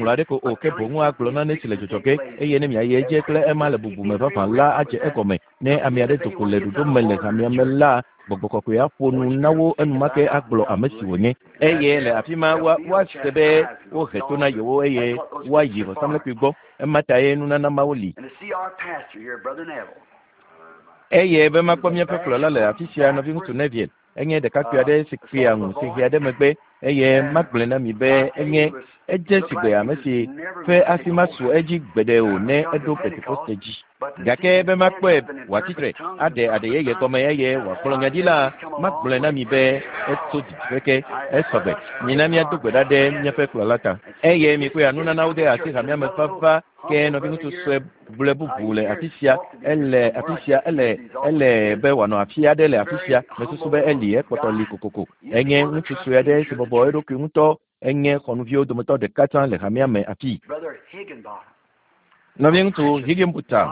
Ŋɔŋlɔ aɖeke o, ke boŋ agblɔ nane si le dzɔdzɔ ge, eye ne miayi edzi kple ema le bubu me vavã la adze egɔme. Ne ame aɖe do go le ɖoɖo me le hamea me la, Gbɔgbɔ Kɔkɔe aƒo nu na wo enumake agblɔ ame si wònye. Eye le afi ma woa, woase be wohe to na yewo eye woayi vɔsamlekpui gbɔ. Ema tae nunana mawo li. Eye be makpɔ míaƒe kplɔla le afi sia, Nɔviŋutsu Neville. Enye ɖekakpui aɖe si kpea ŋu si hea ɖe megbe, eye magblɔe na mi be enye edze sigbe ame si ƒe asi masu edzi gbeɖe o ne eɖo Pentekoste dzi. Gake be makpɔe wòatsi tre aɖe aɖe yeye gɔme eye wòagblɔ nya ɖi la, magblɔe na mi be etso didiƒe ke. Esɔgbe. Mina míado gbe ɖa ɖe míaƒe kplɔla ta. Eye mikpɔe nunanawo de asi hamea me vava ke nɔviŋutsu sue gblɔe bubu le afi sia. Ele afi sia, ele be wòanɔ afi aɖe le afi sia. Mesusu be eli ekpɔtɔ li kokoko. Enye ŋutsu sue aɖe si bɔbɔ eɖokui ŋutɔ. Enye xɔnuviwo dometɔ ɖeka tsã le hamea me afii. Nɔviŋutsu Higginbotham,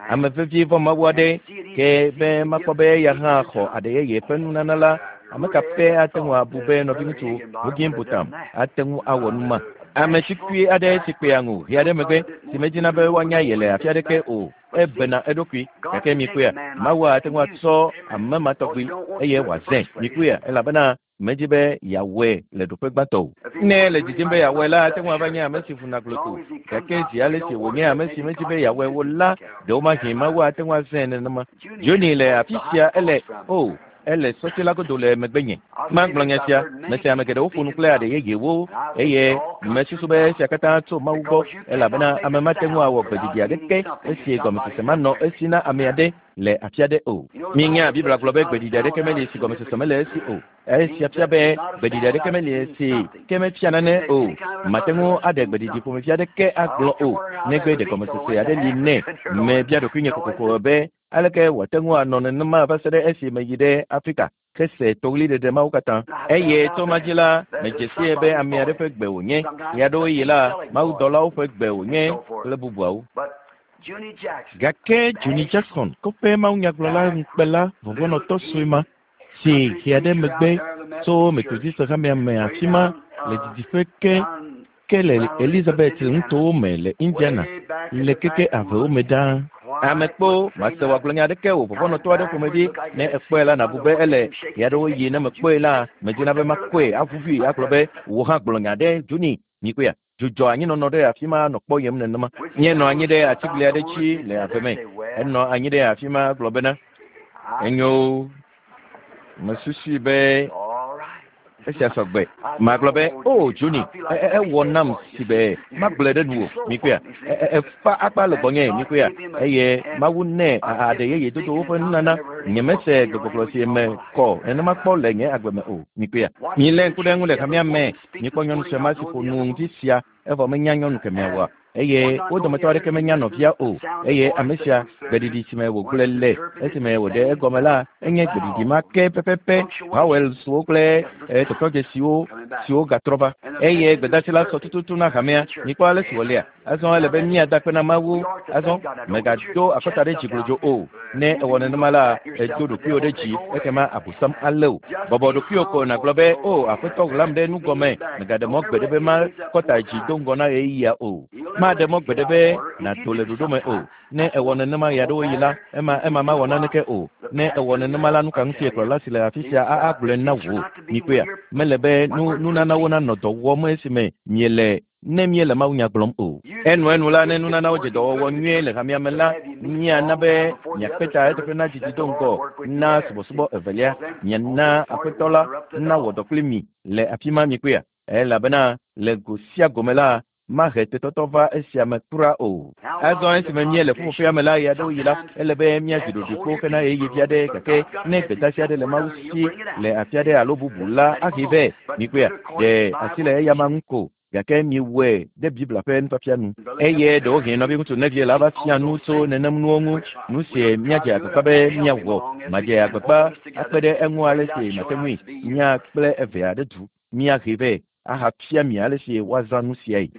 ame vevi vɔ Mawu aɖe, ke be makpɔ be eya hã xɔ aɖe yeye ƒe nunana la, ame ka ƒe ate ŋu abu be nɔviŋutsu Higginbotham ate ŋu awɔ nu ma? Ame tukui aɖe si kpea ŋu ʋi aɖe megbe si medina be woanya ye le afi aɖeke o, ebena eɖokui. Gake mikpɔea, Mawu ate ŋu atsɔ ame ma tɔgbi eye wòazãe. Mikpɔea, elabena medzi be yeawɔe le ɖoƒe gbãtɔ o. Ne le dzidzim be yeawɔe la, ate ŋu ava nye ame si vuna gloto. Gake zi ale si wònye ame si medzi be yeawɔe o la, ɖewomahi Mawu ate ŋu azãe nenema. Johnny le afi sia, ele ele sɔti la godo le megbenye. Magblɔ nya sia, mese ame geɖewo ƒo nu kple aɖe yeyewo eye mesusu be esia katã tso Mawu gbɔ, elabena ame mate ŋu awɔ gbeɖiɖi aɖeke esi gɔmesese manɔ esi na ame aɖe le afi aɖe o. Minya Biblia gblɔ be gbeɖiɖi aɖeke meli si gɔmesese mele esi o. Esia fia be gbeɖiɖi aɖeke meli esi ke mefia nane o. Mate ŋu aɖe gbeɖiɖi ƒomevi aɖeke agblɔ o, negbe ɖe gɔmesese aɖe li nɛ. Mebia ɖokuinye kokoko be aleke wòate ŋu anɔ nenema va se ɖe esi meyi ɖe Afrika hese toɣliɖeɖe mawo katã. Eye tso ma dzi la, medze sie be ame aɖe ƒe gbe wònye. Ɣeaɖewoɣi la, mawudɔlawo ƒe gbe wònye kple bubuawo. Gake Johnny Jackson, kɔƒe mawunyagblɔla ŋukpela vɔvɔ̃nɔtɔ sue ma, si xea ɖe megbe tso Methodist hamea me afi ma le didiƒe ke le Elizabeth nutowo me le Indiana le keke avewo me ɖaa. Ame kpo mase wòagblɔ nya aɖeke o, vɔvɔ̃nɔtɔ aɖe ƒomevi. Ne ekpɔe la, nàbu be ele ɣeaɖewoɣi. Ne mekpɔe la, medina be makɔe aʋuʋui agblɔ be wò hã gblɔ nya ɖe Johnny. Mikpɔea, dzudzɔ anyinɔnɔ ɖe afi ma nɔ kpɔyem nenema. Míenɔ anyi ɖe atigli aɖe dzi le ave me. Enɔ anyi ɖe afi ma gblɔ bena, enyo, mesusui be esia sɔgbe. Magblɔ be, o Johnny, ewɔ nam si be magblɔe ɖe nuwò. Mikpɔea, efa akpa le gbɔnye. Mikpɔea, eye Mawu nɛ aɖe yeye dodo woƒe nunana. Nyemese gbegbɔgblɔ si me kɔ nenema kpɔ le nye agbe me o. Mikpɔea, milé ŋku ɖe eŋu le hamea me. Mikpɔ nyɔnu sue ma si ƒo nu ŋdi sia evɔ menya nyɔnu kemɛa oa, eye wo dometɔ aɖeke menya nɔvia o. Eye ame sia gbeɖiɖi si me wògblɔe le esime wòɖe egɔme la, enye gbeɖiɖi ma ke pɛpɛpɛ. Vowelswo kple tɔtrɔdzesiwo siwo gatrɔ va. Eye gbedasi la sɔ tututu na hamea. Mikpɔ ale si wòlea. Azɔ ele be míada akpe na Mawu. Azɔ mègado akɔta ɖe dzi glodzo o. Ne ewɔ nenema la, edo ɖokuiwò ɖe dzi, ekema abosam alé wò. Bɔbɔ ɖokuiwò ko nàgblɔ be, o Aƒetɔ, ɣlam ɖe nu gɔme. Mègaɖe mɔ gbeɖe be makɔta dzi do ŋgɔ na ɣeyiɣia o. Maɖe mɔ gbeɖe be nàdo le ɖoɖo me o. Ne ewɔ nenema ɣeaɖewoɣi la, ema mawɔ naneke o. Ne ewɔ nenema la, nu ka ŋutie kplɔla si le afi sia agblɔe na wò? Mikpɔea, mele be nunanawo nanɔ dɔ wɔm esime miele ne míele mawunya gblɔm o. Enuenu la, ne nunanawo dze dɔwɔwɔ nyuie le hamea me la, míana be miakpe ta eteƒe na dzidzi do ŋgɔ na subɔsubɔ evelia. Miana Aƒetɔ la nawɔ dɔ kpli mi le afi ma. Mikpɔea, elabena le go sia gome la, mahe tetɔtɔ va esia me kura o. Azɔ esime míele ƒuƒoƒea me la, ɣeaɖewoɣi la, ele be míazi ɖoɖoe kpo hena ɣeyiɣi vi aɖe. Gake ne gbedasi aɖe le Mawu si le afi aɖe alo bubu la, ahe vɛ. Mikpɔea, ɖe asi le eyama ŋu ko. Gake miwɔe ɖe Biblia ƒe nufiafia nu. Eye ɖewohĩ nɔviŋutsu Neville la va fia nu tso nenem nuwo ŋu. Nu si míadze agbagba be míawɔ, madze agbagba akpe ɖe eŋu ale si mate ŋui. Mía kple evea ɖe du míahe vɛ ahafia mi ale si woazã nu siae.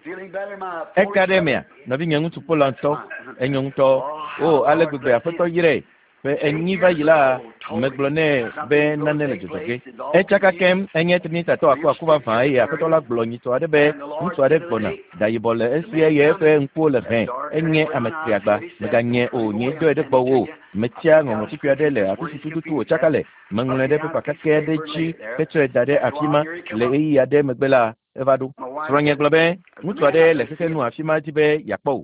Eka ɖe emea, nɔvinye ŋutsu Polandtɔ, enyo ŋutɔ. O, ale gbegbe Aƒetɔ yrae. Ƒe 4 va yi la, megblɔ nɛ be nane le dzɔdzɔ ge. Etsaka kem, enye Trinitatɔ akuaku vavã eye Aƒetɔ la gblɔ nyitɔ aɖe be ŋutsu aɖe gbɔna, da yibɔ le esi eye eƒe ŋkuwo le hẽ. Enye ame triagba. Meganye o, nyee dɔe ɖe gbɔwò. Metsia ŋɔŋlɔ kpukpui aɖe le afi si tututu wòtsaka le. Meŋlɔe ɖe pepa kakɛ aɖe dzi hetsɔe da ɖe afi ma. Le ɣeyiɣi aɖe megbe la, eva ɖo. Srɔ̃nye gblɔ be ŋutsu aɖe le xexe nu afi ma dzi be yeakpɔ wò.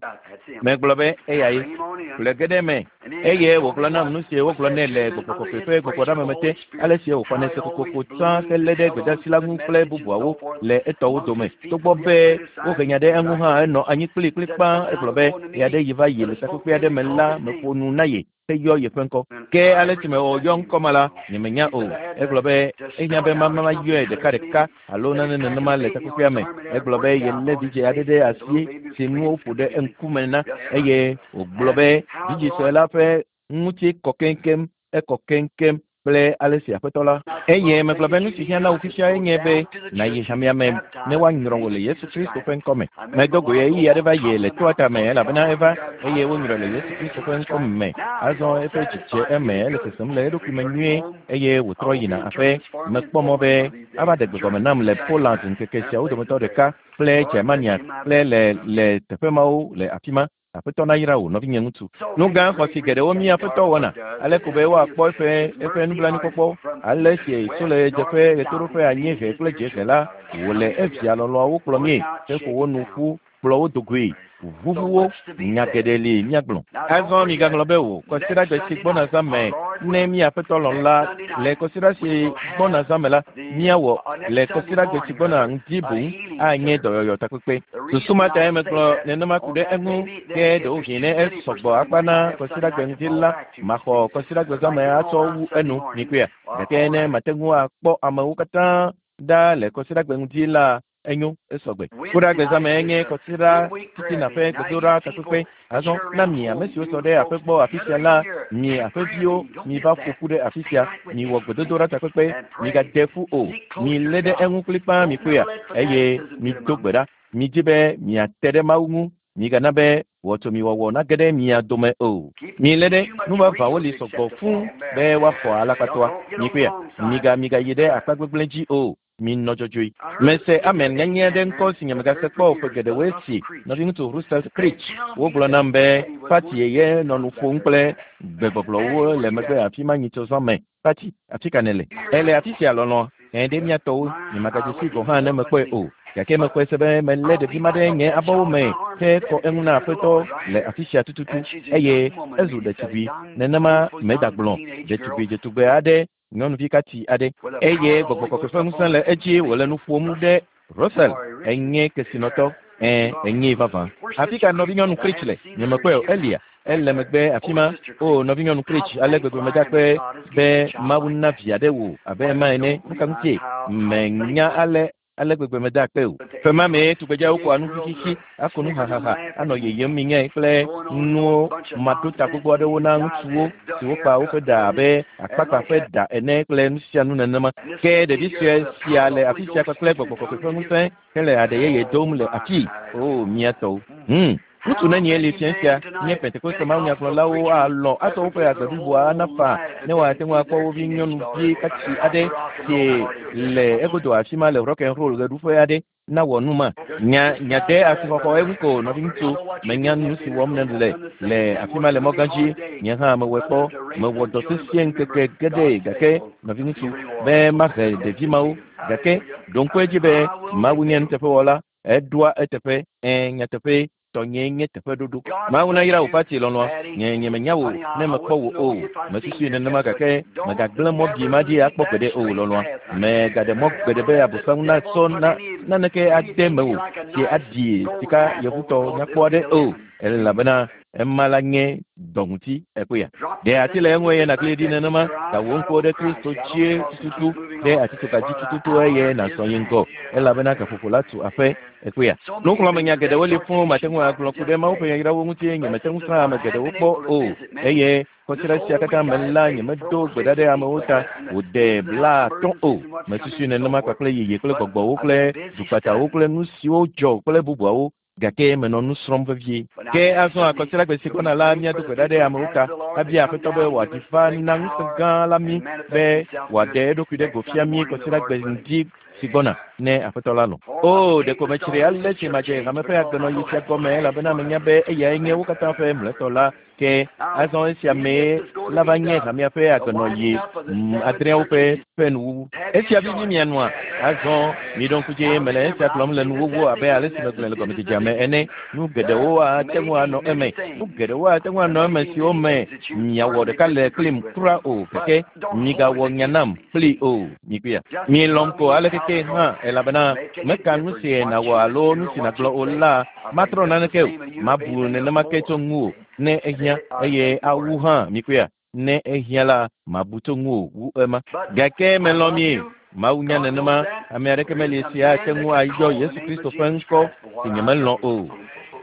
Megblɔ be eyae. Ƒle ge ɖe eme. Eye wògblɔ nam nu si wogblɔ nɛ le gbɔgbɔ kɔkɔe ƒe gbɔgbɔɖameme te, ale si wòxɔnɛ se kokoko tsã helé ɖe gbedeasi la ŋu kple bubuawo le etɔwo dome. Togbɔ be wohe nya ɖe eŋu hã, enɔ anyi kplikplikpã. Egblɔ be ɣeaɖeɣi va yi le takpekpe aɖe me la, meƒo nu na ye heyɔ yeƒe ŋkɔ. Ke ale si mewɔ yɔ ŋkɔ ma la, nyemenya o. Egblɔ be ehiã be mama yɔe ɖekaɖeka alo nane nenema le takpekpea me. Egblɔ be yelé vidzĩ aɖe ɖe asi si nuwo ƒo ɖe eŋkume na eye wògblɔ be vidzĩ sue la ƒe ŋuti kɔ keŋkeŋ, ekɔ keŋkeŋ kple ale si aƒetɔ la. Eye megblɔ be nu si hiã na wò fifia enye be nàyi hamea me ne woanyrɔ wò le Yesu Kristo ƒe ŋkɔ me. Medo go ɣeyiɣi aɖe va yi le toa tame elabena eva eye wonyrɔe le Yesu Kristo ƒe ŋkɔ me. Azɔ eƒe dzi dze eme, ele sesem le eɖokui me nyuie eye wòtrɔ yina aƒe. Mekpɔ mɔ be ava ɖe gbegɔme nam le Poland ŋkeke siawo dometɔ ɖeka kple Germania kple le le teƒe mawo le afi ma. Aƒetɔ nayra wò, nɔvinye ŋutsu. Nu gã xɔasi geɖewo mí aƒetɔ wɔna, ale ko be woakpɔ eƒe eƒe nublanuikpɔkpɔ. Ale si tso le ɣedzeƒe, ɣetoɖoƒe, anyiehe kple dziehe la, wòle evia lɔlɔ̃awo kplɔ míe heƒo wo nu ƒu kplɔ wo do goe. Ʋuʋu wo, nya geɖe li míagblɔ. Azɔ migaŋlɔ be o, kɔsiɖagbe si gbɔna zã me, ne mía aƒetɔ lɔ̃ la, le kɔsiɖa si gbɔna zã me la, míawɔ le kɔsiɖagbe si gbɔna ŋdi boŋ anye dɔyɔyɔ takpekpe. Susu ma tae megblɔ nenema ku ɖe eŋu, ke ɖewohĩ ne esɔgbɔ akpa na kɔsiɖagbe ŋdi la, maxɔ kɔsiɖagbe zã me atsɔ wu enu, mikpɔea? Gake ne mate ŋu akpɔ amewo katã ɖa le kɔsiɖagbe ŋdi la, enyo, esɔgbe. Kuɖagbe zã me enye kɔsiɖa titina ƒe gbedoɖa takpekpe. Azɔ na mi ame siwo sɔ ɖe aƒe gbɔ afi sia la, mi aƒeviwo, miva ƒo ƒu ɖe afi sia. Miwɔ gbedodoɖa takpekpe, migade ƒu o. Milé ɖe eŋu kplikpaa mikpɔea, eye mido gbe ɖa. Midi be miate ɖe Mawu ŋu. Migana be wɔtsomiwɔwɔ nage ɖe mia dome o. Milé ɖe nuvavãwo li sɔgbɔ fũu be woaxɔ alakpatɔa. Mikpɔea, miga migayi ɖe akpa gbegblẽ dzi o. Minɔ dzɔdzɔe. Mese amen nyanyɛ aɖe ŋkɔ si nyemegase kpɔ o ƒe geɖewoe si nɔviŋutsu Russell Creech. Wogblɔ nam be Patty ye nɔ nu ƒom kple gbegbɔgblɔwo le megbe afi ma nyitsɔ zã me. Patty, afi ka nèle? Èle afi sia lɔlɔ̃a? Ɛ̃ ɖe mía tɔwo. Nyemegadze sii gɔ̃ hã ne mekpɔe o. Gake mexɔe se be melé ɖevi ma ɖe nye abɔwo me hekɔ eŋu na Aƒetɔ le afi sia tututu eye ezu ɖetugbui. Nenema medagblɔ ɖetugbui dzetugbe aɖe nyɔnuvi katsi aɖe eye gbɔgbɔ kɔkɔe ƒe ŋusẽ le edzi wòle nu ƒom ɖe Russell enye kesinɔtɔ ɛ̃ enyee vavã. Afi ka nɔvinyɔnu Creech le? Nyemekpɔe o. Elia ele megbe afi ma. O nɔvinyɔnu Creech, ale gbegbe meda akpe be Mawu na vi aɖe wò abe ema ene. Nu ka ŋutie? Menya ale ale gbegbe meda akpe o. Ƒe ma mee tugbedzeawo koa nu xixixi, ako nu hahaha, anɔ yeyem minyae kple nuwo maɖota gbogbo aɖewo na ŋutsuwo siwo kpa woƒe ɖa abe akpakpa ƒe ɖa ene kple nu sia nu nenema. Ke ɖevi sue sia le afi sia kpakple gbɔgbɔ kɔkɔe ƒe ŋusẽ hele aɖe yeye dom le afii. O mía tɔwo. Ŋutsu nenie li fia sia nye Pentekoste mawunyagblɔlawo alɔ̃ atsɔ woƒe agbe bliboa ana faa ne woate ŋu akpɔ wo vi nyɔnuvi katsi aɖe si le egodo afi ma le rock and roll ɣeɖuƒe aɖe nawɔ nu ma. Nya nya de asixɔxɔ eŋu ko nɔviŋutsu menya nu si wɔm nèle le afi ma le mɔ gã dzi. Nye hã mewɔe kpɔ. Mewɔ dɔ sesĩe ŋkeke geɖe gake nɔviŋutsu be mahe ɖevi mawo gake ɖo ŋku edzi be Mawu nye nuteƒewɔla. Eɖoa eteƒe. Ɛ̃, nyateƒee. Tɔnyee nye teƒeɖoɖo. Mawu nayra wò Patty lɔlɔ̃a. Nye nyemenya wò ne mekpɔ wò o. Mesusui nenema gake mègagblẽ mɔ bi ma ɖi akpɔ gbeɖe o lɔlɔ̃a. Mègaɖe mɔ gbeɖe be Abosam nasɔ na naneke ade mewò si aɖi sika yevutɔ nyakpɔ aɖe o elabena ema la nye dɔ ŋuti. Ekpɔea? Ɖe ati le eŋu eye nàkli ɖi nenema. Da wò ŋkuwo ɖe Kristo dzie tututu, ɖe atitsoga dzi tututu eye nàzɔ yi ŋgɔ elabena gaƒoƒo la tu aƒe. Ekpɔea? Nuxlɔ̃amenya geɖewo li fũu mate ŋu agblɔ ku ɖe Mawu ƒe yayrawo ŋuti. Nyemete ŋu srã ame geɖewo kpɔ o eye kɔsiɖa sia katã me la nyemedo gbe ɖa ɖe amewo ta wòde 50 o. Mesusui nenema kpakple yeye kple gbɔgbɔwo kple dukpatawo kple nu siwo dzɔ kple bubuawo gake menɔ nu srɔ̃m vevie. Ke azɔ akɔsiɖagbe si gbɔna la míado gbe ɖa ɖe amewo ta abia Aƒetɔ be wòaɖi va na ŋusẽ gã la mí be wòaɖe eɖokui ɖe go fia mí kɔsiɖagbe ŋdi si gbɔna. Ne Aƒetɔ la lɔ̃. O, ɖeko metsri ale si madze hame ƒe agbenɔɣi sia gɔme elabena menya be eyae nye wo katã ƒe mlɔetɔ la. Ke azɔ esia mee la va nye hamea ƒe agbenɔɣi adreawo ƒe nuwuwu. Esia vivi mia nua. Azɔ miɖo ŋku dzi mele esia gblɔm le nuwuwu abe ale si megblɔe le gɔmedzedzea me ene. Nu geɖewo ate ŋu anɔ eme. Nu geɖewo ate ŋu anɔ eme siwo me miawɔ ɖeka le kplim kura o gake migawɔ nya nam kpli o. Mikpɔea? Mielɔ̃m ko ale keke hã elabena meka nu si nàwɔ alo nu si nàgblɔ o la matrɔ naneke o. Mabu nenema ke tso ŋuwò ne ehiã eye awu hã mikpɔea? Ne ehiã la mabu tso ŋuwò wu ema. Gake melɔ̃ mi. Mawu nya nenema ame aɖeke meli si ate ŋu ayɔ Yesu Kristo ƒe ŋkɔ si nyemelɔ̃ o.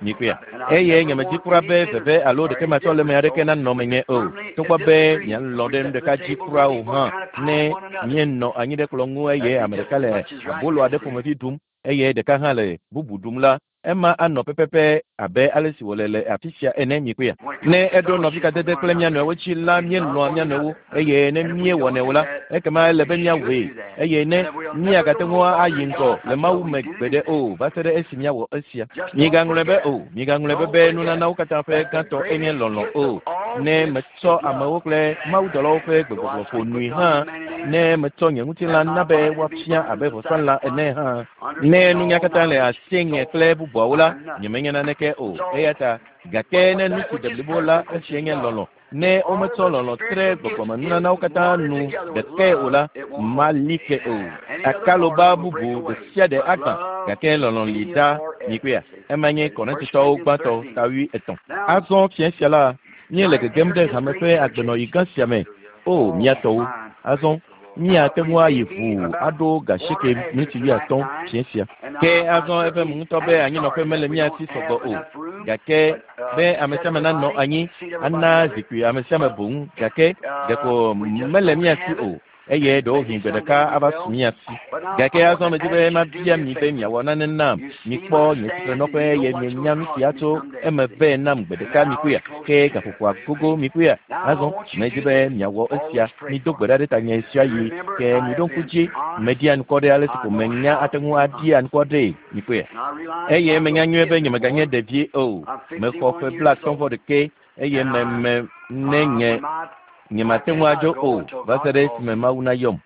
Mikpɔea? Eye nyemedi kura be veve alo ɖeke matsɔ le ame aɖeke nanɔ menye o. Togbɔ be mialɔ̃ ɖe nu ɖeka dzi kura o hã, ne míenɔ anyi ɖe kplɔ̃ ŋu eye ame ɖeka le abolo aɖe ƒomevi ɖum eye ɖeka hã le bubu ɖum la, ema anɔ pɛpɛpɛ abe ale si wòle le afi sia ene. Mikpɔea? Ne eɖo nɔvikadede kple mía nɔewo dzi la, míelɔ̃a mía nɔewo eye ne míewɔnɛ o la, ekema ele be míawɔe eye ne míagate ŋu ayi ŋgɔ le Mawu me gbeɖe o va se ɖe esi míawɔ esia. Migaŋlɔe be o, migaŋlɔe be be nunanawo katã ƒe gãtɔ enye lɔlɔ̃ o. Ne metsɔ amewo kple mawudɔlawo ƒe gbegbɔgblɔ ƒo nui hã, ne metsɔ nye ŋutilã na be woafia abe vɔsalã ene hã, ne nunya katã le asinye kple bubuawo la, nyemenya naneke o. Eya ta gake ne nu si de blibo la, esia nye lɔlɔ̃. Ne wometsɔ lɔlɔ̃ tre gbɔgbɔmenunanawo katã nu ɖekae o la, mali ke o. Akaloba bubu ɖe sia ɖe agbã gake lɔlɔ̃ li ɖa. Mikpɔea? Ema nye Korintotɔwo gbãtɔ ta 3. Azɔ fia sia la, míele gegem ɖe hame ƒe agbenɔɣi gã sia me. O, mía tɔwo. Azɔ míate ŋu ayi ʋuu aɖo 8:50 fia sia. Ke azɔ eƒe ŋutɔ be anyinɔƒe mele mía si sɔgbɔ o. Gake be ame sia ame nanɔ anyi ana zikpui ame sia ame boŋ gake ɖeko mele mía si o. Eye ɖewohĩ gbe ɖeka ava su mía si. Gake azɔ medi be mabia mi be miawɔ nane nam. Mikpɔ nye tsitrenɔƒe eye mienya nu sia tso eme vɛ nam gbe ɖeka mikpɔea? Ke gaƒoƒoa gogo mikpɔea? Azɔ medi be miawɔ esia. Mido gbe ɖa ɖe tanye sia yi ke miɖo ŋku dzi. Meɖia ŋkɔ ɖe ale si ko menya ate ŋu aɖia ŋkɔ ɖee mikpɔea? Eye menya nyuie be nyemeganye ɖevi o. Mexɔ ƒe 51 eye meme ne nye nyemate ŋu adzo o va se ɖe esime Mawu nayɔm.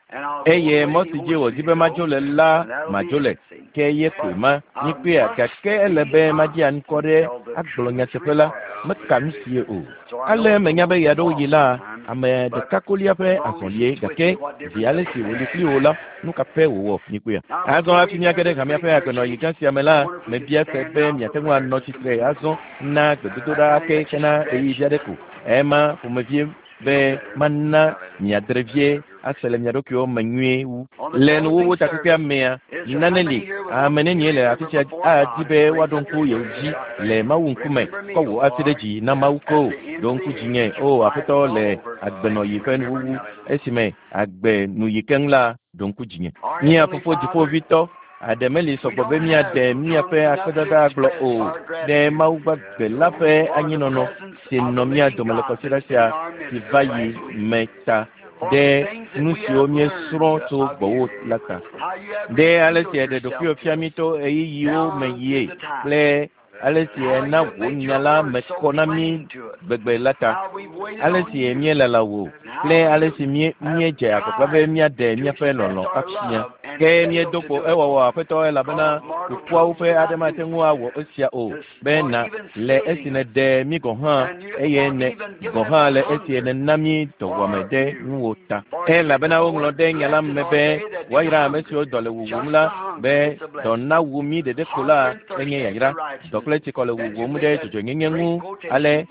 Eye mɔ si dzi wòdi be madzo le la, madzo le. Ke ye koe ma. Mikpɔea? Gake ele be maɖia ŋkɔ ɖe agblɔ nyateƒe la. Meka nu sie o. Ale menya be ɣeaɖewoɣi la, ame ɖeka kolia ƒe azɔlie gake zi ale si wòli kpli wò la, nu ka ƒe wòwɔ? Mikpɔea? Azɔ hafi míage ɖe hamea ƒe agbenɔɣi gã sia me la, mebia se be miate ŋu anɔ tsitre azɔ na gbedodoɖa ake hena ɣeyiɣi vi aɖe ko. Ema ƒomevie be mana miadre vie ase le mia ɖokuiwo me nyuie wu. Le nuwuwu takpekpea mea, nane li ame nenie le afi sia adi be woaɖo ŋku yewo dzi le Mawu ŋkume. Kɔ wò asi ɖe dzi na Mawu ko. Ɖo ŋku dzinye, o Aƒetɔ, le agbenɔɣi ƒe nuwuwu esime agbe nu yi keŋ la, ɖo ŋku dzinye. Mía Fofo Dziƒovitɔ, aɖe meli sɔgbɔ be míaɖe míaƒe akpedada agblɔ o ɖe Mawu gbagbe la ƒe anyinɔnɔ si nɔ mía dome le kɔsiɖa sia si va yi me ta ɖe nu siwo míesrɔ̃ tso gbɔwò la ta. Ɖe ale si èɖe ɖokuiwò fia mí to ɣeyiɣiwo me yie kple ale si èna wò nya la me kɔ na mí gbegbe la ta. Ale si míelala wò kple ale si míedze agbagba be míaɖe míaƒe lɔlɔ̃ afia. Ke míedo kpo ewɔwɔ Aƒetɔ elabena kukuawo ƒe aɖe mate ŋu awɔ esia o be na le esi nèɖe mí gɔ̃ hã eye ne gɔ̃ hã le esi nèna mí dɔwuame ɖe ŋuwò ta. Elabena woŋlɔ ɖe nya la me be woayra ame siwo dɔ le wuwum la be dɔ nawu mí ɖeɖe ko la enye yayra. Dɔ kple tsikɔ le wuwum ɖe dzɔdzɔenyenye ŋu ale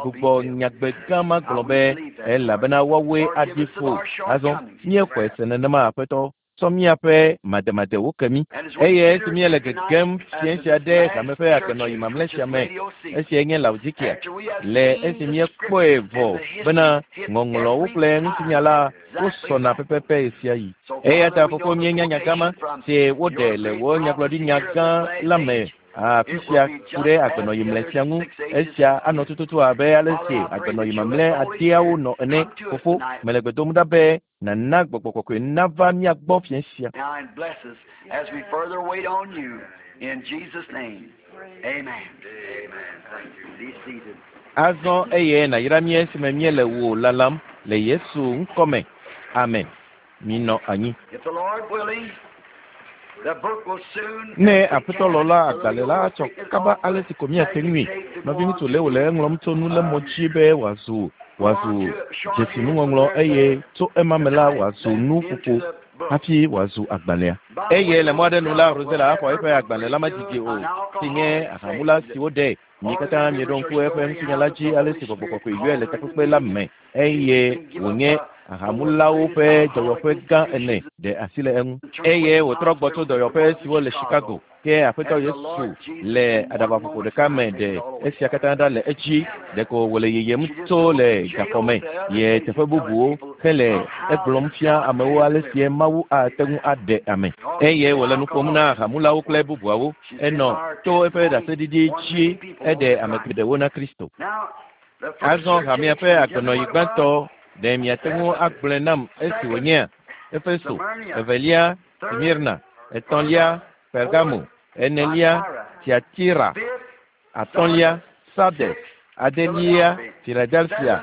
gbugbɔ nyagbe gã ma gblɔ be elabena woawoe aɖi ƒo. Azɔ míexɔe se nenema Aƒetɔ. Tsɔ míaƒe mademadewo ke mí. Eye esi míele gegem fia sia ɖe hame ƒe agbenɔɣi mamlɛ sia me, esiae nye Laodikea, le esi míekpɔe vɔ bena ŋɔŋlɔwo kple ŋutinya la wosɔna pɛpɛpɛ ɣesiaɣi. Eya ta Fofo míenya nya gã ma si woɖe le wò nyagblɔɖinya gã la me. Afi sia ku ɖe agbenɔyi mlɛ sia ŋu. Esia anɔ tututu abe ale si agbenɔyi mamlɛ adeawo nɔ ene. Fofo, mele gbe dom ɖa be nàna gbɔgbɔ kɔkɔe nava mía gbɔ fiẽ sia. Azɔ eye nàyra mí esime míele wò lalam le Yesu ŋkɔ me. Amen. Minɔ anyi. Ne Aƒetɔ lɔ̃ la, agbalẽ la atsɔ kaba ale si ko míate ŋui. Nɔviŋutsu Leo le eŋlɔm tso nulémɔ dzi be wòazu wòazu dzesinuŋɔŋlɔ eye tso ema me la wòazu nuƒoƒo hafi wòazu agbalẽa. Eye le mɔ aɖe nu la, Rosella axɔ eƒe agbalẽ la medidi o, si nye ahamula si woɖe. Mi katã mieɖo ŋku eƒe ŋutinya la dzi ale si gbɔgbɔ kɔkɔe yɔe le takpekpe la me eye wònye ahamulawo ƒe dɔyɔƒe gã ene ɖe asi le eŋu. Eye wòtrɔ gbɔ tso dɔyɔƒe siwo le Chicago. Ke Aƒetɔ Yesu le aɖabaƒoƒo ɖeka me ɖe esia katã ɖa le edzi. Ɖeko wòle yiyim tso le gaxɔ me yi teƒe bubuwo hele egblɔm fia amewo ale sie Mawu ate ŋu aɖe ame. Eye wòle nu ƒom na ahamulawo kple bubuawo. Enɔ to eƒe ɖaseɖiɖi dzi eɖe ame geɖewo na Kristo. Azɔ hamea ƒe agbenɔɣi gbãtɔ, ɖe miate ŋu agblɔe nam esi wònyea? Efeso, evelia, Smirna, etɔ̃lia, Pergamo, enelia, Tiatira, atɔ̃lia, Sardes, adelia, Filadelfia,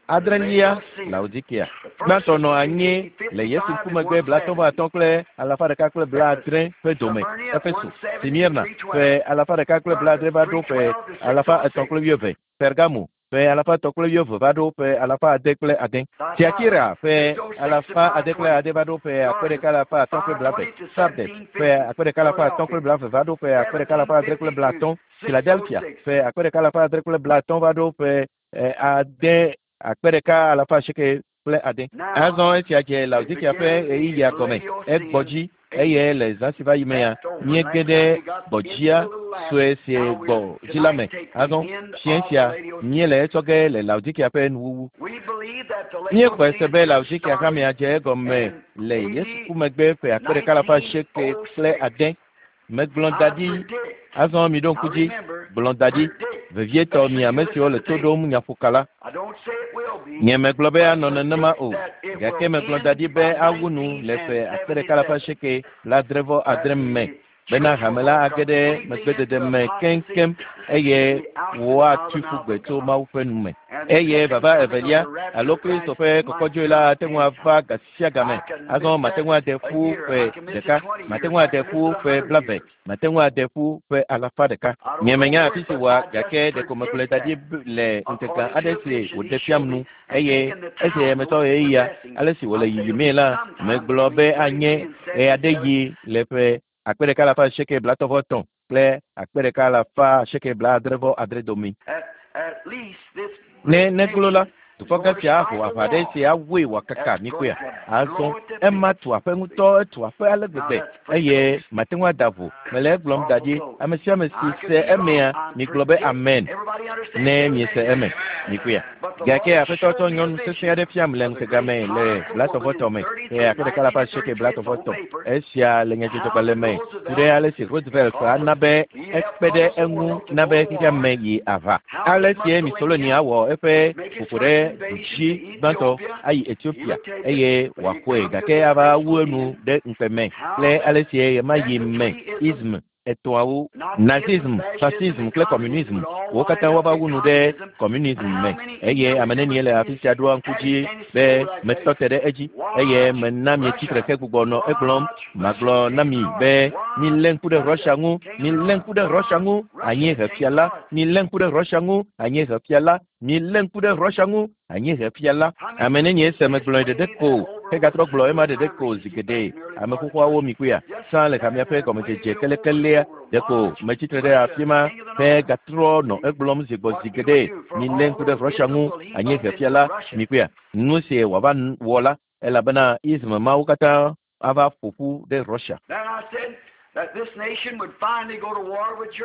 adrelia, Laodikea. Gbãtɔ nɔ anyi le Yesu ku megbe 55 kple 170 ƒe dome, Efeso, Smirna, ƒe 170 va ɖo ƒe 320, Pergamo, ƒe 320 va ɖo ƒe 606, Tiatira ƒe 606 va ɖo ƒe 1520, Sardes ƒe 1520 va ɖo ƒe 1650, Philadelphia ƒe 1650 va ɖo ƒe 6,806. Azɔ esia dze Laodikea ƒe ɣeyiɣia gɔme. Egbɔ dzi eye le zã si va yi mea, míege ɖe gbɔdzia sue si gbɔ dzi la me. Azɔ fiẽ sia míele etsɔ ge le Laodikea ƒe nuwuwu. Míexɔe se be Laodikea hamea dze egɔme le Yesu ku megbe ƒe 1806. Megblɔ da ɖi. Azɔ miɖo ŋku dzi. Gblɔ da ɖi. Vevietɔ mi ame siwo le to ɖom nyaƒoka la. Nye megblɔ be anɔ nenema o, gake megblɔ da ɖi be awu nu le ƒe 1896 me bena hame la age ɖe megbedede me keŋkeŋ eye woatui ƒu gbe tso Mawu ƒe nu me. Eye vava evelia alo Kristo ƒe kɔkɔdzoe la ate ŋu ava gasi sia game. Azɔ mate ŋu ade ƒu ƒe ɖeka, mate ŋu ade ƒu ƒe 20, mate ŋu ade ƒu ƒe 100. Nye menya afi si wòa, gake ɖeko megblɔe da ɖi le ŋutega aɖe si wòɖe fiam nu eye esi metɔ ɣeyiɣia ale si wòle yiyimee la, megblɔ be anye ɣe aɖe yi le ƒe 1833 kple 1866 dome. Ne neglo la, dukɔ gã sia aho aʋa ɖe si awɔe wòakaka mikpɔea. Azɔ ema tu aƒe ŋutɔ, etu aƒe ale gbegbe eye mate ŋu ada vo. Mele egblɔm da ɖi, ame sia ame si se emea, migblɔ be amen ne miese eme. Mikpɔea. Gake Aƒetɔ tsɔ nyɔnu sesẽ aɖe fiam le ŋutega me le 33 me, ƒe 1833. Esia le nyadzɔdzɔgbalẽ me ku ɖe ale si Roosevelt ana be ekpe ɖe eŋu na be xexea me yi aʋa. Ale sie Mussolini awɔ eƒe ƒoƒo ɖe du dzi gbãtɔ ayi Ethiopia eye wòaxɔe gake ava wu enu ɖe ŋukpe me kple ale sie ɣemaɣi me ism etɔ̃awo, Nazism, Fascism kple Communism, wo katã woava wu nu ɖe communism me. Eye ame nenie le afi sia ɖoa ŋku dzi be metɔ te ɖe edzi eye mena mietsi tre hegbugbɔ nɔ egblɔm. Magblɔ na mi be milé ŋku ɖe Russia ŋu, milé ŋku ɖe Russia ŋu, anyiehefia la, milé ŋku ɖe Russia ŋu, anyiehefia la, milé ŋku ɖe Russia ŋu, anyiehefia la. Ame nenie se megblɔe ɖeɖe ko hegatrɔ gblɔ ema ɖeɖe ko zi geɖe. Ame xoxoawo mi kpɔea? Sã le hamea ƒe gɔmedzedze kelekelea ɖeko metsi tre ɖe afi ma hegatrɔ nɔ egblɔm zi gbɔ zi geɖe. Milé ŋku ɖe Russia ŋu, anyiehefia la, mi kpɔea? Nu si wòava wɔ la, elabena ism mawo katã ava ƒo ƒu ɖe Russia.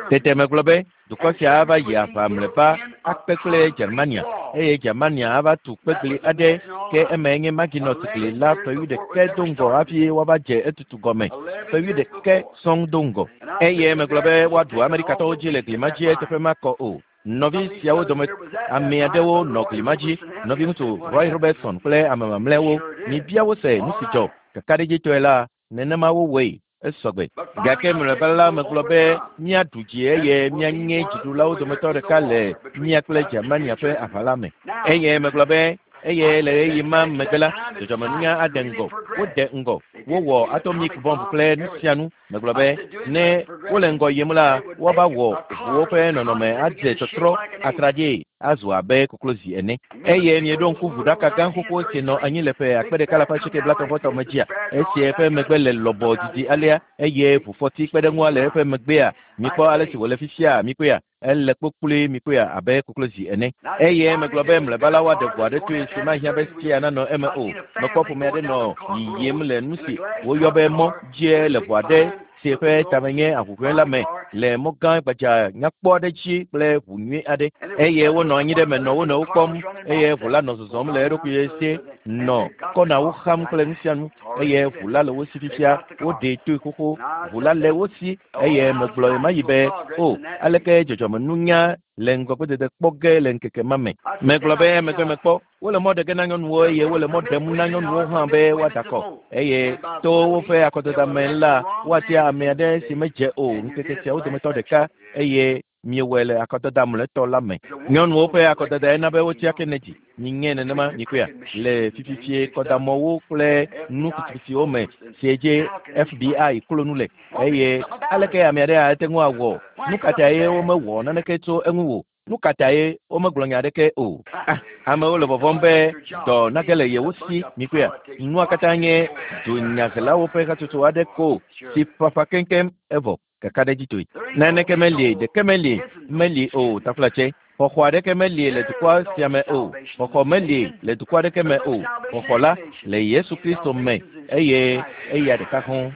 Tete megblɔ be dukɔ sia ava yi aʋa mlɔeba akpe kple Germania eye Germania ava tu kpegli aɖe ke emae nye Maginot gli la ƒe wuiɖekɛ do ŋgɔ hafi woava dze etutu gɔme ƒe wuiɖekɛ sɔŋ do ŋgɔ. Eye megblɔ be woaɖu Amerikatɔwo dzi le gli ma dzi eteƒe makɔ o. Nɔvi siawo dome ame aɖewo nɔ gli ma dzi, nɔviŋutsu Roy Robertson kple ame mamlɛawo. Mibia wo se nu si dzɔ. Kakaɖedzitɔe la, nenema wowɔe. Esɔgbe. Gake mlɔeba la megblɔ be míaɖu dzi eye míanye dziɖulawo dometɔ ɖeka le mía kple Germania ƒe aʋa la me. Eye megblɔ be eye le ɣeyiɣi ma megbe la, dzɔdzɔmenunya ade ŋgɔ. Wode ŋgɔ. Wowɔ atomic bomb kple nu sia nu. Megblɔ be ne wole ŋgɔ yim la, woava wɔ ʋuwo ƒe nɔnɔme adze tɔtrɔ atraɖii azu abe koklozi ene. Eye mieɖo ŋku ʋuɖaka gã xoxo si nɔ anyi le ƒe 1980 me dzia? Esi eƒe megbe le lɔbɔ didi alea eye ʋufɔti kpe ɖe eŋua le eƒe megbea, mikpɔ ale si wòle fifia, mikpɔea? Ele kpokploe, mikpɔea, abe koklozi ene. Eye megblɔ be mlɔeba la woaɖe ʋu aɖe toe si mahiã be sia nanɔ eme o. Mekpɔ ƒome aɖe nɔ yiyim le nu si woyɔ be mɔ dzie le ʋu aɖe si eƒe tame nye ahuhɔ̃e la me le mɔ gã gbadza nyakpɔ aɖe dzi kple ʋu nyui aɖe. Eye wonɔ anyi ɖe eme nɔ wo nɔewo kpɔm eye ʋu la nɔ zɔzɔm le eɖokui si nɔ kɔnawo xam kple nu sia nu eye ʋu la le wo si fifia. Woɖee toe xoxo. Ʋu la le wo si eye megblɔ ɣemaɣi be, O, aleke dzɔdzɔmenunya le ŋgɔgbedede kpɔ ge le ŋkeke ma me. Megblɔ be emegbe mekpɔ wole mɔ ɖe ge na nyɔnuwo eye wole mɔ ɖem na nyɔnuwo hã be woada akɔ eye to woƒe akɔdada me la woatia ame aɖe si medze o ŋkeke siawo dometɔ ɖeka eye miewɔe le akɔdada mlɔetɔ la me. Nyɔnuwo ƒe akɔdada ena be wotia Kennedy. Miŋe nenema mikpɔea le fififie kɔdamɔwo kple nu fitifitiwo me si dzi FBI klo nu le eye aleke ame aɖe ate ŋu awɔ? Nu ka tae womewɔ naneke tso eŋu o? Nu ka tae womegblɔ nya aɖeke o? Ah, amewo le vɔvɔ̃m be dɔ nage le yewo si. Mikpɔea, nua katã nye dunyahelawo ƒe hatsotso aɖe ko si ƒaƒã keŋkeŋ evɔ kakaɖedzitɔe. Naneke meli, ɖeke meli, meli o, taflatse. Xɔxɔ aɖeke meli le dukɔ sia me o. Xɔxɔ meli le dukɔ aɖeke me o. Xɔxɔ la le Yesu Kristo me eye eya ɖeka hɔ̃.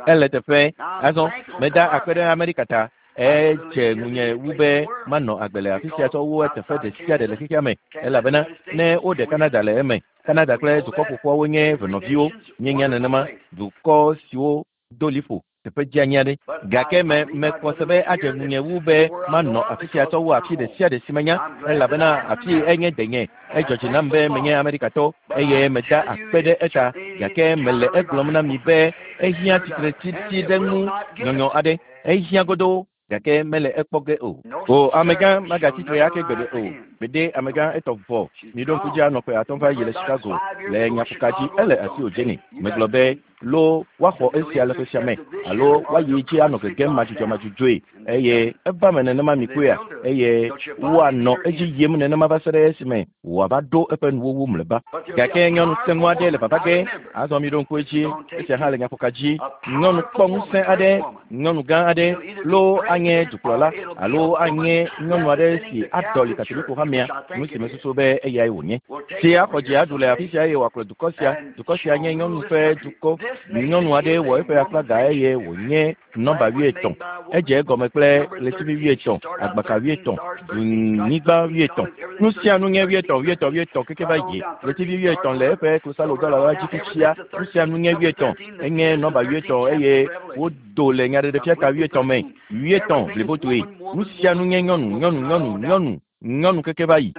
Ele teƒe. Azɔ meda akpe ɖe Amerika ta. Edze ŋunye wu be manɔ agbe le afi sia tsɔ wu eteƒe ɖe sia ɖe le xexea me elabena ne woɖe Canada le eme, Canada kple dukɔ ƒoƒuawo nye venɔviwo, míenya nenema, dukɔ siwo do liƒo teƒe dzeani aɖe. Gake me mekpɔ se be adze ŋunye wu be manɔ afi sia tsɔ wu afi ɖe sia ɖe si menya elabena afi enye denye. Edzɔ dzi nam be menye Amerikatɔ eye meda akpe ɖe eta gake mele egblɔm na mi be ehiã tsitretsitsi ɖe ŋu nyɔnyɔ aɖe. Ehiã godoo gake mele ekpɔ ge o. O amegã magatsi tre ake gbeɖe o. Gbede amegã etɔ vɔ. Miɖo ŋku dzi anɔ ƒe atɔ̃ va yi le Chicago le nyaƒoka dzi. Ele asiwò Jenny. Megblɔ be lo woaxɔ esia le ƒe sia me alo woayi dzi anɔ gegem madzudzɔmadzudzɔe eye eva me nenema mikpɔea eye woanɔ edzi yim nenema va se ɖe esime wòava ɖo eƒe nuwuwu mlɔeba. Gake nyɔnu sẽŋu aɖe le vava ge. Azɔ miɖo ŋku edzi, esia hã le nyaƒoka dzi. Nyɔnu kpɔ ŋusẽ aɖe, nyɔnu gã aɖe loo anye dukplɔla alo anye nyɔnu aɖe si aɖɔli Katoliko hamea, nu si mesusu be eyae wònye. Si axɔ dzi aɖu le afi sia eye wòakplɔ dukɔ sia. Dukɔ sia nye nyɔnu ƒe dukɔ. Nyɔnu aɖe wɔ eƒe aflaga eye wònye nɔmba 50. Edze egɔme kple ɣletivi 50, agbaka 50, dunyigba 50. Nu sia nu nye 50, 50, 50 keke va yi. Ɣletivi 50 le eƒe klosalo dɔla la dzi fifia. Nu sia nu nye 50. Enye nɔmba 50 eye wodo le nyaɖeɖefia ta 50 me. 50 blibotoe. Nu sia nu nye nyɔnu, nyɔnu, nyɔnu, nyɔnu, nyɔnu keke va yi.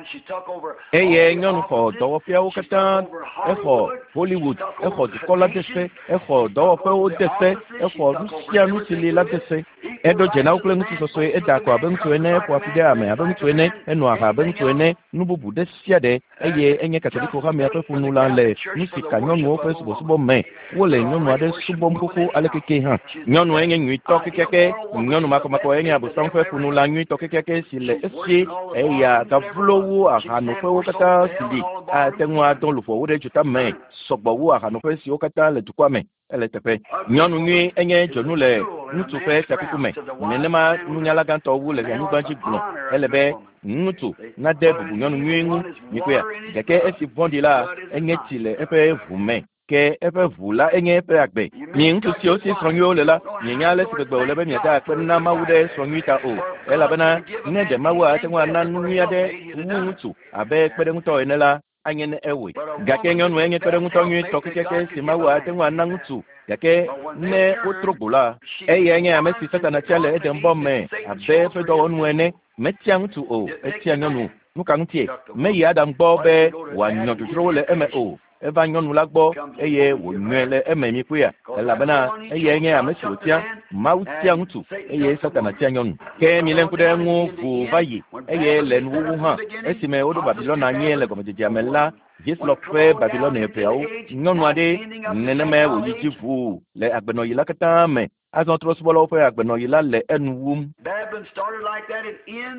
Eye nyɔnu xɔ dɔwɔƒeawo katã, exɔ Hollywood, exɔ dukɔ la de se, exɔ dɔwɔƒewo de se, exɔ nu sia nu si li la de se. Eɖo dze na wo kple ŋutsu sɔsɔe, eda akɔ abe ŋutsu ene, eƒoa fi ɖe ame abe ŋutsu ene, enoa aha abe ŋutsu ene, nu bubu ɖe sia ɖe eye enye Katoliko hamea ƒe ƒonula le nu si ka nyɔnuwo ƒe subɔsubɔ me. Wole nyɔnu aɖe subɔm xoxo aleke ke hã. Nyɔnue nye nyuitɔ kekeake. Nyɔnu makɔmakɔ enye Abosam ƒe ƒonula nyuitɔ kekeake si le esi. Eya gavlo wu ahanoƒewo katã si li. Ate ŋu adɔ luʋɔwo ɖe dzota me sɔgbɔ wu ahanoƒe siwo katã le dukɔa me. Ele teƒe. Nyɔnu nyui enye dzonu le ŋutsu ƒe fiakuku me. Nenema nunyala gãtɔ wu le anyigba dzi gblɔ. Ele be ŋutsu nade bubu nyɔnu nyui ŋu. Mikpɔea? Gake esi vɔ̃ɖi la, enye tsi le eƒe ʋu me. Ke eƒe ʋu la enye eƒe agbe. Mi ŋutsu siwo si srɔ̃ nyuiwo le la, mienya ale si gbegbe wòle be miada akpe na Mawu ɖe srɔ̃ nyui ta o. Elabena ne ɖe Mawu ate ŋu ana nu nyui aɖe wu ŋutsu abe kpeɖeŋutɔ ene la, anye ne ewɔe. Gake nyɔnue nye kpeɖeŋutɔ nyuitɔ kekeake si Mawu ate ŋu ana ŋutsu. Gake ne wotro gbo la, eyae nye ame si Satana tia le Edenbɔ me abe eƒe dɔwɔnu ene. Metia ŋutsu o, etia nyɔnu. Nu ka ŋutie? Meyi Adam gbɔ be wòanyɔ dzodzrowo le eme o. Eva nyɔnu la gbɔ eye wònyɔe le eme mikpɔea, elabena eyae nye ame si wòtia. Mawu tia ŋutsu eye Satana tia nyɔnu. Ke milé ŋku ɖe eŋu ʋuu va yi eye le nuwuwu hã, esime woɖo Babilɔna anyi le gɔmedzedzea me la, Hislop ƒe Babilɔne ƒeawo, nyɔnu aɖee, nenemae wòyi dzi ʋuu le agbenɔɣi la katã me. Azɔ trɔ̃subɔlawo ƒe agbenɔɣi la le enu wum.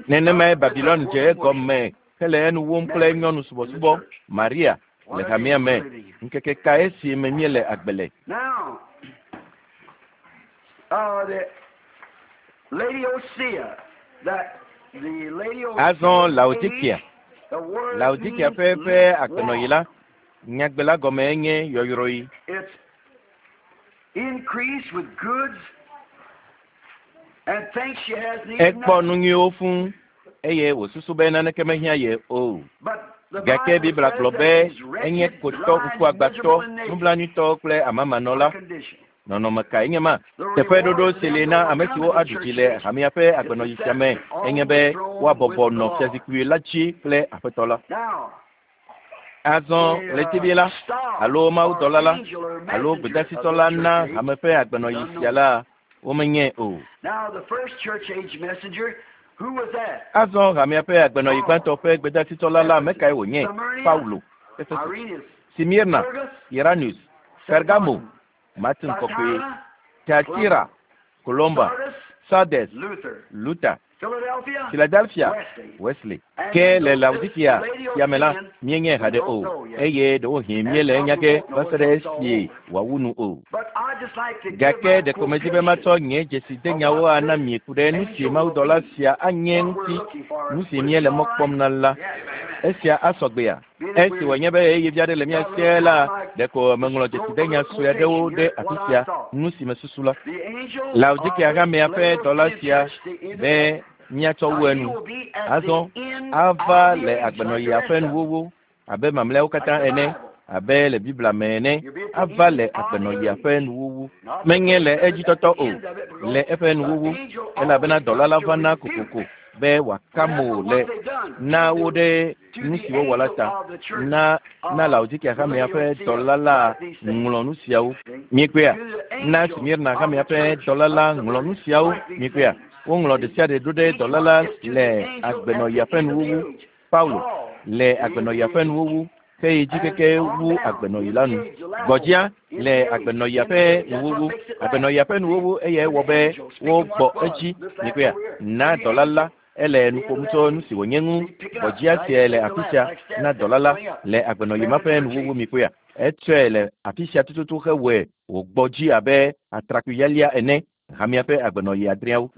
Nenemae Babilon dze egɔme hele enu wum kple nyɔnu subɔsubɔ, Maria, le hamea me. Ŋkeke kae si me míele agbe le? Azɔ Laodikea, Laodikea ƒe eƒe agbenɔɣi la, nyagbe la gɔmee nye yɔyrɔyi. Ekpɔ nu nyuiwo fũ eye wòsusu be naneke mehiã ye o. Gake Biblia gblɔ be enye kotɔ, ŋkuagbãtɔ, nublanuitɔ kple amamanɔla. Nɔnɔme kae nye ma? Teƒeɖoɖo si li na ame siwo aɖu dzi le hamea ƒe agbenɔɣi sia me enye be woabɔbɔ nɔ fiazikpui la dzi kple Aƒetɔ la. Azɔ ɣletivi la, alo mawudɔla la, alo gbedasitɔ la na hame ƒe agbenɔɣi sia la, womenyae o. Azɔ hamea ƒe agbenɔɣi gbãtɔ ƒe gbedasitɔ la, ame kae wònye? Paulo, Efeso, Simirna, Iranus, Pergamo, Martin Kɔkɔe, Tiatira, Columba, Sardes, Luther, Philadelphia, Wesley. Ke le Laodikea sia me la, míenyae haɖe o, eye ɖewohĩ míele enya ge va se ɖe esi wòawu nu o. Gake ɖeko medi be matsɔ nye dzesidenyawo ana mi ku ɖe nu si mawudɔla sia anye ŋuti, nu si míele mɔ kpɔm na la. Esia asɔ gbea? Esi wònye be ɣeyiɣi vi aɖe le mía sie la, ɖeko meŋlɔ dzesidenya sue aɖewo ɖe afi sia, nu si mesusu la. Laodikea hamea ƒe dɔla sia be míatsɔ wu enu. Azɔ ava le agbenɔɣia ƒe nuwuwu abe mamlɛawo katã ene, abe le Biblia me ene, ava le agbenɔɣia ƒe nuwuwu. Menye le edzitɔtɔ o, le eƒe nuwuwu, elabena dɔla la vana kokoko be wòaka mo le na wo ɖe nu si wowɔ la ta. Na na Laodikea hamea ƒe dɔla la ŋlɔ nu siawo. Miekpɔea? Na Smirna hamea ƒe dɔla la ŋlɔ nu siawo. Miekpɔea? Woŋlɔ ɖesiaɖe ɖo ɖe dɔla la le agbenɔɣia ƒe nuwuwu. Paulo le agbenɔɣia ƒe nuwuwu heyi dzi keke wu agbenɔɣi la nu. Gbɔdzia le agbenɔɣia ƒe nuwuwu. Agbenɔɣia ƒe nuwuwu eyae wɔ be wogbɔ edzi. Miekpɔea? Na dɔla la Ele nu ƒom tso nu si wònye ŋu. Gbɔdzia sia le afi sia na dɔla la le agbenɔɣi ma ƒe nuwuwu mi kpɔea? Etsɔe le afi sia tututu hewɔe wògbɔ dzi abe atrakpui lialia ene, hamea ƒe agbenɔɣi adreawo.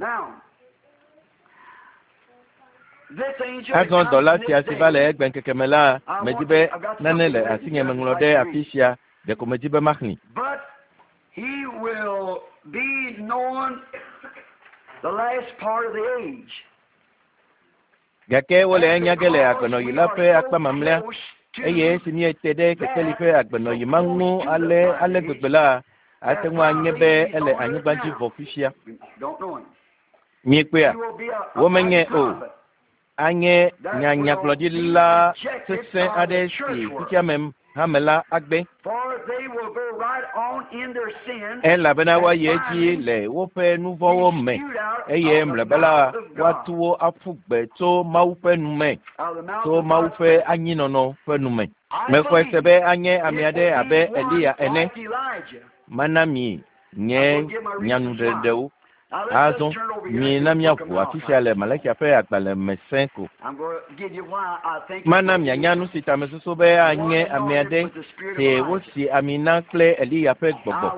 Azɔ dɔla sia si va le egbeŋkeke me la, medi be nane le asinye meŋlɔ ɖe afi sia, ɖeko medi be maxlẽe. He will be known the last part of the age. Gake wole enya ge le agbenɔɣi la ƒe akpa mamlɛa, eye esi míete ɖe kekeli ƒe agbenɔɣi ma ŋu ale ale gbegbe la, ate ŋu anye be ele anyigba dzi vɔ fifia. Miekpɔea? Womenyae o. Anye nyanyagblɔɖila sesẽ aɖe si xexeame hame la agbe, elabena woayi edzi le woƒe nu vɔ̃wo me, eye mlɔeba la, woatu wo aƒu gbe tso Mawu ƒe nu me, tso Mawu ƒe anyinɔnɔ ƒe nu me. Mexɔe se be anye ame aɖe abe Eliya ene. Mana mi nye nyanuɖeɖewo. Azɔ, mina míaʋu afi sia le Malakia ƒe agbalẽ me sẽ ko. Mana mianya nu si ta mesusu be anye ame aɖe si wosi ami na kple Eliya ƒe gbɔgbɔ.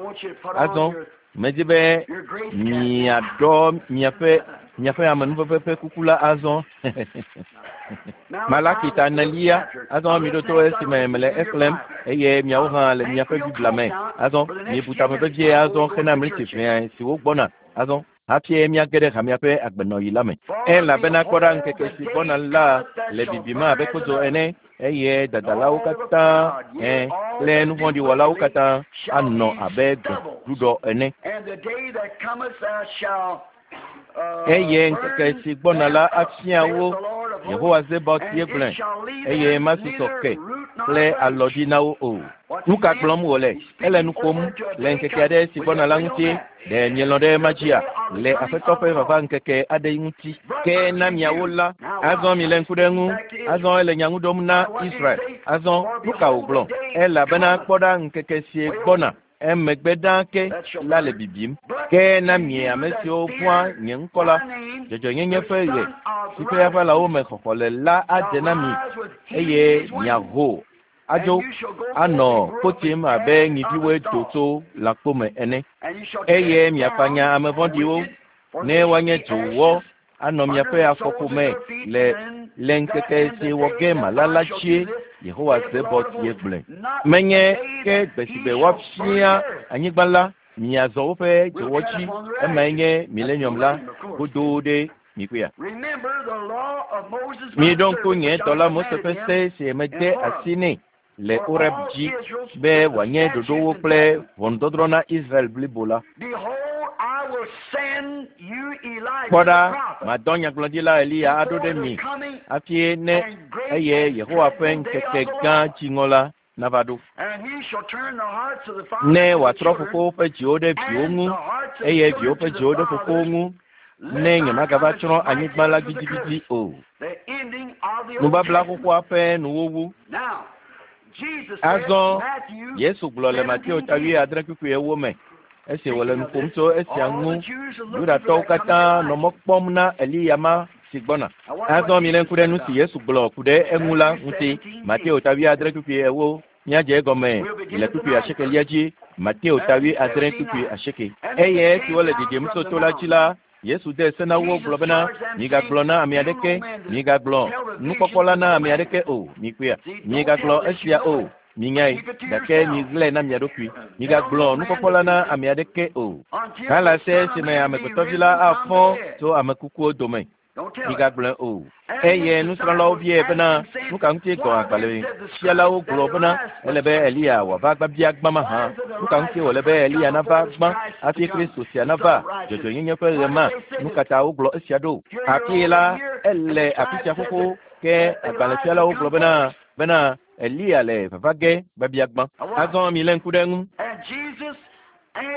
Azɔ, medi be miaɖɔ miaƒe miaƒe amenuveve ƒe kuku la azɔ. Malaki ta enelia, azɔ miɖo to esime mele exlẽm. eye miawo hã le miaƒe Biblia me. Azɔ miebu tame vevie azɔ hena mliti ʋɛa siwo gbɔna. Azɔ hafi miage ɖe hamea ƒe agbenɔɣi la me. Elabena kpɔ ɖa ŋkeke si gbɔna la le bibim abe kpodzo ene eye dadalawo katã kple nuvɔ̃ɖiwɔlawo katã anɔ abe gbeɖuɖɔ ene. Eye ŋkeke si gbɔna la afia wo, Yehowa Zebaot ye gblɔe, eye masusɔ ke kple alɔdzi na wo o. Nu ka gblɔm wòle? Ele nu ƒom le ŋkeke aɖe si gbɔna la ŋuti. Ɖe mielɔ̃ ɖe ema dzia? Le Aƒetɔ ƒe vava ŋkeke aɖe ŋuti. Ke na miawo la, azɔ milé ŋku ɖe eŋu. Azɔ ele nya ŋu ɖom na Israel. Azɔ nu ka wògblɔ? Elabena kpɔ ɖa ŋkeke si gbɔna emegbe ɖaa ke la le bibim. Ke na mi ame siwo vɔ̃a nye ŋkɔ la, dzɔdzɔenyenye ƒe ɣe si ƒe aʋalawo me xɔxɔ le la adze na mi eye miaho adzo anɔ kpotim abe nyiviwoe do tso lãkpo me ene. Eye miafanya ame vɔ̃ɖiwo ne woanye dzowɔ anɔ miaƒe afɔƒome le le ŋkeke si wɔ ge mala la dzie Yehowa Zebaot ye gblɔe. Menye ke gbe si gbe woafia anyigba la miazɔ woƒe dzowɔ dzi emae nye milenium la godoo ɖe mikpɔea. Miɖo ŋku nye dɔla Mose ƒe se si mede asi nɛ le Horeb dzi be wòanye ɖoɖowo kple ʋɔnudɔdrɔ̃ na Israel blibo la. Kpɔ ɖa, madɔ nyagblɔɖila Eliya aɖo ɖe mi hafi ne eye Yehowa ƒe ŋkeke gã dziŋɔ la nava ɖo. Ne wòatrɔ fofowo ƒe dziwo ɖe viwo ŋu eye viwo ƒe dziwo ɖe fofowo ŋu ne nyemagava tsrɔ̃ anyigba la gidigidi o. Nubabla xoxoa ƒe nuwuwu. Azɔ Yesu gblɔ le Mateo ta 7:8 me esi wòle nu ƒom tso esia ŋu. Yudatɔwo katã nɔ mɔ kpɔm na Eliya ma si gbɔna. Azɔ milé ŋku ɖe nu si Yesu gblɔ ku ɖe eŋu la ŋuti. Mateo ta 7:8 míadze egɔme le kpukpui 8 dzi. Mateo ta 7:8. Eye esi wole ɖiɖim tso to la dzi la, Yesu de se na wo gblɔ bena, migagblɔ na ame aɖeke, migagblɔ nukpɔkpɔ la na ame aɖeke o, mikpɔea, migagblɔ esia o, minyae, gake miɣlae na mia ɖokui. Migagblɔ nukpɔkpɔ la na ame aɖeke o. Hala se esime amegbetɔvi la afɔ tso ame kukuwo dome. Migagblɔe o. Eye nusrɔ̃lawo biae bena, nu ka ŋuti gɔ̃ agbalẽfialawo gblɔ bena ele be Eliya wòava gbabia gbã mahã? Nu ka ŋuti wòle be Eliya nava gbã hafi Kristo sia nava dzɔdzɔenyenye ƒe ɣe ma? Nu ka ta wogblɔ esia ɖo? Afi la ele afi sia xoxo ke agbalẽfialawo gblɔ bena bena Eliya le vava ge gbabia gbã. Azɔ milé ŋku ɖe eŋu.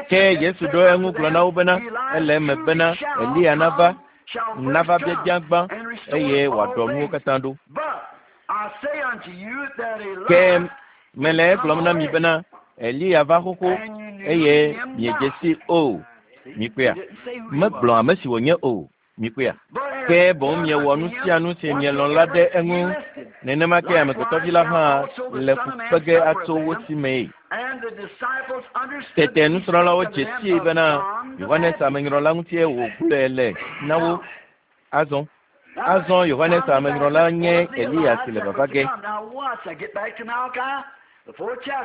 Ke Yesu ɖo eŋu gblɔ na wo bena ele eme bena Eliya nava nava biabia gbã eye wòaɖɔ nuwo katã ɖo. Ke mele egblɔm na mi bena Eliya va xoxo eye miedze si o. Mikpɔea? Megblɔ ame si wònye o. Mikpɔea? Ke boŋ miewɔ nu sia nu si mielɔ̃ la ɖe eŋu. Nenema ke amegbetɔvi la hã le fu kpe ge atso wo si mee. Tete nusrɔ̃lawo dze sii bena Yohanes Amenyrɔla ŋutie wògblɔe le na wo. Azɔ azɔ Yohanes Amenyrɔla nye Eliya si le vava ge.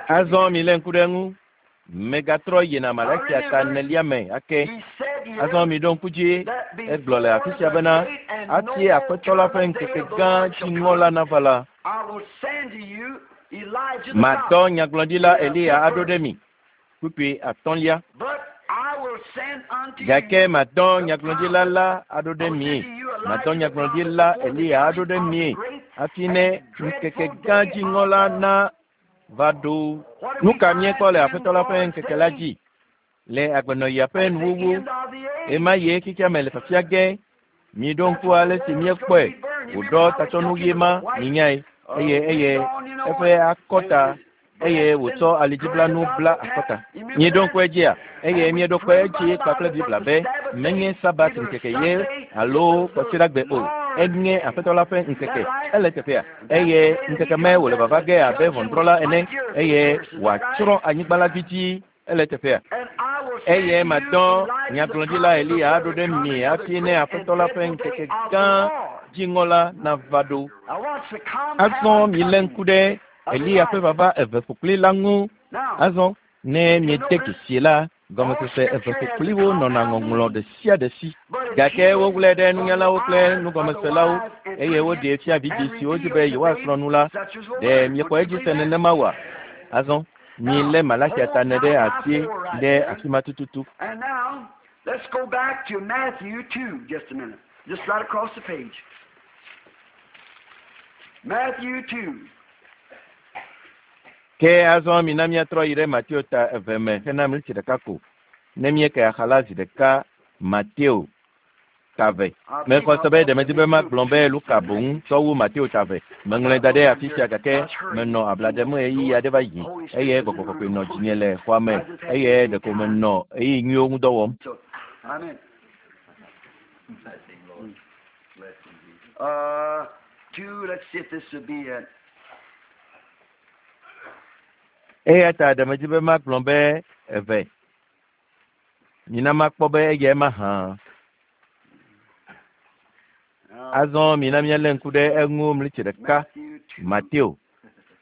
Azɔ milé ŋku ɖe eŋu. Megatrɔ yina Malakia ta 4 me ake. Azɔ miɖo ŋku dzi egblɔ le afi sia bena hafi Aƒetɔ la ƒe ŋkeke gã dziŋɔ la nava la, madɔ nyagblɔɖila Eliya aɖo ɖe mi. Kpukpui 5. Gake madɔ nyagblɔɖila la aɖo ɖe mi. Madɔ nyagblɔɖila Eliya aɖo ɖe mi hafi ne ŋkeke gã dziŋɔ la na va ɖo. Nu ka míekpɔ le Aƒetɔ la ƒe ŋkeke la dzi? Le agbenɔɣia ƒe nuwuwu, ema ye xexea me le fafia ge. Miɖo ŋku ale si míekpɔe wòɖɔ tatsɔnu ɣi ma minyae eye eye eƒe akɔta eye wòtsɔ alidziblanu bla akɔta. Míeɖo ŋku edzia eye míeɖo kpe edzi kpakple Biblia be menye Sabat ŋkeke ye alo kɔsiɖagbe o. Enye Aƒetɔ la ƒe ŋkeke. Ele teƒea eye ŋkeke me wòle vava ge abe ʋɔnudrɔ̃la ene eye wòatsrɔ̃ anyigba la dzidzi. Ele teƒea. Eye madɔ nyagblɔɖila Eliya aɖo ɖe mi hafi ne Aƒetɔ la ƒe ŋkeke gã dziŋɔ la nava ɖo. Azɔ milé ŋku ɖe Eliya ƒe vava eve ƒokpli la ŋu. Azɔ ne miede dzesi la, gɔmesese eve ƒokpliwo nɔna ŋɔŋlɔ ɖe sia ɖe si. Gake woŋlɔe ɖe nunyalawo kple nugɔmeselawo eye woɖee fia vidzĩ siwo di be yewoasrɔ̃ nu la. Ɖe miexɔ edzi se nenema oa? Azɔ milé Malaxia ta ne ɖe asi ɖe afi ma tututu. And now, let's go back to Matthew 2, just a minute. Just right across the page. Matthew 2. Ke azɔ mina míatrɔ yi ɖe Mateo ta eve me hena mlitsi ɖeka ko. Ne míeke axa la zi ɖeka Mateo ta ve. Mexɔ se be ɖe medi be magblɔ be Luka boŋ tsɔ wu Mateo ta ve. Meŋlɔe da ɖe afi sia gake menɔ abla ɖem ɣeyiɣi aɖe va yi eye gbɔgbɔ kɔkɔe nɔ dzinye le xɔa me eye ɖeko menɔ ɣeyiɣi nyuiwo ŋu dɔ wɔm. So, I'm in. Blessing, Lord. Blessing Jesus. 2, let's see if this would be it. Eya ta ɖe medi be magblɔ be eve. Mina makpɔ be eyae mahã. Now, Azɔ mina míalé ŋku ɖe eŋu mlitsi ɖeka Matthew 2. Mateo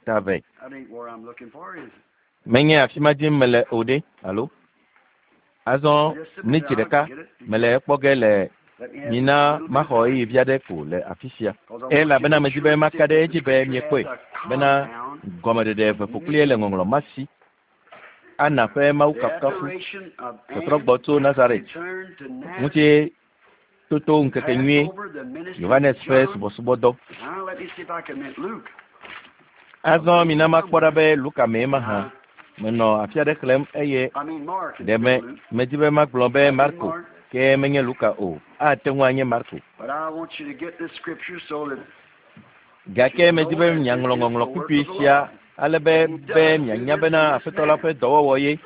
ta ve. That ain't where I'm looking for, is it? Menye afi ma dim mele o ɖe alo? Azɔ Just a minute, mlitsi I'll ɖeka get it. mele ekpɔ ge le Let me have mina a little bit maxɔ of time, ɣeyiɣi vi aɖe ko le afi sia. 'cause I want you to Elabena be medi sure be that maka ɖe this edzi be scripture miekpɔe has a bena compound gɔmeɖeɖe eve ƒokplie le ŋɔŋlɔ ma si. Ana ƒe Mawu the kafukafu adoration of tɔtrɔ Anne gbɔ tso Nazaret returned to Nazareth, ŋuti toto ŋkeke nyuie Passover, the ministry of Yohanes ƒe John. subɔsubɔdɔ. Now let me see if I can make Luke. Azɔ mina makpɔ ɖa be Luka mee mahã. Now, Menɔ afi aɖe xlẽm eye I mean Mark ɖe instead me of Luke. medi be magblɔ be That'd be Marko Mark. ke menye Luka o. Ate ŋu anye Marko. But I want you to get this scripture so that Gake you medi know be that this miaŋlɔ is the ŋɔŋlɔ work kpukpui of the sia Lord. ale be He be does do mianya this bena in this Aƒetɔ la manner. ƒe dɔwɔwɔ ye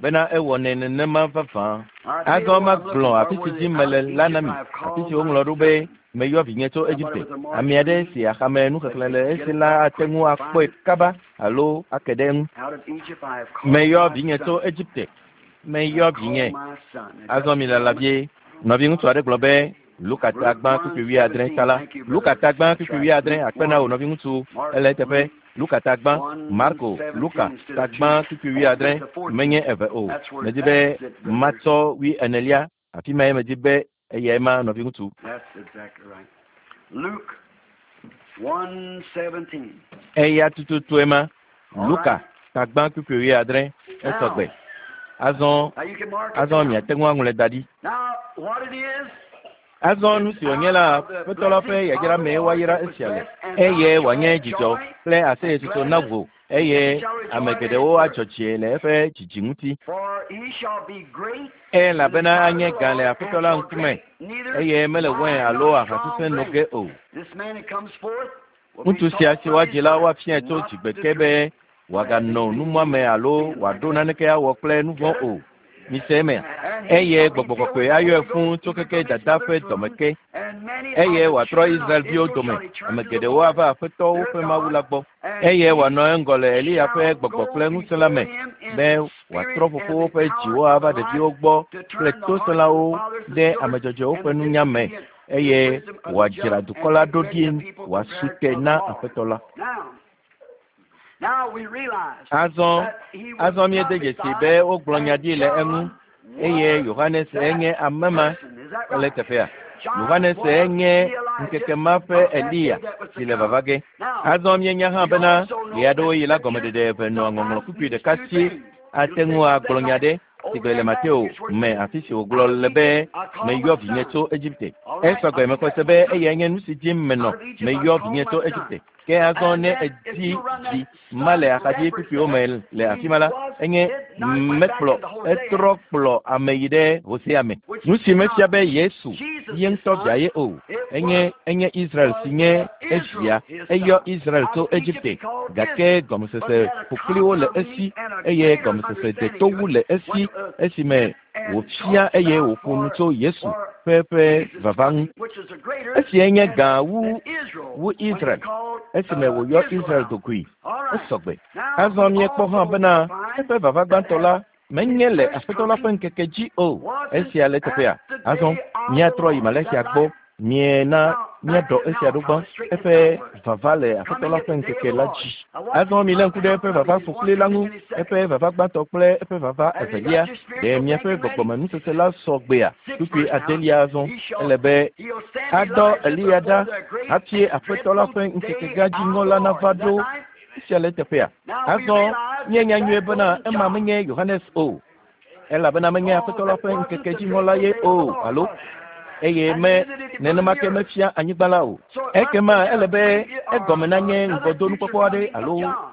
bena ewɔnɛ nenema vavã. I tell you Azɔ what I'm looking magblɔ for, afi si where dzi the out mele of la na Egypt mi I have afi called si my woŋlɔ ɖo be son. meyɔ vinye tso Somebody Egipte. with a Mark Ame aɖe reading, si axame let's nuxexlẽ le get esi it la back ate quick ŋu and akpɔe find it. kaba alo ake ɖe eŋu. Out of Egypt I have called Meyɔ my vinye tso son. Egipte. I Meyɔ have vinye. called my son. Now Azɔ just mi a lala moment. vie. Nɔviŋutsu aɖe gblɔ be Luka ta Luke gbã kpukpui wuiadre ta 1:17. la. Thank you, Luka brother. ta gbã That's kpukpui right. wuiadre Luke akpe na wò 1. nɔviŋutsu Mark ele eteƒe. Luke Luka ta gbã Marko Luka 1:17 instead ta of gbã 2. kpukpui Oh, wuiadre it's the menye 14th. eve o. That's where Medi be that's it, brother. matsɔ wui enelia afi mae medi be eyae ma nɔviŋutsu. That's exactly right. Luke 1:17. Eya tututue ma All Luka right. ta gbã kpukpui wuiadre esɔgbe. Now, Azɔ now you can mark it azɔ down. miate ŋu aŋlɔe da ɖi. Now, what it is, Azɔ it's nu si wònye out la of the Aƒetɔ la ƒe blessing yayra of the mee Lord woayra it was esia le blessed, and eye thou shalt wòanye have dzidzɔ joy kple and aseyetsotso na gladness, wò and eye many shall ame rejoice at his geɖewo birth. adzɔ dzi le eƒe dzidzi ŋuti. For he shall be great in the Elabena sight of anye the gã le Lord, Aƒetɔ and la shall ŋkume drink neither eye mele wain wine alo nor aha strong sesẽ no drink. ge o. This man that comes forth will be Ŋutsu sia taught si from his woadzi la mother woafiae tso not dzigbe to ke drink be wòaganɔ numuame alo sin like wòaɖo that. naneke awɔ kple nu vɔ̃ Get it? o. Mise emea? And he Eye shall be gbɔgbɔ filled kɔkɔe with the ayɔe Holy fũu Ghost tso even keke from his dada ƒe mother's womb. dɔme ke And many of eye the wòatrɔ children of Israelviwo Israel dome. shall he turn Ame to the geɖewo Lord ava Aƒetɔ their woƒe Mawu God, la gbɔ and eye he wòanɔ eŋgɔ le Eliya ƒe shall gbɔgbɔ go kple ŋusẽ la before me him in be the wòatrɔ spirit and fofowo the ƒe power dziwo of ava ɖeviwo Elias gbɔ to kple turn the hearts of the tosẽlawo fathers to ɖe children ame dzɔdzɔewo and ƒe the nunya me disobedient to the eye wisdom of the wòadzra just, dukɔ and la make ɖo ready ɖi a people wòasu prepared te for the na Lord. Aƒetɔ la. Now we realize Azɔ that he was azɔ míede dzesi be prophesied wogblɔ nya and ɖi le eŋu John eye was Yohanes that enye ame ma person. Is that ele right? teƒea. John Yohanes was enye the Elijah ŋkeke ma ƒe of that day Eliya that was to si le come. vava ge. Now, Azɔ míenya hã we bena also know ɣe aɖewo that yi la Scripture gɔmeɖeɖe eve nɔa ŋɔŋlɔ sometimes kpukpui means ɖeka two si things. ate It'll say ŋu something agblɔ nya like ɖe si over gbe le in Mateo Matthew where it me says, afi si Out wògblɔ of le be Egypt I called meyɔ my vinye son. tso Egipte. All right, Esɔgbe I mexɔ see se that. be Took eyae nye nu si dim menɔ out of Egypt I meyɔ called vinye my tso son. Egipte. Ke azɔ And ne then if edi you run dzi that ma le son axadzi reference kpukpuiwo there, me le afi he ma la, was enye did not went back mekplɔ into Hosea, etrɔ kplɔ ame yi ɖe Hosea me. which Nu si is mefia not be Yesu Jesus' ye ŋutɔ son. via ye o. It Enye was enye Israel was si nye Israel evia. his Eyɔ son. Israel Out tso of Egypt Egipte he called gake Israel, but gɔmesese he had a ƒokpliwo le compound esi meaning and a eye greater gɔmesese understanding deto to wu it le when esi esime went and wòfia talked eye about wòƒo nu for tso Yesu for ƒe ƒe Jesus vava ŋu. coming, which is a greater Esiae nye than gã wu than Israel wu when he Israel called esime wòyɔ Israel Israel out. dokui. All right. Esɔgbe. Now Azɔ we míekpɔ hã also bena find eƒe vava that gbãtɔ at la his menye le first Aƒetɔ la ƒe coming ŋkeke dzi o. wasn't Esia le at teƒea. the Azɔ day of the míatrɔ yi Lord. Is Malaxia that gbɔ. right? Miena Now Míaɖɔ esia ɖo gbã. Eƒe vava le Aƒetɔ la ƒe ŋkeke la dzi. Azɔ milé ŋku ɖe eƒe vava ƒoƒli la ŋu, eƒe vava gbãtɔ kple eƒe vava evelia. Ɖe miaƒe gbɔgbɔmenusese la sɔ gbea? Kpukpui adelia azɔ. Ele be adɔ Eliya ɖa hafi Aƒetɔ la ƒe ŋkeke gã dziŋɔ la nava ɖo. Esia le eteƒea. Azɔ míenya nyuie bena ema menye Yohanes o, elabena menye Aƒetɔ la ƒe ŋkeke dziŋɔ la ye o, alo eye me nenema ke mefia anyigba la o. Ekema ele be egɔme nanye ŋgɔdonukpɔkpɔ aɖe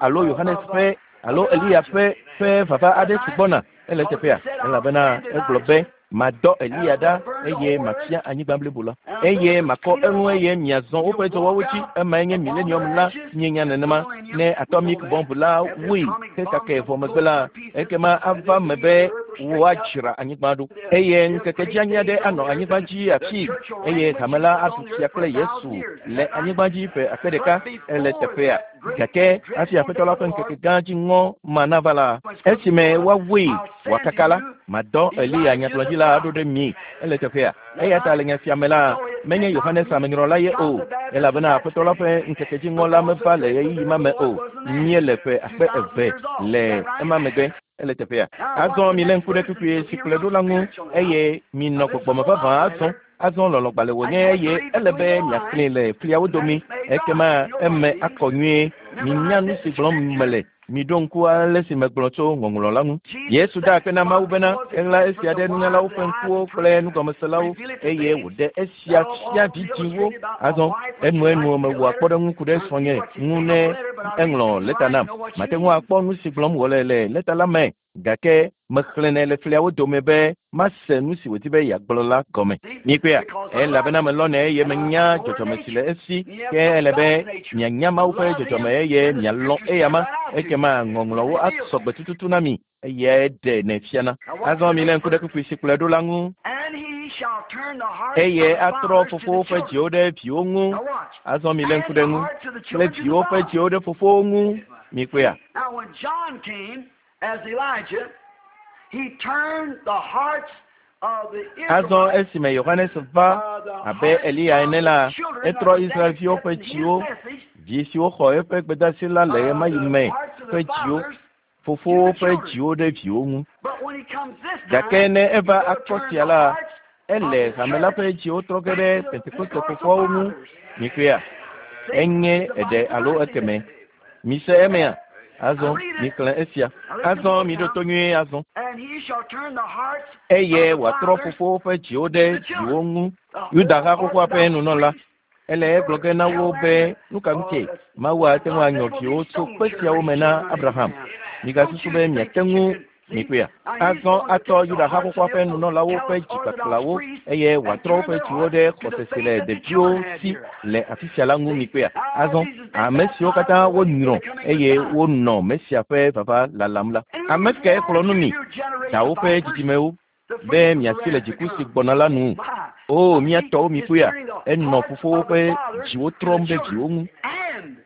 alo Yohanes ƒe alo Eliya ƒe vava aɖe si gbɔna. Ele eteƒea, elabena egblɔ be madɔ Eliya ɖa eye mafia anyigba blibo la, eye makɔ eŋu eye miazɔ woƒe dɔwɔwɔwo dzi. Emae nye millennium la. Mienya nenema. Ne atomic bomb la wui hekake vɔ megbe la, ekema ava me be woadzra anyigba ɖo, eye ŋkeke dzi aɖe anɔ anyigba dzi afi, eye hame la aɖu fia kple Yesu le anyigba dzi ƒe akpe ɖeka. Ele teƒea. Gake hafi Aƒetɔ la ƒe ŋkeke gã dzi ŋɔ ma nava la, esime woawui wòakaka la, madɔ Eliya nyagblɔɖila aɖo ɖe mi. Ele teƒea. Eya ta le nya sia me la, menye Yohanes amenyrɔla ye o, elabena Aƒetɔ la ƒe ŋkeke dzi ŋɔ la meva le ɣeyiɣi ma me o. Míele ƒe akpe eve le ema megbe. Ele teƒea. Azɔ milé ŋku ɖe kpukpui si kplɔe ɖo la ŋu, eye minɔ gbɔgbɔme vavã azɔ. Azɔ lɔlɔ̃gbalẽ wònye eye ele be miaxlẽe le fliawo domi. Ekema eme akɔ nyuie. Minya nu si gblɔm mele. Miɖo ŋku ale si megblɔ tso ŋɔŋlɔ la ŋu. Yesu da akpe na Mawu bena eɣla esia ɖe nunyalawo ƒe ŋkuwo kple nugɔmeselawo, eye wòɖe esia fia vidzĩwo. Azɔ enuenu mewɔa kpɔɖeŋu ku ɖe srɔ̃nye ŋu ne eŋlɔ lɛta nam. Mate ŋu akpɔ nu si gblɔm wòle le lɛta la me, gake mexlẽnɛ le fliawo dome be mase nu si wòdi be yeagblɔ la gɔme. Mikpɔea? Elabena melɔnɛ eye menya dzɔdzɔme si le esi, ke ele be mianya Mawu ƒe dzɔdzɔme eye mialɔ̃ eyama. Ekema ŋɔŋlɔwo asɔ gbe tututu na mi, eyae ɖenɛ fiana. Azɔ milé ŋku ɖe kpukpui si kplɔe ɖo la ŋu. Eye atrɔ fofowo ƒe dziwo ɖe viwo ŋu. Azɔ milé ŋku ɖe ŋu. Kple viwo ƒe dziwo ɖe fofowo ŋu. Mikpɔea? Now when John came as Elijah, he turned the hearts of the Azɔ Israelites, esime Yohanes va abe Eliya ene la, etrɔ Israelviwo ƒe dziwo, vi siwo xɔ eƒe gbedeasi la le ɣemaɣi me ƒe dziwo, fofowo ƒe dziwo ɖe viwo ŋu. But when he comes this time, Gake ne eva he's gonna akpɔ turn sia the la, hearts ele hame la ƒe dziwo trɔ ge ɖe Pentekoste fofoawo ŋu. Mikpɔea? Enye eɖe alo ekeme. Mise emea? Azɔ mixlẽ esia. Azɔ miɖo to nyuie azɔ. And he shall turn the hearts Eye of the wòatrɔ fathers fofowo ƒe dziwo ɖe viwo ŋu. Yuda ha xoxoa ƒe nunɔla. Ele egblɔ ge na wo be nu ka ŋutie Mawu ate ŋu anyɔ viwo tso kpe siawo me na Abraham. Migasusu be miate ŋu mikpɔea? Azɔ atɔ Yuda ha xoxoa ƒe nunɔlawo ƒe dzikpakplawo eye wòatrɔ woƒe dziwo ɖe xɔse si le ɖeviwo si le afi sia la ŋu mikpɔea? Azɔ ame siwo katã wonyrɔ eye wonɔ Mesia ƒe vava lalam la, ame kae xlɔ̃ nu mi dawo ƒe dzidzimewo be miasi le dziku si gbɔna la nu? O, mía tɔwo mikpɔea? Enɔ fofowo ƒe dziwo trɔm ɖe viwo ŋu and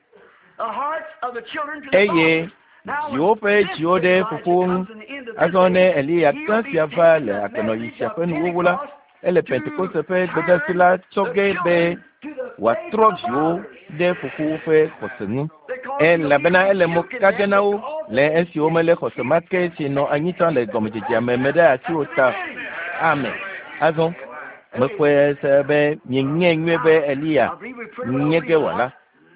the hearts of the children to the eye fathers. Now, viwo when ƒe this dziwo ɖe Elijah fofowo ŋu. comes in the end of this Azɔ ne age, Eliya he'll gã be sia va taking le the agbenɔɣi message sia of ƒe nuwuwu la, Pentecost ele to Pentekoste ƒe gbedeasi turn la tsɔ the ge be children to the faith wòatrɔ of the viwo fathers. ɖe fofowo ƒe xɔse ŋu. Because he'll be Elabena ele mo rebuking ka ge them na wo because le esi womelé xɔse ma ke si nɔ anyi tsã le gɔmedzedzea me me ɖe asi o ta. Amen. Azɔ mexɔe se be mienyae nyuie be Eliya I believe we pretty well nye ge read wòala it.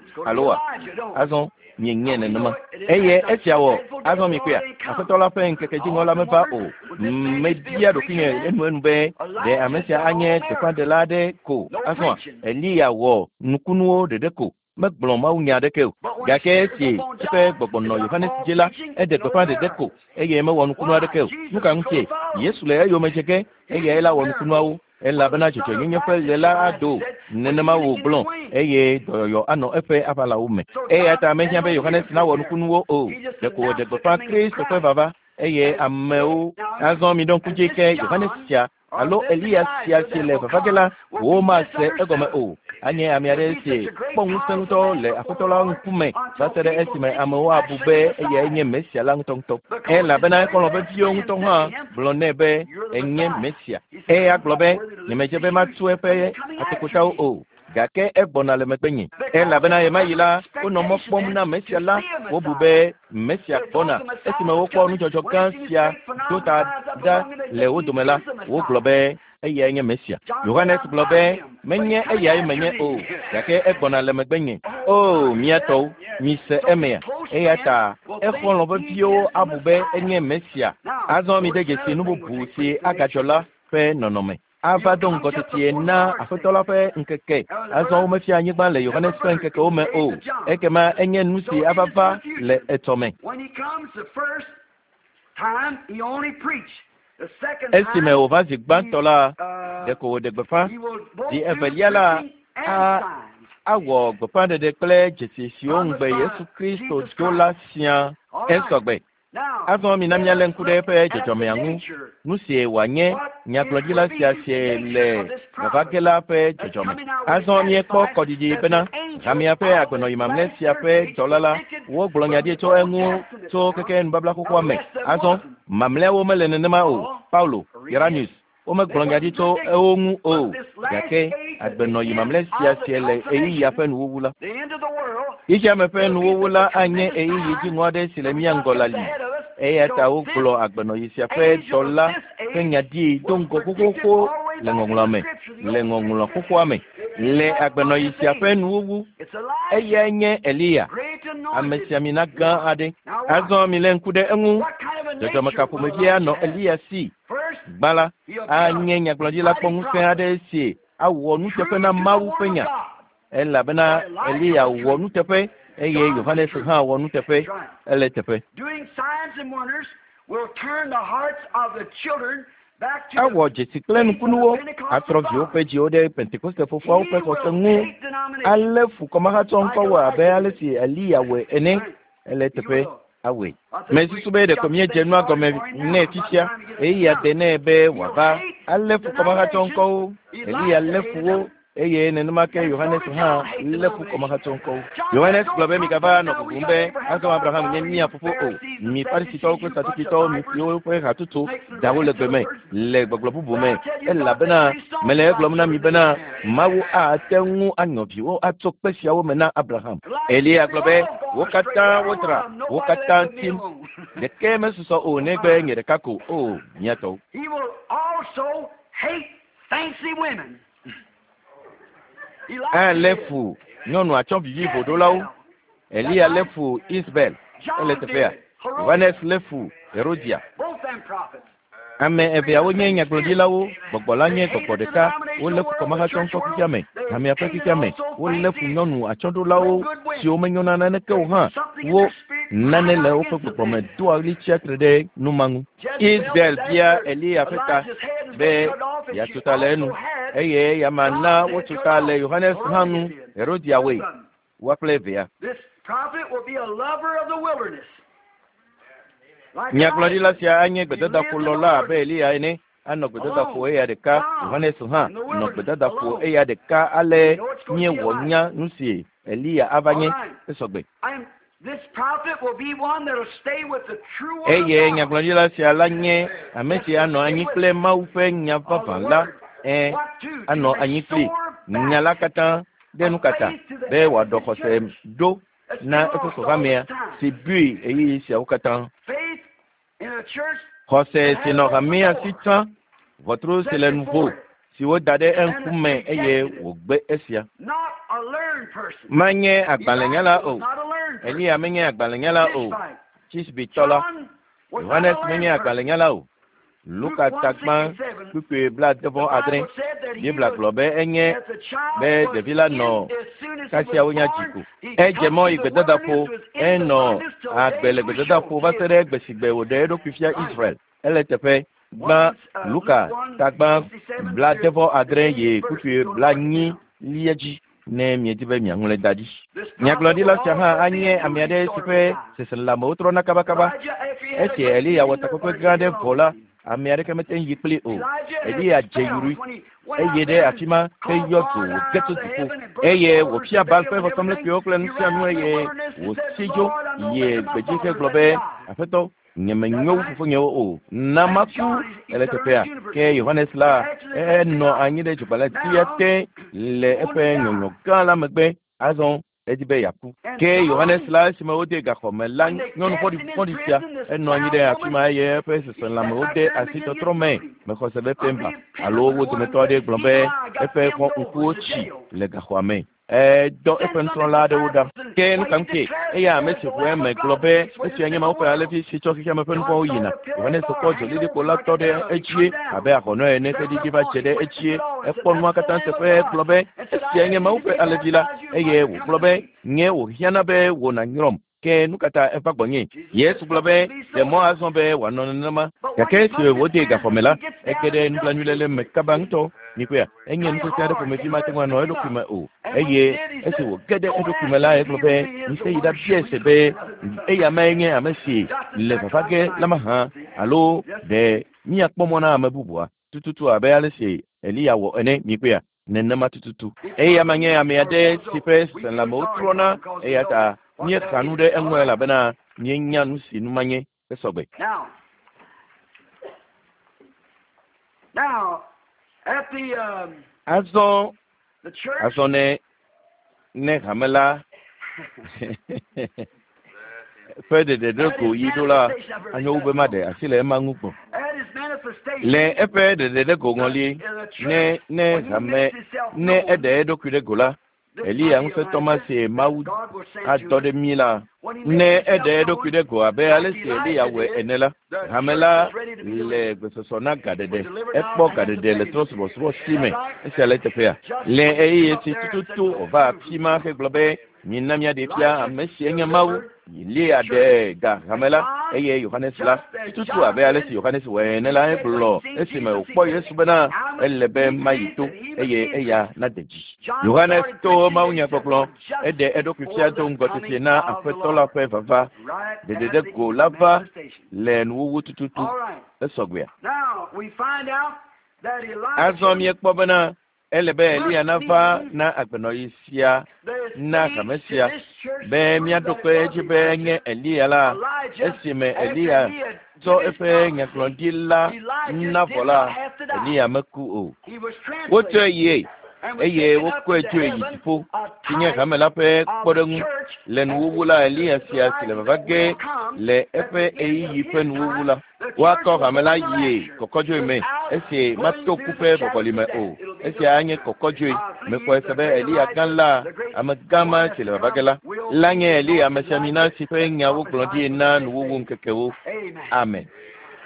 It's going to be alo wa? Elijah, don't we? Azɔ mienyae nenema. Eye esia wɔ azɔ mikpɔea? Aƒetɔ la ƒe ŋkeke dziŋɔ la meva o. Mebia ɖokuinye enuenu be ɖe ame sia anye gbeƒãɖela aɖe ko. Azɔa Eliya wɔ nukunuwo ɖeɖe ko. Megblɔ mawunya aɖeke o. Gake esi eƒe gbɔgbɔ nɔ Yohanes dzi la, eɖe gbeƒã ɖeɖe ko eye mewɔ nukunu aɖeke o. Nu ka ŋutie? Yesu le eyome dze ge eyae la wɔ nukunuawo elabena dzɔdzɔenyenye ƒe ɣe la ado. Nenema wògblɔ eye dɔyɔyɔ anɔ eƒe aʋalawo me. Eya ta mehiã be Yohanes nawɔ nukunuwo o. Ɖeko wòɖe gbeƒã Kristo ƒe vava eye amewo azɔ miɖo ŋku dzi ke Yohanes sia alo Eliya sia si le vava ge la, womase egɔme o. Anye ame aɖe si kpɔ ŋusẽ ŋutɔ le Aƒetɔ la ŋkume va se ɖe esime amewo abu be eyae nye Mesia la ŋutɔŋutɔ. Elabena exɔlɔ̃ veviwo ŋutɔ hã gblɔ nɛ be enye Mesia. Eya gblɔ be nyemedze be matu eƒe atokotawo o. Gake egbɔna le megbenye. Elabena ɣemaɣi la, wonɔ mɔ kpɔm na Mesia la. Wobu be Mesia gbɔna. Esime wokpɔ nudzɔdzɔ gã sia do ta ɖa le wo dome la, wogblɔ be eyae nye Mesia. Yohanes gblɔ be, menye eyae menye o, gake egbɔna le megbenye. O, mía tɔwo, mise emea. Eya ta exɔlɔ̃ veviwo abu be enye Mesia. Azɔ mide dzesi nu bubu si agadzɔ la ƒe nɔnɔme. Ava do ŋgɔ tetie na Aƒetɔ la ƒe ŋkeke. Azɔ womefia anyigba le Yohanes ƒe ŋkekewo me o. Ekema enye nu si ava va le etsɔme. Esime wòva zi gbãtɔ la, ɖeko wòɖe gbeƒã. Zi evelia la, awɔ gbeƒãɖeɖe kple dzesi siwo ŋugbe Yesu Kristo do la siaa. Esɔgbe. Azɔ mina míalé ŋku ɖe eƒe dzɔdzɔmea ŋu. Nu sie wòanye nyagblɔɖila sia sie le vava ge la ƒe dzɔdzɔme. Azɔ míekpɔ kɔɖiɖi bena hamea ƒe agbenɔyi mamlɛ sia ƒe dɔla la, wogblɔ nya ɖi tso eŋu tso keke nubabla xoxoa me. Azɔ mamlɛawo mele nenema o. Paulo, Irenaeus, womegblɔ nya ɖi tso ewo ŋu o. Gake agbenɔyi mamlɛ sia sie le ɣeyiɣia ƒe nuwuwu la. Xexeame ƒe nuwuwu la anye ɣeyiɣi dziŋɔ aɖe si le mía ŋgɔ la li. Eya ta wogblɔ agbenɔyi sia ƒe dɔla ƒe nya ɖi do ŋgɔ xoxoxo le ŋɔŋlɔa me, le ŋɔŋlɔ xoxoa me. Le agbenɔyi sia ƒe nuwuwu, eyae nye Eliya, amesiamina gã aɖe. Azɔ milé ŋku ɖe eŋu. Dzɔdzɔme ka ƒomevie anɔ Eliya si? Gbã la, anye nyagblɔɖila kpɔŋusẽ aɖe si awɔ nuteƒe na Mawu ƒe nya. Elabena Eliya wɔ nuteƒe eye Yohanes hã wɔ nuteƒe. Ele teƒe. Awɔ dzesi kple nukunuwo, atrɔ viwo ƒe dziwo ɖe Pentekoste fofoawo ƒe xɔse ŋu, alé fu kɔmahatsɔ ŋkɔwo abe ale si Eliya wɔe ene. Ele teƒe awɔe. Mesusu be ɖeko míedze nua gɔme nɛ fifia. Ɣeyiɣia de nɛ be wòava alé fu kɔmahatsɔ ŋkɔwo. Eliya lé fu wo eye nenema ke Yohanes hã lé fu kɔmahatsɔ ŋkɔwo. Yohanes gblɔ be migava nɔ bubum be azɔ Abraham nye mía fofo o. Mi Farisitɔwo kple Sadukitɔwo, mi siwo ƒe hatutu dawo le gbe me le gbɔgblɔ bubu me, elabena mele egblɔm na mi bena Mawu ate ŋu anyɔ viwo atso kpe siawo me na Abraham. Eliya gblɔ be wo katã wodzra, wo katã tim. Ɖeke mesusɔ o negbe nye ɖeka ko. O, mía tɔwo. He will also hate fancy women. Alé fu nyɔnu atsɔ vivi ʋoɖolawo. Eliya lé fu Isabel. Ele teƒea. Yohanes lé fu Herodia. Both them prophets. Ame eveawo nye nyagblɔɖilawo. Gbɔgbɔ la nye gbɔgbɔ ɖeka. Wolé fu kɔmahatsɔ ŋkɔ xexea me, hamea ƒe xexea me. Wolé fu nyɔnu atsyɔ̃ɖolawo siwo menyo na naneke o hã. Wo nane le woƒe gbɔgbɔ me doa ɣli tsia tre ɖe nu ma ŋu. Isabel bia Eliya ƒe ta be yeatso ta le enu eye eya na wotso ta le Yohanes hã ŋu. Herodia wɔe, woa kple evea. This prophet will be a lover of the wilderness. Like Nyagblɔɖila sia anye Elijah. gbedadaƒolɔla abe Eliya ene. Anɔ gbedadaƒo eya ɖeka. Yohanes hã nɔ gbedadaƒo eya ɖeka ale míewɔ nya nu si Eliya ava nye. Esɔgbe. And this prophet will be one that'll stay with the true word of Eye God. nyagblɔɖila sia la nye ame si anɔ anyi kple Mawu ƒe nya vavã la. Ẽ, anɔ anyi kpli nya la katã ɖe nu kata be wòaɖɔ xɔse ɖo na eƒe xɔxɔamea si bui ɣeyiɣi siawo katã. Faith in a church Xɔse si nɔ hamea si tsã, ʋɔtru si le nuvo si woda ɖe eŋkume eye wògbe esia. not a learned person. Menye agbalẽnyala Elijah o. was not a learned person. Eliya menye agbalẽnyala o. Tishbite. Tisbitɔ la. John was not Yohanes a menye learned person. agbalẽnyala o. Luka tagba kpukpui blaade-vɔ-adre. Bible said that he Biblia was gblɔ be enye that the child be was ɖevi la in nɔ as soon as he kasia was wonya born, dzi ko. he Edze come mɔ to yi the gbedadaƒo, wilderness, was in the enɔ wilderness till agbe day le he was gbedadaƒo shown va to se ɖe gbe si gbe wòɖe eɖokui fia Israel. Ele teƒe gbã Luka tagba blaade-vɔ-adre yi kpukpui blaenyi lia dzi ne miedi be miaŋlɔe da ɖi. This Nyagblɔɖila sia hã prophet will anye also ame be a aɖe si ƒe seselelãmewo trɔna kabakaba. Elijah, after he had a Esi great Eliya wɔ vision, takpekpe nobody gã aɖe could vɔ la, follow him. ame aɖeke mete ŋu yi kpli o. Elijah had Eliya dze spells yurui when he went eye out ɖe there and afi ma called heyɔ dzo fire down wòge out tso of the dziƒo heaven and burned eye the altars wòfia and Baal Baal ƒe and everything. vɔsamlekpuiwo kple He nu sia ran nu out in the eye wilderness and said, wòsi dzo Lord, I know yi making my gbedzi father hegblɔ let be die. Aƒetɔ, Nyemenyo wu fofonyewo o. Na maku ele teƒea. Ke Yohanes la enɔ anyi ɖe dzogbalẽtia te le eƒe nyɔnyɔ gã la megbe. Azɔ edi be yeaku. Ke Yohanes la esime wode gaxɔme la nyɔnu fɔɖi sia enɔ anyi ɖe afi ma eye eƒe seselãmewo de asi tɔtrɔ me. Mexɔ se be Pemba alo wo dometɔ aɖe gblɔ be eƒe xɔ ŋkuwo tsi le gaxɔa me. Dɔ eƒe nusrɔ̃la aɖewo ɖa. Ke nu ka ŋutie? Eya ame si ʋu eme gblɔ be esia nye Mawu ƒe alẽvi si tsɔ xexea me ƒe nuvɔ̃wo yina. Yohanes kpɔ dzolilikpo la tɔ ɖe edzie abe ahɔnɔ ene ƒe ɖiɖi va dze ɖe edzie. Ekpɔ nua katã teƒe gblɔ be esia nye Mawu ƒe alẽvi la eye wògblɔ be nye wòhiãna be wò nànyrɔm. Ke nu ka ta eva gbɔnye? Yesu gblɔ be ɖe mɔ azɔ be wòanɔ nenema. Gake esi wòde gaxɔme la, ege ɖe nublanuiléle me kaba ŋutɔ. Mikpɔea, enye nu sesẽ aɖe ƒomevi mate ŋu anɔ eɖokui me o. Eye esi wòge ɖe eɖokui me la, egblɔ be mise yi ɖabia se be eya mae nye ame si le vava ge la mahã alo ɖe míakpɔ mɔ na ame bubua tututu abe ale si Eliya wɔ ene. Mikpɔea, nenema tututu. Eya ma nye ame aɖe si ƒe seselãmewo trɔna eya ta míexa nu ɖe eŋu elabena míenya nu si nu ma nye esɔgbe. Azɔ ne hame la ƒe ɖeɖe ɖe go yi ɖo la, anyo wu be maɖe asi le ema ŋu gbɔ. Le eƒe ɖeɖe ɖe go ŋɔli, ne hame ne eɖe eɖokui ɖe go la, Eliya ŋusẽtɔ ma si Mawu adɔ ɖe mí la, ne eɖe eɖokui ɖe go abe ale si Eliya wɔe ene la, hame la le gbesɔsɔ na gaɖeɖe. Ekpɔ gaɖeɖe le trɔ̃subɔsubɔ si me. Esia le teƒea. Le ɣeyiɣi si tututu wòva afi ma hegblɔ be mina míaɖee fia ame si enye Mawu. Eliya ɖe ga hame la eye Yohanes la tututu abe ale si Yohanes wɔe ene la egblɔ esime wòkpɔ Yesu bena ele be mayi to eye eya nade dzi. Yohanes to mawunyagbɔgblɔ eɖe eɖokui fia do ŋgɔ tete na Aƒetɔ la ƒe vava. Ɖeɖe ɖe go la va le nuwuwu tututu. Esɔgbea. Azɔ míekpɔ bena ele be Eliya nava na agbenɔɣi sia na hame sia be míaɖo kpe edzi be enye Eliya la. Esime Eliya tsɔ eƒe nyagblɔɖi la na vɔ la, Eliya meku o. Wotsɔe yie eye wokɔe tsoe yi dziƒo si nye hame la ƒe kpɔɖeŋu le nuwuwu la. Eliya sia si le vava ge le eƒe ɣeyiɣi ƒe nuwuwu la, woakɔ hame la yie kɔkɔdzoe me esi mato ku ƒe vɔvɔli me o. Esia anye kɔkɔdzoe. Mexɔe se be Eliya gã la, ame gã ma si le vava ge la nye Eliya amesiamina si ƒe nyawo gblɔ ɖi na nuwuwu ŋkekewo. Amen.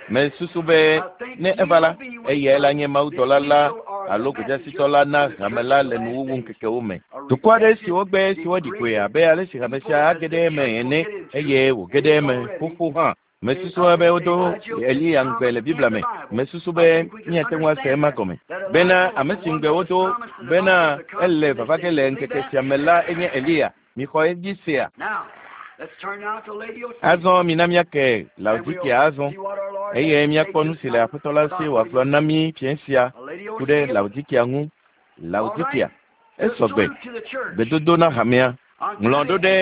Mesusu be ne eva la, eyae la nye mawudɔla la alo gbedeasitɔ la na hame la le nuwuwu ŋkekewo me. Dukɔ aɖe si wogbe si woɖi koe abe ale si hame sia age ɖe eme ene eye wòge ɖe eme xoxo hã. Mesusu be wodo Eliya ŋugbe le Biblia me. Mesusu be míate ŋu ase ema gɔme bena ame si ŋugbe wodo bena ele vava ge le ŋkeke sia me la enye Eliya. Mixɔ edzi sea. Azɔ mina míake Laodikea azɔ eye míakpɔ nu si le Aƒetɔ la si wòagblɔ na mí fiẽ sia ku ɖe Laodikea ŋu. Laodikea esɔgbe. Gbedodo na hamea. Ŋlɔ ɖo ɖe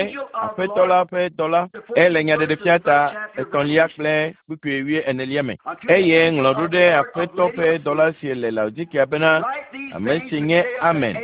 Aƒetɔ la ƒe dɔla ele nyaɖeɖefia ta 3 kple kpukpui 24 me. Eye ŋlɔ ɖo ɖe Aƒetɔ ƒe dɔla si le Laodikea bena ame si nye Amen,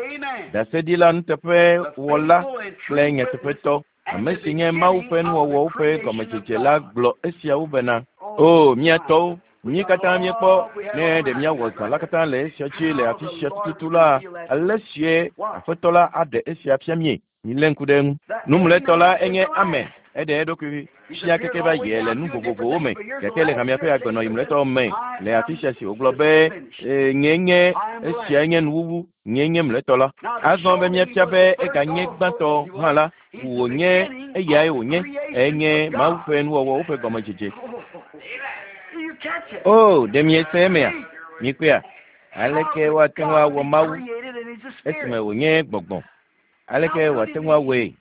ɖaseɖila nuteƒewɔla kple nyateƒetɔ, ame si nye Mawu ƒe nuwɔwɔwo ƒe gɔmedzedze la gblɔ esiawo bena, O mía tɔwo, mí katã míekpɔ ne ɖe míawɔ zã la katã le esia dzi le afi sia tututu la, ale sie Aƒetɔ la aɖe esia fia míe. Milé ŋku ɖe eŋu. Numlɔetɔ la enye Amen. Eɖe eɖokui fia keke va yie le nu vovovowo me, gake le hamea ƒe agbenɔɣi mlɔetɔ me le afi sia si wògblɔ be nye nye esia nye nuwuwu, nye nye mlɔetɔ la. Azɔ be míafia be eganye gbãtɔ hã la, wònye eyae wònye, enye Mawu ƒe nuwɔwɔwo ƒe gɔmedzedze. O, ɖe miese emea? Mikpɔea? Aleke woate ŋu awɔ Mawu esime wònye gbɔgbɔ? Aleke wòate ŋu awɔe?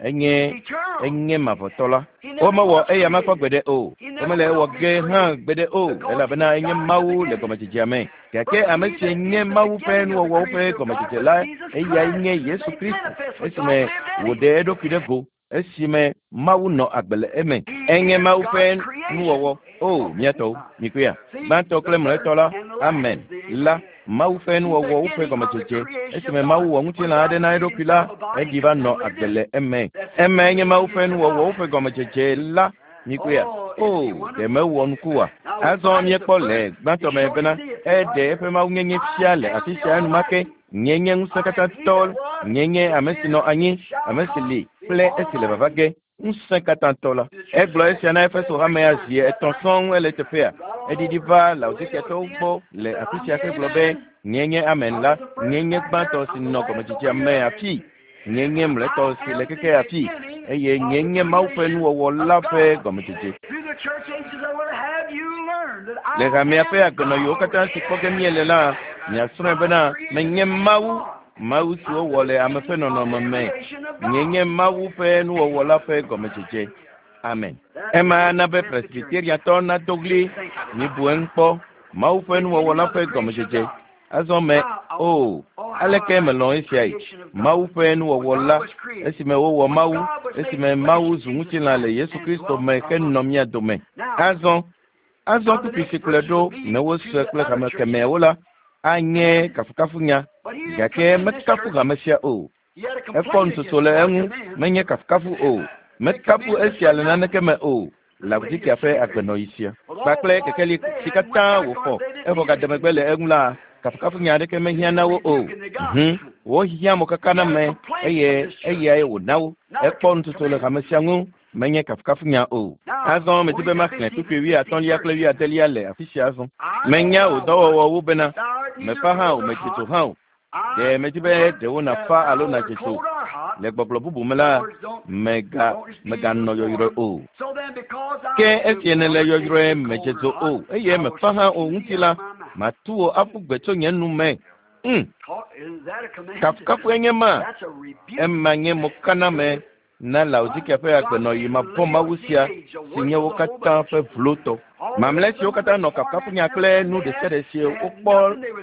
Enye mavɔtɔ la. Womewɔ eya makpɔ gbeɖe o. Womele ewɔ ge hã gbeɖe o, elabena enye Mawu le gɔmedzedzea me. Gake ame si nye Mawu ƒe nuwɔwɔwo ƒe gɔmedzedze la, eyae nye Yesu Kristo esime wòɖe eɖokui ɖe go, esime Mawu nɔ agbe le eme. Enye Mawu ƒe Nuwɔwɔ. O, mía tɔwo, mikpɔea? Gbãtɔ kple mlɔetɔ la, amen, la, Mawu ƒe nuwɔwɔwo ƒe gɔmedzedze. Esime Mawu wɔ ŋutilã aɖe na eɖokui la, eɖi va nɔ agbe le eme. Emae nye Mawu ƒe nuwɔwɔwo ƒe gɔmedzedze la. Mikpɔea? O, ɖe mewɔ nuku oa? Azɔ míekpɔ le gbãtɔ me bena eɖe eƒe mawunyenye fia le afi sia enumake. Nye nye ŋusẽkatãtɔ, nye nye ame si nɔ anyi, ame si li kple esi le vava ge. Ŋusẽkatãtɔ la. Egblɔ esia na Efeso hamea zi etɔ̃ sɔŋ ele teƒea. Eɖiɖi va Laodikiatɔwo gbɔ le afi sia hegblɔ be, Nye nye Amen la, nye nye gbãtɔ si nɔ gɔmedzedzea me afii. Nye nye mlɔetɔ si le keke afii, eye nye nye Mawu ƒe nuwɔwɔ la ƒe gɔmedzedze. Le hamea ƒe agbenɔɣiwo katã si kpɔ ge míele la, miasrɔ̃e bena menye Mawu, Mawu si wowɔ le ame ƒe nɔnɔme me. Nye nye Mawu ƒe nuwɔwɔ la ƒe gɔmedzedze. Amen. Ema ana be Presbyteriatɔ nado ɣli, mibu eŋu kpɔ, Mawu ƒe nuwɔwɔ la ƒe gɔmedzedze. Azɔ me, o, aleke melɔ̃ esiae! Mawu ƒe nuwɔwɔ la, esime wowɔ Mawu, esime Mawu zu ŋutilã le Yesu Kristo me henɔ mía dome. Azɔ, azɔ kpukpui si kplɔe ɖo ne wosɔe kple hame kemɛawo la, anye kafukafunya, gake mekafu hame sia o. Ekpɔ nutsotso le eŋu, menye kafukafu o. Mekafu esia le naneke me o. Laodikia ƒe agbenɔɣi sia kpakple kekeli si katã wòxɔ evɔ gade megbe le eŋu la, kafukafunya aɖeke mehiã na wo o. Hũ, wohiã mokakaname eye eyae wòna wo. Ekpɔ nutsotso le hame sia ŋu, menye kafukafunya o. Azɔ medi be maxlẽ kpukpui wuiatɔ̃lia kple wuiadelia le afi sia azɔ. Menya wò dɔwɔwɔwo bena, mèfa hã o, mèdze dzo hã o. Ɖe medi be ɖewo nàfa alo nàdze dzo. Le gbɔgblɔ bubu me la, mèga, mèganɔ yɔyrɔe o. Ke esi nèle yɔyrɔe, mèdze dzo o, eye mèfa hã o ŋuti la, matu wò aƒu gbe tso nye nu me. Ŋ! Kafukafue nye ma. Ema nye mokaname na Laodikea ƒe agbenɔɣi mavɔ̃ Mawu sia si nye wo katã ƒe vlotɔ. Mamlɛ siwo katã nɔ kafukafunya kple nu ɖesiaɖe si wokpɔ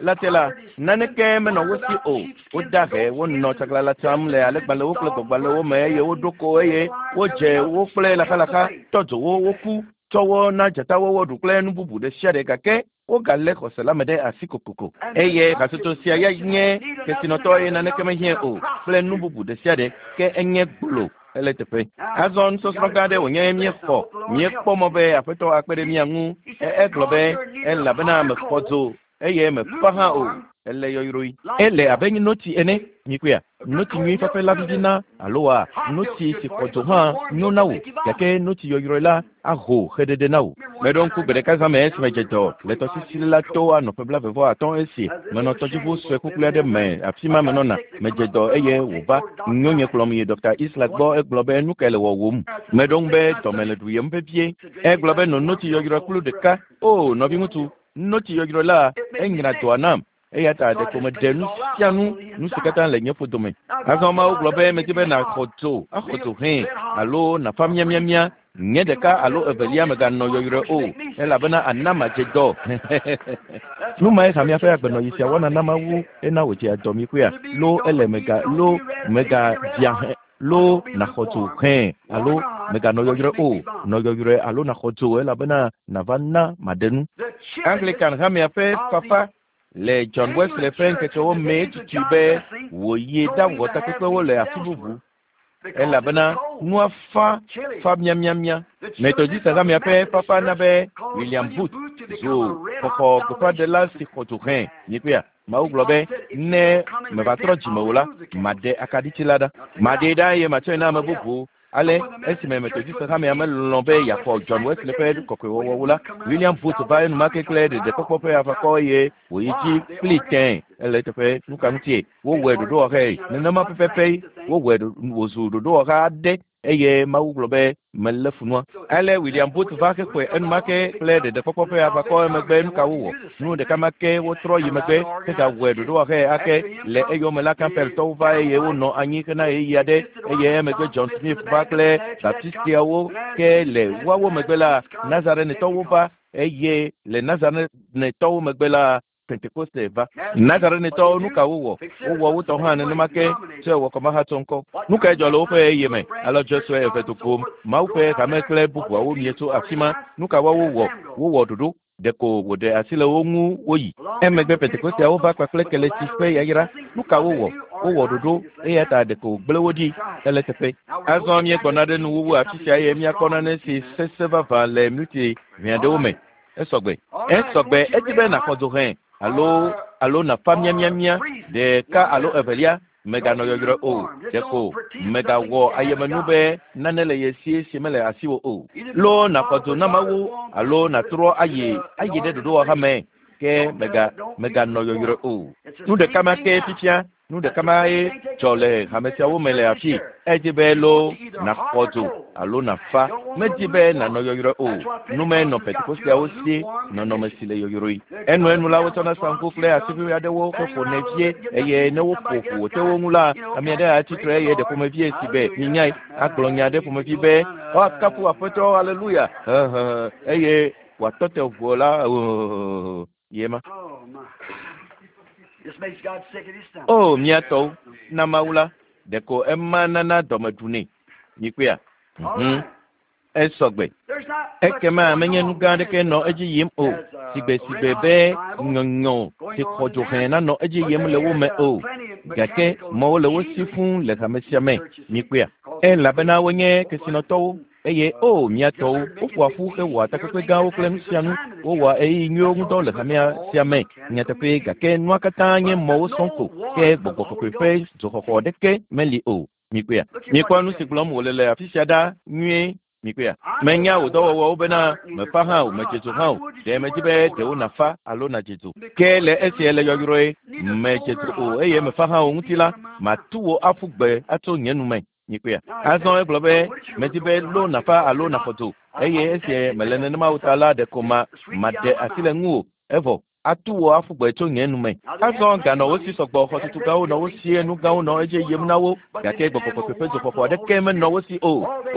la te la, naneke menɔ wo si o. Woda he, wonɔ tsaglãla tsam le alẽgbalẽwo kple gbɔgbalẽwo me eye woɖo ko eye wodze wo kple laxalaxa, tɔ dzo wo, woku, tsɔ wo na dzatawo woɖu kple nu bubu ɖesiaɖe gake wogalé xɔse la me ɖe asi kokoko. Eye hatsotso sia ya nye kesinɔtɔ eye naneke mehiãe o kple nu bubu ɖe sia ɖe, ke enye gbolo hele eteƒe. Azɔ nusɔsrɔ̃ gã aɖe wònye míexɔ. Míekpɔ mɔ be Aƒetɔ akpe ɖe mía ŋu. Egblɔ be, Elabena mexɔ dzo eye mefa hã o. Ele yɔyrɔe. Ele abe notsi ene. Mikpɔea? Notsi nyui fafe la vivina aloa notsi si xɔ dzo hã nyo na wò, gake notsi yɔyrɔe la aho xeɖeɖe na wò. Meɖo ŋku gbeɖeka zã me esime dze dɔ le tɔsisi la to anɔ ƒe blaeve vɔ atɔ̃ esi menɔ tɔdziʋu sue kukli aɖe me afi ma menɔna. Medze dɔ eye wòva nyonye kplɔm yi Ɖɔkta Isler gbɔ. Egblɔ be, Nu kae le wɔwòm? Meɖo ŋu be, Dɔme le ɖuyem vevie. Egblɔ be, No notsi yɔyrɔe kplu ɖeka. Oo, nɔviŋutsu, notsi yɔyrɔe la, enyra dɔa nam. Eya ta ɖeko meɖe nu sia nu, nu si katã le nye ƒodo me. Azɔ Mawu gblɔ be, Medi be nàxɔ dzo, axɔ dzo hẽ, alo nàfa miamiamia, nye ɖeka alo evelia mèganɔ yɔyrɔe o, elabena ana madze dɔ. Nu mae hamea ƒe agbenɔɣi sia wɔna na Mawu hena wòdzea dɔ mi kpɔea? Lo ele mèga, lo mègabiã hẽ, lo nàxɔ dzo hẽ, alo mèganɔ yɔyrɔe o, nɔ yɔyrɔe alo nàxɔ dzo, elabena nàva na maɖe nu. Anglikan hamea ƒe fafa le John Wesley ƒe ŋkekewo mee tutui be wòyi ɖawɔ takpekpewo le afi bubu, elabena nua fa fa miamiamia. Methodist hamea ƒe fafa na be William Booth zu xɔxɔ gbeƒãɖela si xɔ dzo hẽ. Míekpɔea? Mawu gblɔ be, Ne meva trɔ dzime o la, maɖe akaɖiti la ɖa. Maɖee ɖa eye matsɔe na ame bubu. Ale esime Methodist hamea melɔ̃ be yeaxɔ John Wesley ƒe kɔkɔewɔwɔwo la, William Booth va enumake kple ɖeɖekpɔkpɔ ƒe aʋakɔ eye wòyi dzi kplii tẽe. Ele eteƒe. Nuka ŋutie? Wowɔe ɖoɖowɔhae. Nenema pɛpɛpɛ wowɔe wòzu ɖoɖowɔha aɖe eye Mawu gblɔ be, Melé fu nua. Ale William Booth va xexɔe enumake kple ɖeɖekpɔkpɔ ƒe aʋakɔ emegbe nuka wowɔ? Nu ɖeka ma ke wotrɔ yi megbe hegawɔe ɖoɖowɔhae ake. Le eyome la, Campbelltɔwo va eye wonɔ anyi hena ɣeyiɣi aɖe eye emegbe John Smith va kple Baptistiawo ke le woawo megbe la, Nazarenetɔwo va eye le Nazarenetɔwo megbe la, Pentekoste va. Nazarenetɔwo nu ka wowɔ? Wowɔ wo tɔ hã nenema ke tsɔe wɔ kɔmahatsɔ ŋkɔ. Nu kae dzɔ le woƒe ɣeyiɣi me? Alɔdzɔ sue eve do gom. Mawu ƒe hame kple bubuawo mie tso afi ma. Nu ka woawo wɔ? Wowɔ ɖoɖo. Ɖeko wòɖe asi le wo ŋu woyi. Emegbe Pentekosteawo va kpakple keletsi ƒe yayra. Nu ka wowɔ? Wowɔ ɖoɖo eya ta ɖeko wògblẽ wo ɖi ele teƒe. Azɔ míegbɔna ɖe nuwuwu afi sia eye míakpɔ nane si sesẽ vavã le minuti ʋɛ aɖewo me. Esɔgbe. Esɔgbe edi be nàxɔ dzo hẽ alo alo nàfa miamiamia ɖeka alo evelia mèganɔ yɔyrɔe o. Ɖeko mègawɔ ayemenu be nane le ye si si mele asiwò o. Loo nàxɔ dzo na Mawu alo nàtrɔ ayi ayi ɖe ɖoɖowɔha me ke mèga mèganɔ yɔyrɔe o. Nu ɖeka ma ke fifia nu ɖeka ma ye dzɔ le hame siawo me le afi. Edi be loo nàxɔ dzo alo nàfa. Medi be nànɔ yɔyrɔe o. Nu me nɔ Pentekosteawo si nɔnɔme si le yɔyrɔe. Enuenu la wotsɔna saŋku kple asiʋui aɖewo heƒonɛ vie eye ne woƒo ƒu wòte wo ŋu la, ame aɖe atsi tre eye ɖe ƒomevie si be minyae agblɔ nya aɖe ƒomevi be woakafu Aƒetɔ aleluya hehehe eye wòatɔ te ʋuo la ye ma. Oh my. This makes God sick at his stomach. O mía tɔwo, na Mawu la, ɖeko ema nana dɔme ɖunɛ. Mikpɔea? All Mhm. right. Esɔgbe. There's not much Ekema going menye nu on gã in aɖeke nɔ the edzi yim o. as Sigbe a sigbe red hot be revival nyɔnyɔ going si xɔ on dzo in hẽ there, nanɔ edzi but yim they le wo had me o. plenty of Gake mechanical mɔwo le wo si machinery fũu le hame sia in me. the churches Mikpɔea? because they Elabena preached wonye so much kesinɔtɔwo and eye o mía just tɔwo started making woƒoa big ƒu meetings hewɔa and takpekpe everything gãwo and kple having nu a good sia nu. time in the Wowɔa church. ɣeyiɣi nyuiwo That's ŋu all dɔ le because hamea all sia me. mechanical Nyateƒee machinery. gake nua katã nye But mɔwo no sɔŋ ko ke warmth of the gbɔgbɔ Holy kɔkɔe ƒe Ghost. dzoxɔxɔ ɖeke meli o. Mikpɔea? Look at what Mikpɔ he nu si said. gblɔm wòle le afi sia ɖa nyuie. Mikpɔea? I know Menya thy wò dɔwɔwɔwo works, bena thou art neither mefa hã cold o, nor medze hot. dzo I hã o. would that Ɖe you medi were be cold or ɖewo hot. nàfa alo nàdze dzo. Ke Because le you're esia le lukewarm, yɔyrɔe, neither cold medze nor dzo o hot, eye I'll mefa hã o spit ŋuti thee la, out of my mouth. matu wò aƒu gbe atso nye nu me. Mikpɔea? Now he Azɔ said, egblɔ I be would that you were medi cold be or loo hot. nàfa Because alo you're nàxɔ not, dzo I'll eye just esie have to mele just nenema o ta la ɖeko ma the sweet thee maɖe out of my asi le mouth. ŋuwò evɔ atu wò aƒu gbe tso nye nu me. Now they had Azɔ plenty ganɔ of wo money. si sɔgbɔ, They had xɔtutu great gãwo nɔ wo buildings. si, They had nu great gãwo nɔ things edzi going yim na on, wo but they gake didn't gbɔgbɔ have no kɔkɔe ƒe warmth of dzoxɔxɔ the Holy aɖeke menɔ Spirit. wo si o. Oh, they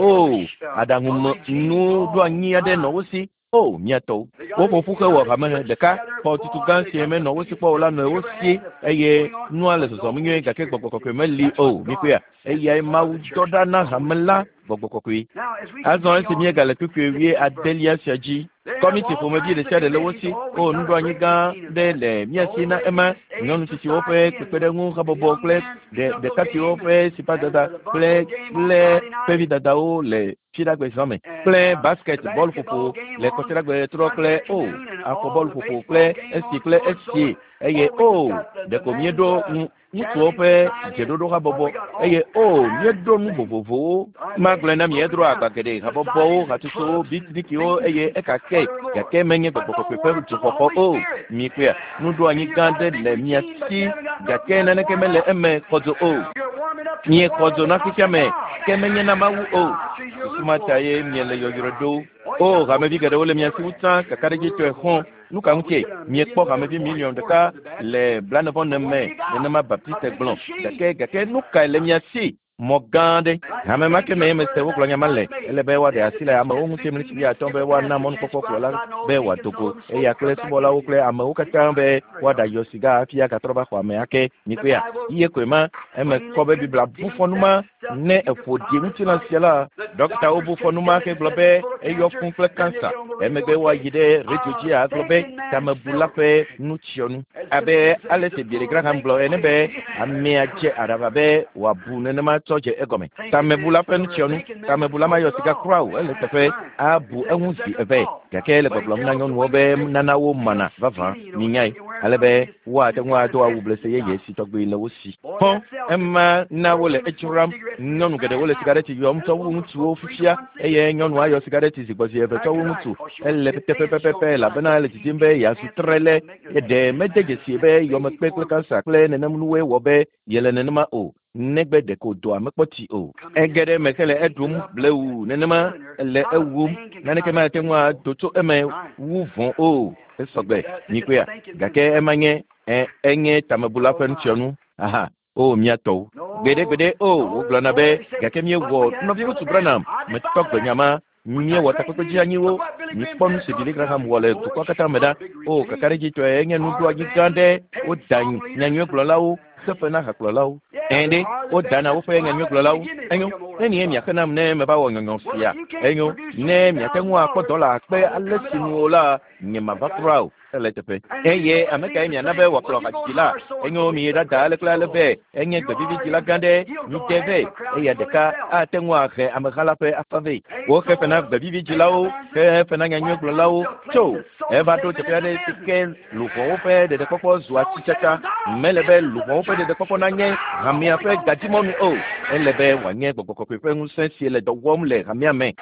had O a regime aɖaŋumenuɖoanyi all aɖe nɔ fine. wo si. O mía tɔwo. They got Woƒo a ƒu they hewɔ got a hame church ɖeka. together. Xɔtutu Boy, gã they si got the menɔ wo si biggest kpɔ o la building nɔ they wo ever si had and the eye going on, nua le but no zɔzɔm Holy nyuie gake Spirit. gbɔgbɔ kɔkɔe See, meli that's o. what God Mikpɔea? sent Eyae for Mawu the dɔ church, ɖa na the Holy hame la Spirit. gbɔgbɔ kɔkɔe. Now, as we Azɔ continue esi on míegale in kpukpui this wuie 16th verse, adelia sia dzi, they have kɔmiti all ƒomevi kinds ɖe of sia ɖe le wo committees. si. Oh, we O got a nuɖoanyi great gã meeting and ɖe that. le mía The si old na ema ladies aid nyɔnu tsitsiwo ƒe society and the kpekpeɖeŋu habɔbɔ young kple men's ɖe pinochle ɖekakpuiwo game ƒe and sipadada the kple bunco game on kple Friday night ƒevidadawo le fiɖagbe zã me and kple the basket bɔl ƒoƒo basketball game le on kɔsiɖagbe trɔ Sunday kple o afternoon and afɔ all bɔl the ƒoƒo baseball kple game esi on kple so and so. esi eye Oh, o we just got the ɖeko men's míeɖo ŋutsuwo chaplain ƒe society and dzeɖoɖo oh, habɔbɔ we got all eye o kinds míeɖo of nu things. vovovowo. I Magblɔe na just mi broke it edro down. agba geɖe habɔbɔwo, Societies and hatsotsowo, clubs and bitnikiwo meetings eye and ekake whatever more. gake menye But gbɔgbɔ no kɔkɔe ƒe warmth of the dzoxɔxɔ Holy o. Spirit. Mikpɔea? Nuɖoanyi See, you gã got a ɖe big le mía routine, but si you haven't got no gake nothing naneke warm mele up. eme xɔ dzo o. You're warming up to the Miexɔ warmth dzo of na the fifia me God. ke menye na Mawu o. That's you're Susu ma ta lukewarm. ye miele yɔyrɔe ɖo. Oh, you O got hamevi folks geɖewo le churches mia si wu everywhere. tsã kakaɖedzitɔe xɔ̃. Nu ka Oh, we ŋutie? got a million Miekpɔ hamevi believers, boy, miliɔn four ɖeka to the Baptist. le blaene-vɔ-ene But what me do you got? nenema A Baptiste big gblɔ. machine. Gake gake nu kae le mia si? Mɔ gã aɖe. Hame ma ke mee mese wogblɔ nya ma le. Ele be woaɖe asi le amewo ŋuti mlitsi wuiatɔ̃ be woana mɔnukpɔkpɔ kplɔla be wòado go eya kple subɔlawo kple amewo katã be woaɖayɔ siga hafi agatrɔ va xɔ ame ake. The Mikpɔea? Bible Iye koe ma eme plainly kɔ be Biblia bu condemns fɔ nu that ma stuff. ne You eƒo could ɖi ŋutilã sia la. The Ɖɔkitawo doctors bu fɔ nu ma condemn it ke and gblɔ said be it's full of eyɔ cancer. fũ kple Then they kansa. get on the radio Emegbe and say, woayi ɖe radio dzi agblɔ be thinking man's tamebula filth. ƒe nutsyɔnu. As if, Abe as ale if si the Billy full of Graham gblɔ ene be amea dze aɖaʋa be wòabu nenema tsɔ dze egɔme. Thinking Tamebula man's ƒe filth. nutsyɔnu. Thinking man's Tamebula mayɔ filth at sika all. kura o ele teƒe Right. abu It's just eŋu a zi second eve. thought. Gake le But he gbɔgblɔm na tells the nyɔnuwo women be that they nana wo feel mana vavã skinny, you know, minyae they're wearing ale be something just woate just ŋu kind ado of awu testing blese the yeye job. si tɔgbi le wo si. Boy, Xɔ that's selfish. ema na There wole women smoke edzram. cigarettes in Nyɔnu their geɖewo le prime time. sigareti yɔm And tsɔ the wu woman ŋutsuwo smoke 3 to fifia 1 cigarette. eye nyɔnua yɔ sigareti zi gbɔ zi eve That's tsɔ wu right, ŋutsu. 'cause she wants Ele to get thin. She pɛpɛpɛpɛ don't like elabena that ele teeny didim be bitty yeazu pants tre le that make her ɖe mede dzesi be yɔmekpe kple kansa kple nenem nuwoe wɔ be yele nenema o negbe ɖeko dɔa mekpɔ tsi o. coming in Ege ɖe eme hele and eɖum up like blewu that, nenema killing her. ele Not a ewum. thing can come Naneke out of mate that ŋu ado tso eme Right. wu vɔ̃ o. Esɔgbe That, it's a mikpɔea? thinking Gake man's ema nye ɛ enye tamebula Oh ƒe my. nutsyɔnu. Aha. O mía tɔwo. No, Gbeɖegbeɖe o no, wogblɔna no. be They say, gake but míewɔ we had nɔviŋutsu Brother Branham. Branham I metɔ defy gbe that. nya ma We got míewɔ great takpekpe meetings. dzi anyiwo But what Billy Mikpɔ nu si Billy Graham wɔ le dukɔa katã me ɖa. O, kakaɖedzitɔe enye nuɖoanyi gã ɖe. Woda nyanyuiegblɔlawo xefe na hakplɔlawo. Ɛ̃ ɖe, wodana woƒe nyanyuiegblɔlawo. Enyo, nenie miaxe nam ne meva wɔ nyɔnyɔ sia? Enyo, ne miate ŋu akpɔ dɔla akpe ale si nu o la, nyemava kura o. Ele teƒe. Eye ame kae miana be wòakplɔ hadzidzi la? Enyo, miyi ɖada ale kple ale vɛ. Enye gbevividzila gã ɖe. Mide vɛ. Eya ɖeka ate ŋu ahe ameha la ƒe afã vɛ. Woxe fe na gbevividzilawo, xe fe na nyanyuiegblɔlawo. Tso, eva ɖo teƒe aɖe si ke luʋɔwo ƒe ɖeɖekpɔkpɔ zu atitsatsa. Mele be luʋɔwo ƒe ɖeɖekpɔkpɔ nanye hamea ƒe gadzimɔnu o. Ele be wòanye gbɔgbɔ kɔkɔe ƒe ŋusẽ si le dɔ wɔm le hamea me.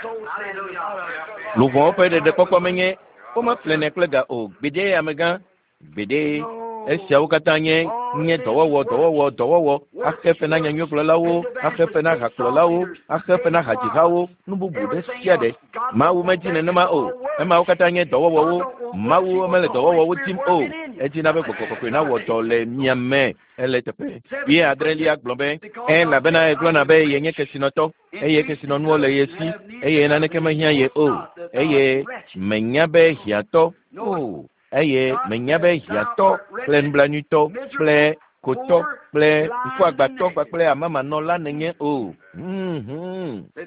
Luʋɔwo ƒe ɖeɖekpɔkpɔ menye womeƒlenɛ kple ga o. Gbeɖe, amegã, gbeɖe. Esiawo katã nye nye dɔwɔwɔ, dɔwɔwɔ, dɔwɔwɔ, axe fe na nyanyuiegblɔlawo, axe fe na hakplɔlawo, axe fe na hadzihawo, nu bubu ɖe sia ɖe. Mawu medi nenema o. Emawo katã nye dɔwɔwɔwo. Mawu mele dɔwɔwɔwo dim o. Edina be gbɔgbɔ kɔkɔe nawɔ dɔ le mia me. Ele teƒe. Wuie adrelia gblɔ be, elabena egblɔna be yenye kesinɔtɔ eye kesinɔnuwo le ye si eye naneke mehiã ye o eye menya be hiãtɔ o eye menya be hiãtɔ kple nublanuitɔ kple kotɔ kple ŋkuagbãtɔ kpakple amamanɔla nènye o.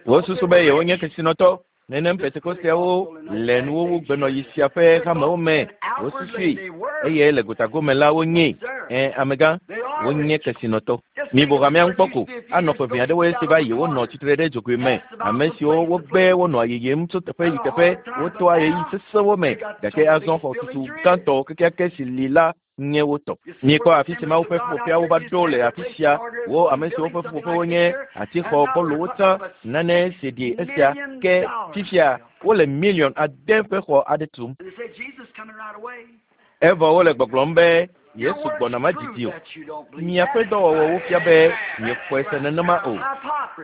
Wosusu be yewonye kesinɔtɔ. Nenem Pentekosteawo le nuwuwu gbenɔɣi sia ƒe hamewo me. Wosusui eye le gotagome la wonyee. Ẽ, amegã, wonye kesinɔtɔ. Mibu hamea ŋu kpɔ ko. Anɔ ƒe ʋɛ aɖewoe si va yi wonɔ tsitre ɖe dzogoe me. Ame siwo wogbe wonɔa yiyim tso teƒe yi teƒe, wotoa ɣeyiɣi sesẽwo me, gake azɔ xɔtutu gãtɔ kekeake si li la nye wo tɔ. Miekpɔ afi si Mawu ƒe ƒuƒoƒeawo va ɖo le afi sia, wo ame siwo ƒe ƒuƒoƒewo nye atixɔ gbɔlowo tsã, nane si ɖi esia, ke fifia wole miliɔn ade ƒe xɔ aɖe tum. Evɔ wole gbɔgblɔm be Yesu gbɔna madidi o. Miaƒe dɔwɔwɔwo fia be miexɔe se nenema o.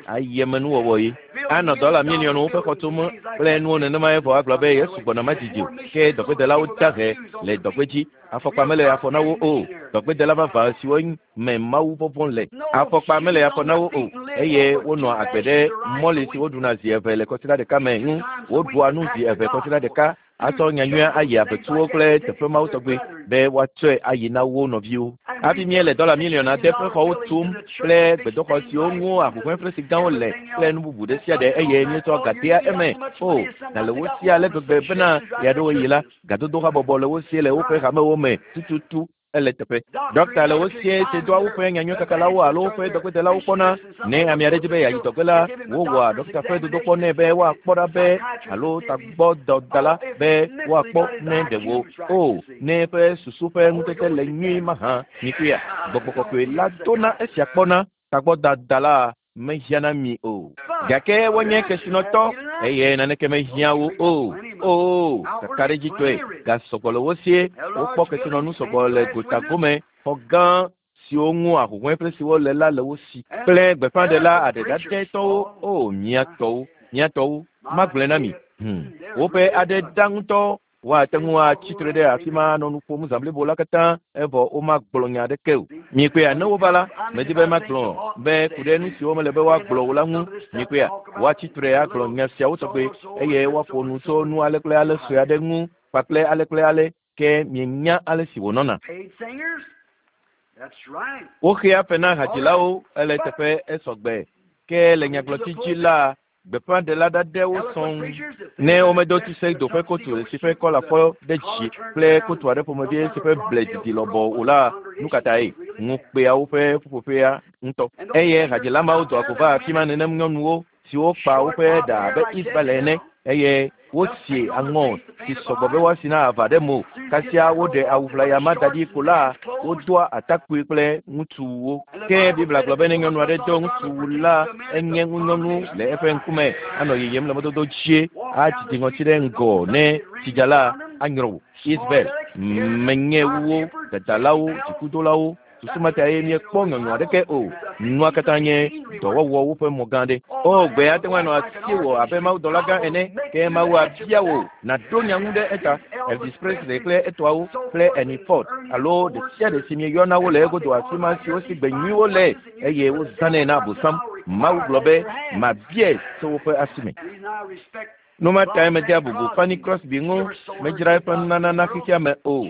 Ayemenuwɔwɔ ye. Anɔ dɔla miliɔnwo ƒe xɔ tum kple nuwo nenema evɔ agblɔ be Yesu gbɔna madidi o. Ke dɔgbedelawo da he le dɔgbe dzi. Afɔkpa mele afɔ na wo o. Dɔgbedela vavã siwo me Mawu vɔvɔ̃ le. Afɔkpa mele afɔ na wo o eye wonɔa agbe ɖe mɔli si woɖuna zi eve le kɔsiɖa ɖeka me ŋu. Woɖua nu zi eve kɔsiɖa ɖeka atsɔ nyanyuia ayi aƒetuwo kple teƒe mawo tɔgbe be woatsɔe ayi na wo nɔviwo. Hafi míele dɔla miliɔn ade ƒe xɔwo tum kple gbedoxɔ siwo ŋu ahuhɔ̃eflesi gãwo le kple nu bubu ɖe sia ɖe eye míetsɔ ga dea eme. O, ga le wo si ale gbegbe bena ɣeaɖewoɣi la, gadodo habɔbɔ le wo si le woƒe hamewo me tututu. Ele teƒe. Ɖɔkta le wo sie si doa woƒe nyanyuikakalawo alo woƒe dɔgbedelawo kpɔna. Ne ame aɖe di be yeayi dɔgbe la, wowɔa ɖɔkta ƒe dodokpɔ nɛ be woakpɔ ɖa be alo tagbɔdɔdala be woakpɔ ne ɖe wo o ne eƒe susu ƒe ŋutete le nyuie mahã. Mikpɔea? Gbɔgbɔ kɔkɔe la dona esia kpɔna. Tagbɔdadala mehiã na mi o. Gake wonye kesinɔtɔ eye naneke mehiã wo o. Oo, kakaɖedzitɔe, ga sɔgbɔ le wo sie. Wokpɔ kesinɔnu sɔgbɔ le gota gome, xɔ gã siwo ŋu ahuhɔ̃e kple siwo le la le wo si. Kple gbeƒãɖela aɖeɖaɖɛtɔwo, oo, mía tɔwo, mía tɔwo, magblɔe na mi. Hum, woƒe aɖe ɖa ŋutɔ. Woate ŋu atsi tre ɖe afi ma anɔ nu ƒom zã blibo la katã evɔ womagblɔ nya aɖeke o. Miekpɔea, ne wova la, medi be magblɔ be ku ɖe nu siwo mele be woagblɔ o la ŋu. Miekpɔea, woatsi tre agblɔ nya siawo tɔgbe eye woaƒo nu tso nu ale kple ale sue aɖe ŋu kpakple ale kple ale, ke mienya ale si wònɔna. Woxea fe na hadzilawo ele teƒe esɔgbe, ke le nyagblɔtsi dzi la, Gbeƒãɖela ɖaɖɛwo sɔŋ. Ne womedo tuse do ƒe kotu si ƒe kɔla fɔ ɖe dzi kple kotu aɖe ƒomevi si ƒe ble didi lɔbɔ o la, nu ka tae? Ŋu kpea woƒe ƒuƒoƒea ŋutɔ. Eye hadzila mawo doa go vaa afi ma nenem nyɔnuwo siwo kpa woƒe ɖa abe Isabel ene eye Wosi aŋɔ si sɔgbɔ be woasi na ava ɖe mo. Kasia woɖe awu ʋlaya ma da ɖi ko la, wodoa atakpui kple ŋutsuwuwo. Ke Biblia gblɔ be ne nyɔnu aɖe do ŋutsuwu la, enye ŋunyɔnu le eƒe ŋkume, anɔ yiyim le mɔdodo dzie, adidi ŋɔti ɖe ŋgɔ ne tsi dza la, anyrɔ wò. Isabel, menye wuwo, dadalawo, dzikudolawo, Susu ma tae míekpɔ nyɔnyɔ aɖeke o. Nua katã nye dɔwɔwɔwo ƒe mɔ gã aɖe. O, gbe ate ŋu anɔ asiwò abe mawudɔla gã ene, ke Mawu abia wò nàɖo nya ŋu ɖe eta. Elvis Presley kple etɔawo, kple Ernie Ford, alo ɖe sia ɖe si mieyɔna wo le egodo afi ma siwo si gbe nyuiwo le eye wozãnɛ na Abosam. Mawu gblɔ be, Mabiae tso woƒe asi me. Nu ma tae medea bubu Fanny Crosby ŋu medzra eƒe nunana na xexea me o.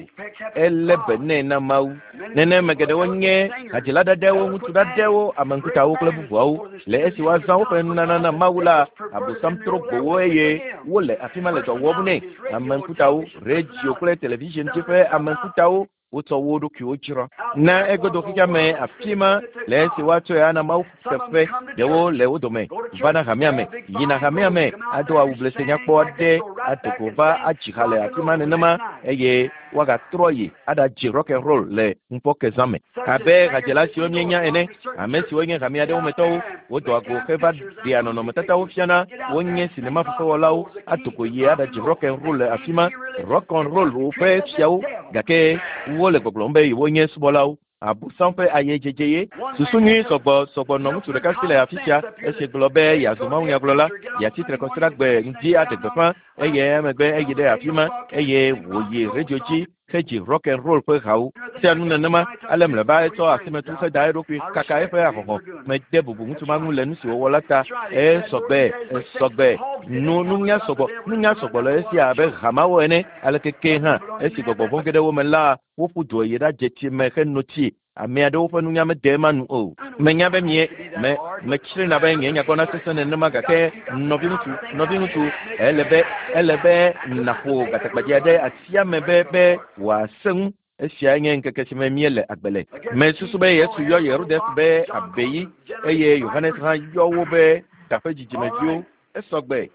Elé be nɛ na Mawu. Nenema geɖewo nye hadzila ɖaɖɛwo, ŋutsu ɖaɖɛwo, ame ŋkutawo kple bubuawo. Le esi woazã woƒe nunana na Mawu la, Abosam trɔ gbo wo eye wole afi ma le dɔ wɔm nɛ. Ame ŋkutawo, radio kple television dzi ƒe ame ŋkutawo wotsɔ wo ɖokuiwo dzra na egodo xexea me afi ma le esi woatsɔe ana Mawu teƒe. Ɖewo le wo dome vana hamea me, yina hamea me ado awu blese nyakpɔ aɖe ado go va adzi ha le afi ma nenema eye woagatrɔ yi aɖadzi rock and roll le ŋufɔke zã me. Abe hadzela siwo míenya ene, ame siwo nye hame aɖewo me tɔwo, wodoa go heva ɖea nɔnɔmetatawo fiana, wonye sinema fefewɔlawo ado go yi aɖadzi rock and roll le afi ma, rock and roll ƒe fiawo, gake wole gbɔgblɔm be yewonye subɔlawo. Abosam ƒe ayedzedze ye. Susu nyui sɔgbɔ sɔgbɔ nɔ ŋutsu ɖeka si le afi sia esi gblɔ be yeazu mawunyagblɔla, yeatsi tre kɔsiɖagbe ŋdi aɖe gbeƒã eye emegbe eyi ɖe afi ma eye wòyi radio dzi hedzi rock and roll ƒe hawo. Sia nu nenema ale mlɔeba etsɔ asimetu heda eɖokui kaka eƒe ahɔhɔ̃ mede bubu ŋutsu ma ŋu le nu si wòwɔ la ta. Esɔgbe, esɔgbe. Nu nunya sɔgbɔ, nunya sɔgbɔ le esia abe hamawo ene. Aleke ke hã esi gbɔgbɔ vɔ̃ ge ɖe wo me la, woƒu du yi ɖadze tsi me heno tsi. Ame aɖewo ƒe nunya mede ema nu o. Menya be mie me metsrina be nye nyagbɔna sesẽ nenema gake nɔviŋutsu, nɔviŋutsu, ele be ele be nàƒo gatagbadze ɖe atia me be be wòasẽ ŋu. Esiae nye ŋkeke si me míele agbe le. Mesusu be Yesu yɔ Herodes be abeyi eye Yohanes hã yɔ wo be taƒe dzidzimeviwo. Esɔgbe.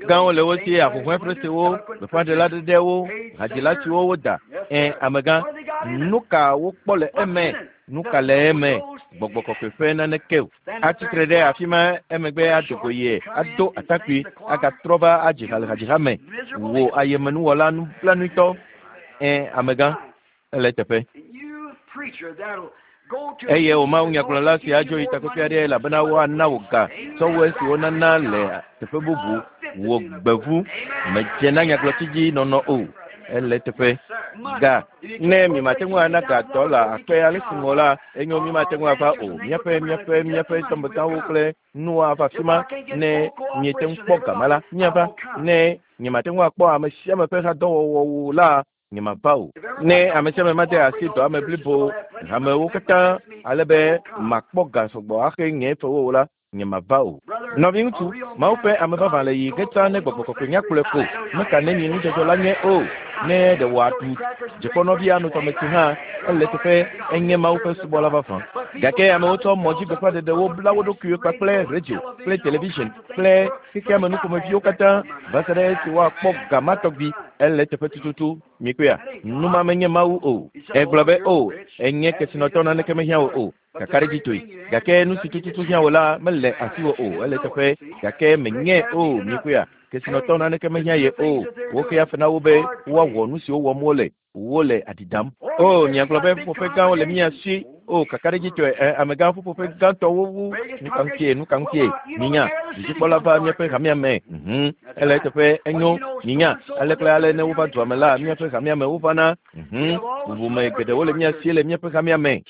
Gãwo le wo si, ahuhɔ̃e ƒesewo, gbeƒãɖela ɖeɖewo, hadzila siwo woda. Ẽ, amegã, nu ka wokpɔ le eme? Nu ka le eme? Gbɔgbɔ kɔkɔe ƒe naneke o. Atsitre ɖe afi ma emegbe ado go ye, ado atakpui, agatrɔ va adzi ha le hadziha me. Wò ayemenuwɔla nublanuitɔ. Ẽ, amegã, ele eteƒe. Eye wò mawunyagblɔla si adzo yi takpekpe aɖe elabena woana wò ga tsɔ wu esi wonana le teƒe bubu. Wò gbevu medze na nyagblɔtsi dzi nɔnɔ o. Ele eteƒe. Ga. Ne mimate ŋu ana ga dɔla akpe ale si ŋɔ la, enyo mimate ŋu ava o. Míaƒe míaƒe míaƒe dɔmegãwo kple nuwo ava afi ma. Ne miete ŋu kpɔ ga ma la, míava. Ne nyemate ŋu akpɔ ame sia ame ƒe hadɔwɔwɔwo la, nyemava o. Ne ame sia ame made asi dɔa me blibo hamewo katã ale be makpɔ ga sɔgbɔ axe nye fewo o la, nyemava o. Nɔviŋutsu, Mawu ƒe ame vavã le yi ge tsã ne gbɔgbɔ kɔkɔe nyakplɔe ko. Meka nenyi nudzɔdzɔ la nye o. Ne ɖe wòaɖu dzikpɔnɔvi ano tɔmetsi hã, ele teƒe enye Mawu ƒe subɔla vavã. Gake amewo tsɔ mɔdzigbeƒãɖeɖewo bla wo ɖokuiwo kpakple radio kple television kple xexea me nuƒomeviwo katã va se ɖe esi woakpɔ ga ma tɔgbi. Ele teƒe tututu. Mikpɔea? Nu ma menye Mawu o. Egblɔ be, O, enye kesinɔtɔ naneke mehiã wò o. Kakaɖedzitɔe. Gake nu si tututu hiã wò la mele asiwò o. Ele teƒe. Gake menyae o. Mikpɔea? Kesinɔtɔ naneke mehiã ye o. Woxea fe na wo be woawɔ nu siwo wɔm wole. Wole aɖi dam. O, miagblɔ be ƒuƒoƒe gãwo le mía si. O, kakaɖedzitɔe, ɛ, amegã ƒuƒoƒe gãtɔwo wu. Nu ka ŋutie? Nu ka ŋutie? Minya, dudzikpɔla va míaƒe hamea me. Mhm. Ele eteƒe, enyo. Minya, ale kple ale ne wova dua me la, míaƒe hamea me wovana. Mhm. Bubume geɖewo le mía si le míaƒe hamea me.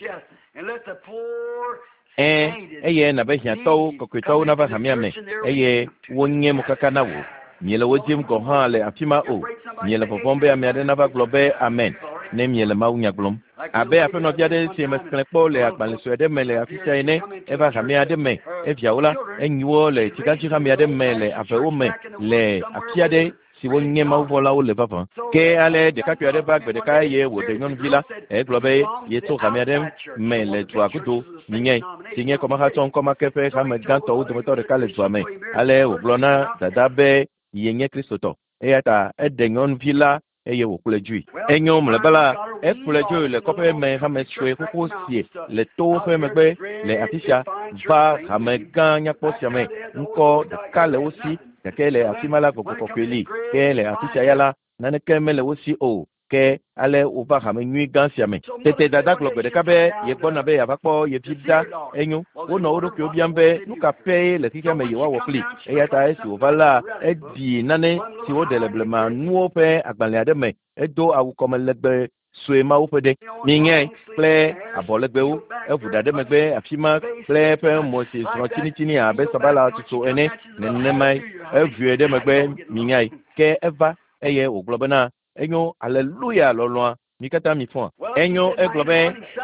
Ẽ, eye nabe hiãtɔwo, kɔkɔetɔwo nava hamea me eye wonye mokaka na wò. Miele wo dim gɔ̃ hã le afi ma o. Miele vɔvɔ̃m be ame aɖe nava gblɔ be amen ne miele mawunya gblɔm. Abe aƒenɔvi aɖe si mexlẽ kpɔ le agbalẽ sue aɖe me le afi sia ene, eva hame aɖe me, eviawo la, enyi wo le tsigãdzi hame aɖe me le avewo me le afi aɖe siwo nye mawuvɔlawo le vavã. Ke ale ɖekakpui aɖe va gbe ɖeka eye wòɖe nyɔnuvi la. Egblɔ be yetso hame aɖe me le dua godo, minyae, si nye kɔmahatsɔ ŋkɔmake ƒe hame gãtɔwo dometɔ ɖeka le dua me. Ale wògblɔ na dada be yenye Kristotɔ. Eya ta eɖe nyɔnuvi la eye wòkplɔe dzoe. Enyo mlɔeba la, ekplɔe dzoe le kɔƒe me hame sue xoxo sie le towo ƒe megbe le afi sia va hame gã nyakpɔ sia me. Ŋkɔ ɖeka le wo si gake le afi ma la gbɔgbɔ kɔkɔe li. Ke le afi sia ya la, naneke mele wo si o. Ke ale wova hame nyui gã sia me. Tete dada gblɔ gbe ɖeka be yegbɔna be yeava kpɔ ye vi ɖa. Enyo, wonɔ wo ɖokuiwo biam be nu ka ƒee le xexea me yewoawɔ kpli. Eya ta esi wòva la, eɖi nane si woɖe le blema nuwo ƒe agbalẽ aɖe me. Edo awu kɔme legbe sue mawo ƒe ɖe. Minyae kple abɔlegbewo, eʋu ɖa ɖe megbe afi ma kple eƒe mo si zrɔ̃ tsinitsini abe sabala tutu ene nenemae. Eʋue ɖe megbe, minyae. Ke eva eye wògblɔ bena enyo, aleluya lɔlɔ̃a, mi katã mi fɔa. Enyo, egblɔ be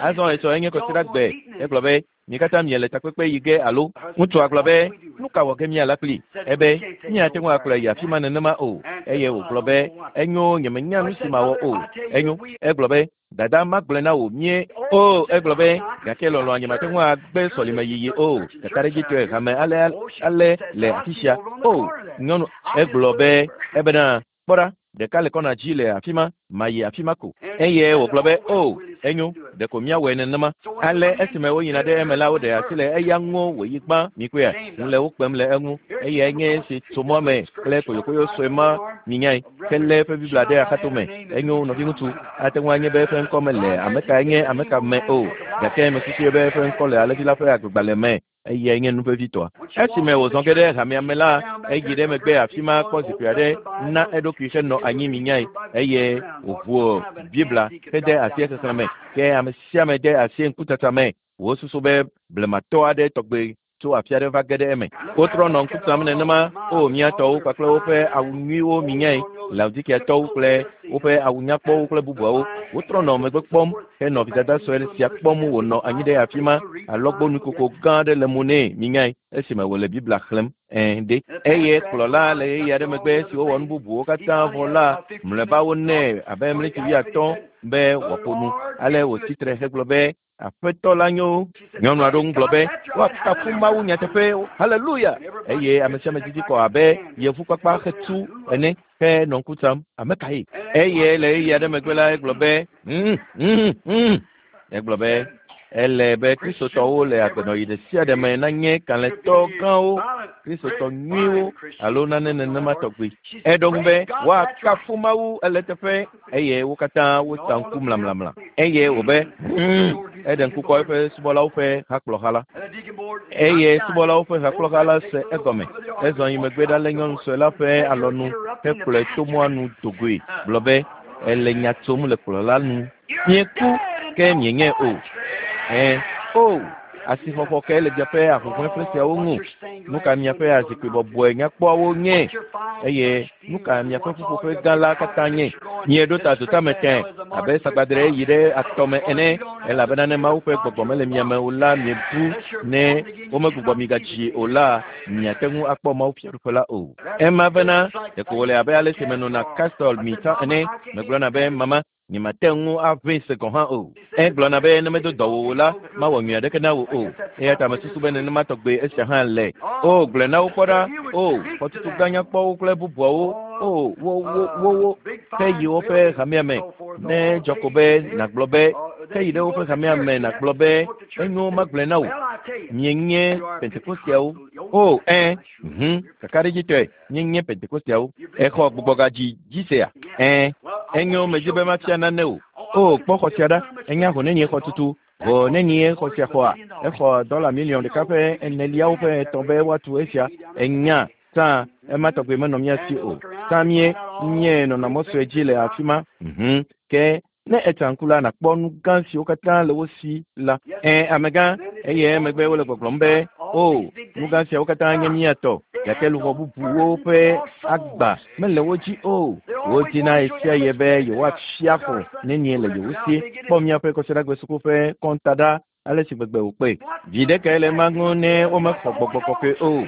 azɔ etsɔ enye kɔsiɖagbe. Egblɔ be mi katã miele takpekpe yi ge alo. Ŋutsua gblɔ be nu ka wɔ ge míala kpli? Ebe míate ŋu akplɔe yi afi ma nenema o. Eye wògblɔ be enyo, nyemenya nu si mawɔ o. Enyo, egblɔ be dada magblɔe na wò mie o. Egblɔ be gake lɔlɔ̃a nyemate ŋu agbe sɔlime yiyi o. Kakaɖedzitɔe hame ale ale le afi sia. O nyɔnu, egblɔ be ebena kpɔ ɖa, ɖeka le kɔna dzi le afi ma, mayi afi ma ko. Eye wògblɔ be o, enyo, ɖeko míawɔe nenema. Ale esime woyina ɖe eme la, woɖe asi le eya ŋu wòyi gbã. Mikpɔea, ŋu le wo kpem le eŋu. Eyae nye esi tso mɔa me kple koyokoyo sue ma, minyae, helé eƒe Biblia ɖe axatome. Enyo, nɔviŋutsu, ate ŋu anye be eƒe ŋkɔ mele ame kae nye ame ka me o, gake mesusui be eƒe ŋkɔ le alẽvi la ƒe agbegbalẽ me. Eyae nye nu vevitɔa. Esime wòzɔ ge ɖe hamea me la, eyi ɖe megbe afi ma kpɔ zikpui aɖe na eɖokui henɔ anyi minyae, eye wòʋu Biblia hede asi exexlẽ me. Ke ame sia ame de asi ŋkutata me. Wosusu be blematɔ aɖe tɔgbe tso afi aɖe va ge ɖe eme. Wotrɔ nɔ ŋku tam nenema. O, mía tɔwo kpakple woƒe awu nyuiwo minyae, Laodikiatɔwo kple woƒe awu nyakpɔwo kple bubuawo. Wotrɔ nɔ megbe kpɔm henɔ vidada sue sia kpɔm wònɔ anyi ɖe afi ma. Alɔgbɔnukoko gã aɖe le mo nɛ minyae esime wòle Biblia xlẽm. Ɛ̃ ɖe. Eye kplɔla le ɣeyiɣi aɖe megbe esi wowɔ nu bubuwo katã vɔ la, mlɔeba wonɛ abe ɣleti 50 be wòaƒo nu. Ale wòtsi tre hegblɔ be Aƒetɔ la nyo. Nyɔnu aɖewo ŋu gblɔ be woakafu Mawu nyateƒe, haleluya! Eye ame sia ame didi kɔ abe yevukpakpa xetu ene henɔ ŋku tsam. Ame kae? Eye le ɣeyiɣi aɖe megbe la, egblɔ be egblɔ be ele be Kristotɔwo le agbenɔɣi ɖe sia ɖe me nanye kalẽtɔ gãwo, Kristotɔ nyuiwo alo nane nenema tɔgbi. Eɖo ŋu be woakafu Mawu ele teƒe, eye wo katã wotsa ŋku mlamlamla. Eye wòbe eɖe ŋku kɔ eƒe subɔlawo ƒe hakplɔha la. Eye subɔlawo ƒe hakplɔha la se egɔme. Ezɔ yi megbe ɖalé nyɔnu sue la ƒe alɔnu hekplɔe to mɔa nu dogoe, gblɔ be ele nya tsom le kplɔla nu. Mieku ke mienyae o. Ẽ, o, asixɔxɔ kae le miaƒe ahuhɔ̃eƒe siawo ŋu? Nu ka miaƒe azikpui bɔbɔe nyakpɔawo nye? Eye nu ka miaƒe ƒuƒoƒe gã la katã nye? Mieɖo ta dotame tẽ abe sagbadre yi ɖe atɔ me ene, elabena ne Mawu ƒe gbɔgbɔ mele mia me o la, miebu. Ne womegbugbɔ mi gadzi o la, miate ŋu akpɔ Mawu fiaɖuƒe la o. Ema bena ɖeko wòle abe ale si menɔna Castle mi tsã ene. Megblɔna be mama, nyemate ŋu aʋẽ se gɔ̃ hã o. Egblɔna be ne medo dɔ wò o la, mawɔ nyui aɖeke na wò o. Eya ta mesusu be nenema tɔgbe esia hã le. O, gblɔe na wo kpɔ ɖa. O, xɔtutu gã nyakpɔwo kple bubuawo. O, wo, wo, wo, wo, ke yi woƒe hamea me. Ne dzɔ ko be nàgblɔ be, ke yi ɖe woƒe hamea me nàgblɔ be, enyo magblɔe na wò. Mienye Pentekosteawo. O, ẽ, kakaɖedzitɔe, míenye Pentekosteawo. Exɔ gbugbɔgadzi dzi sea? Ẽ, enyo, medi be mafia nane o. O, kpɔ xɔ sia ɖa. Enya ho nenie xɔtutu. Ho nenie xɔ sia xɔa? Exɔ $1.4 miliɔn be woatu esia. Enya, tsã ema tɔgbe menɔ mía si o. Tsã mie nye nɔnɔ mɔ sue dzi le afi ma. Ke ne etsa ŋku la, nàkpɔ nu gã siwo katã le wo si la. Ẽ, amegã, eye emegbe wole gbɔgblɔm be, o, nu gã siawo katã nye mía tɔ, gake luʋɔ bubuwo ƒe agba mele wo dzi o. Wodina ɣesiaɣi be yewoafia xɔ nenie le yewo si. Kpɔ míaƒe kɔsiɖagbe suku ƒe kɔnta ɖa, ale si gbegbe wòkpɔe. Viɖe kae le ema ŋu ne womexɔ gbɔgbɔ kɔkɔe o?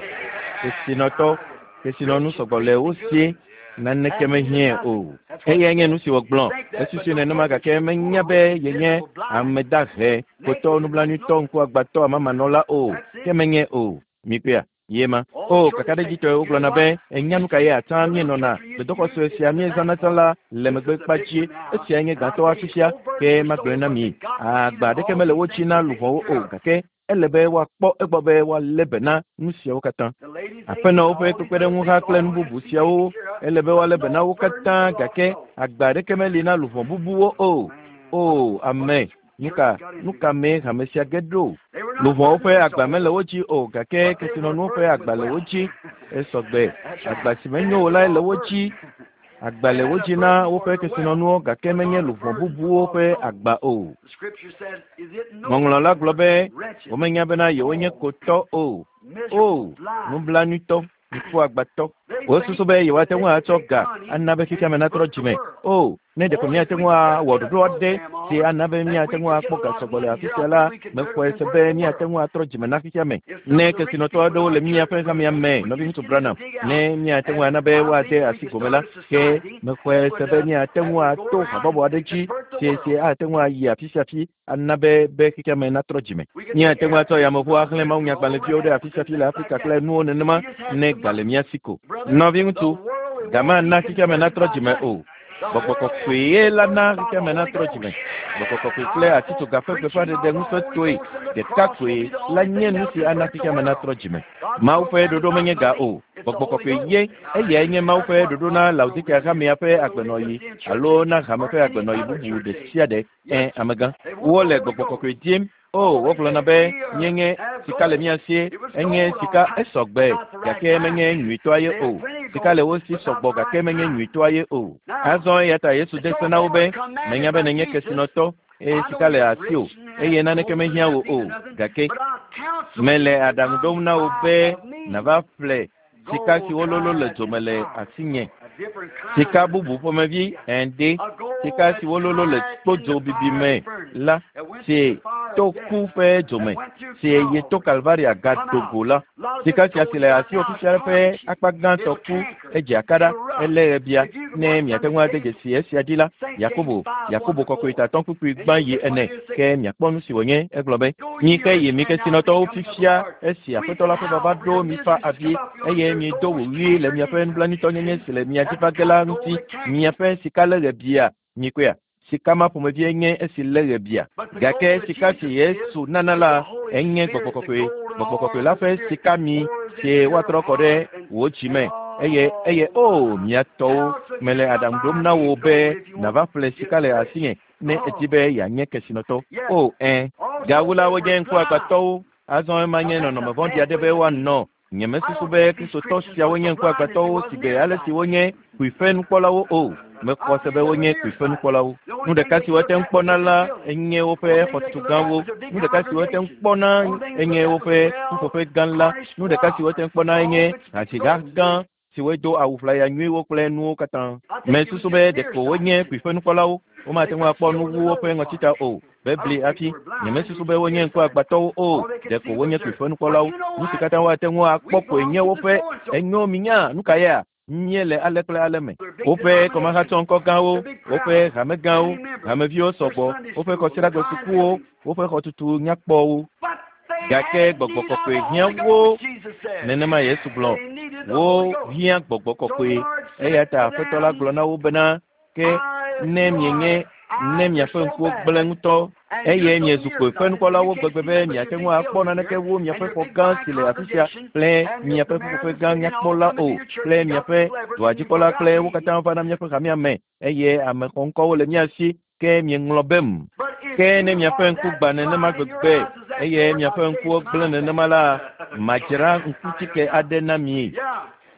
Kesinɔtɔ, kesinɔnu sɔgbɔ le wo si, naneke mehiãe o. Eyae nye nu si wògblɔ. Esusui nenema gake menya be yenye ame dahe, kotɔ, nublanuitɔ, ŋkuagbãtɔ, amamanɔla o. Ke menye o. Mikpɔea? Ye ma. O, kakaɖedzitɔe wogblɔna be enya nu ka ye atsã míenɔna gbedoxɔ sue sia míezãna tsã la le megbe kpa dzi. Esiae nye gãtɔ afisia. Ke magblɔe na mi, agba aɖeke mele wo dzi na luʋɔwo o, gake ele be woakpɔ egbɔ be woalé be na nu siawo katã. Aƒenɔwo ƒe kpekpeɖeŋuha kple nu bubu siawo, ele be woalé be na wo katã, gake agba aɖeke meli na luʋɔ bubuwo o. O, ame, nu ka mee hame sia ge ɖo? Luʋɔwo ƒe agba mele wo dzi o, gake kesinɔnuwo ƒe agba le wo dzi. Esɔgbe, agba si menyo o lae le wo dzi. Agba le wo dzi na woƒe kesinɔnuwo gake menye luʋɔ bubuwo ƒe agba o. Ŋɔŋlɔ la gblɔ be womenya bena yewonye kotɔ o. O, nublanuitɔ, ŋkuagbatɔ. Wosusu be yewoate ŋu atsɔ ga ana be xexea me natrɔ dzime. O, ne ɖeko míate ŋu awɔ ɖoɖo aɖe si ana be míate ŋu akpɔ ga sɔgbɔ le afi sia la, mexɔe se be míate ŋu atrɔ dzime na xexea me. Ne kesinɔtɔ aɖewo le míaƒe hamea me, nɔviŋutsu Branham, ne míate ŋu ana be woade asi gome la, ke mexɔe se be míate ŋu ato habɔbɔ aɖe dzi si si ate ŋu ayi afi sia afi ana be be xexea me natrɔ dzime. Míate ŋu atsɔ yameʋu axlẽ mawunyagbalẽviwo ɖe afi sia afi le Afrika kple nuwo nenema ne ga le mía si ko. Nɔviŋutsu, ga mana xexea me natrɔ dzime o. Gbɔgbɔ kɔkɔe ye la na xexea me natrɔ dzime. Gbɔgbɔ kɔkɔe kple atitsoga ƒe gbeƒãɖeɖe ŋusẽtɔe ɖeka koe la nye nu si ana xexea me natrɔ dzime. Mawu ƒe ɖoɖo menye ga o. Gbɔgbɔ kɔkɔe ye eyae nye Mawu ƒe ɖoɖo na Laodikea hamea ƒe agbenɔɣi alo na hame ƒe agbenɔɣi bubu ɖe sia ɖe. Ẽ, amegã. Wole gbɔgbɔ kɔkɔe dim. O, wogblɔna be míenye sika le mía sie, enye sika esɔgbe gake menye nyuitɔa ye o. Sika le wo si sɔgbɔ gake menye nyuitɔa ye o. Azɔ eya ta Yesu de se na wo be, menya be nènye kesinɔtɔ eye sika le asiwò eye naneke mehiã wò o gake mele aɖaŋu ɖom na wò be nàva ƒle sika si wololo le dzome le asinye. Sika bubu ƒomevi ende, sika si wololo le kpodzo bibi me la, si to ku ƒe dzome, si yi to Kalvaria gado go la. Sika sia si le asiwò fifia ƒe akpa gãtɔ ku edze akaɖa, elé ɣebia. Ne miate ŋu ade dzesi esia dzi la, Yakobo, Yakobo kɔkɔetatɔ kpukpui gbã yi ene, ke miakpɔ nu si wònye. Egblɔ be, Mi ke yi mi kesinɔtɔwo fifia esi Aƒetɔ la ƒe vava ɖo mifa avi eye miedo wòɣli le miaƒe nublanuitɔnyenye si le mia dzi va ge la ŋuti. Miaƒe sika lé ɣebia. Mikpɔea? Sika ma ƒomevie nye esi lé ɣebia. Gake sika si Yesu nana la enye gbɔgbɔ kɔkɔe. Gbɔgbɔ kɔkɔe la ƒe sika mi si woatrɔ kɔ ɖe wò dzi me. Eye eye o mia tɔwo, mele aɖaŋu ɖom na wò be nàva ƒle sika le asinye ne èdi be yeanye kesinɔtɔ. O, ẽ. Gawu la, wonye ŋkuagbãtɔwo. Azɔ ema nye nɔnɔme vɔ̃ɖi aɖe be woanɔ. Nyemesusu be Kristotɔ siawo nye ŋkuagbãtɔwo sigbe ale si wonye kpuiƒe nukpɔlawo o. Mexɔ se be wonye kpuiƒe nukpɔlawo. Nu ɖeka si woate ŋu kpɔna la enye woƒe xɔtutu gãwo. Nu ɖeka si woate ŋu kpɔna enye woƒe ƒuƒoƒe gã la. Nu ɖeka si woate ŋu kpɔna enye hadziha gã si wodo awu ʋlaya nyuiwo kple nuwo katã. Mesusu be ɖeko wonye kpuiƒe nukpɔlawo. Womate ŋu akpɔ nu wu woƒe ŋɔtita o. Bebli hafi. Nyemesusu be wonye ŋkuagbãtɔwo o. Ɖeko wonye kpuiƒe nukpɔlawo. Nu si katã woate ŋu akpɔ koe nye woƒe enyo minya nu ka yea? Míele ale kple ale me. Woƒe kɔmahatsɔŋkɔ gãwo, woƒe hame gãwo, hameviwo sɔgbɔ, woƒe kɔsiɖagbe sukuwo, woƒe xɔtutu nyakpɔwo. Gake gbɔgbɔ kɔkɔe hiã wo. Nenema Yesu gblɔ. Wo hiã gbɔgbɔ kɔkɔe. Eya ta Aƒetɔ la gblɔ na wo bena, ke ne mienye ne miaƒe ŋkuwo gblẽ ŋutɔ eye miezu kpuiƒe nukpɔlawo gbegbe be miate ŋu akpɔ naneke wu miaƒe xɔ gã si le afi sia kple miaƒe ƒuƒoƒe gã nyakpɔ la o kple miaƒe dɔadzikpɔla kple wo katã va na míaƒe hamea me eye ame xɔŋkɔwo le mía si ke mieŋlɔ bem. Ke ne miaƒe ŋku gbã nenema gbegbe eye miaƒe ŋkuwo gblẽ nenema la, madzra ŋkutike aɖe na mi.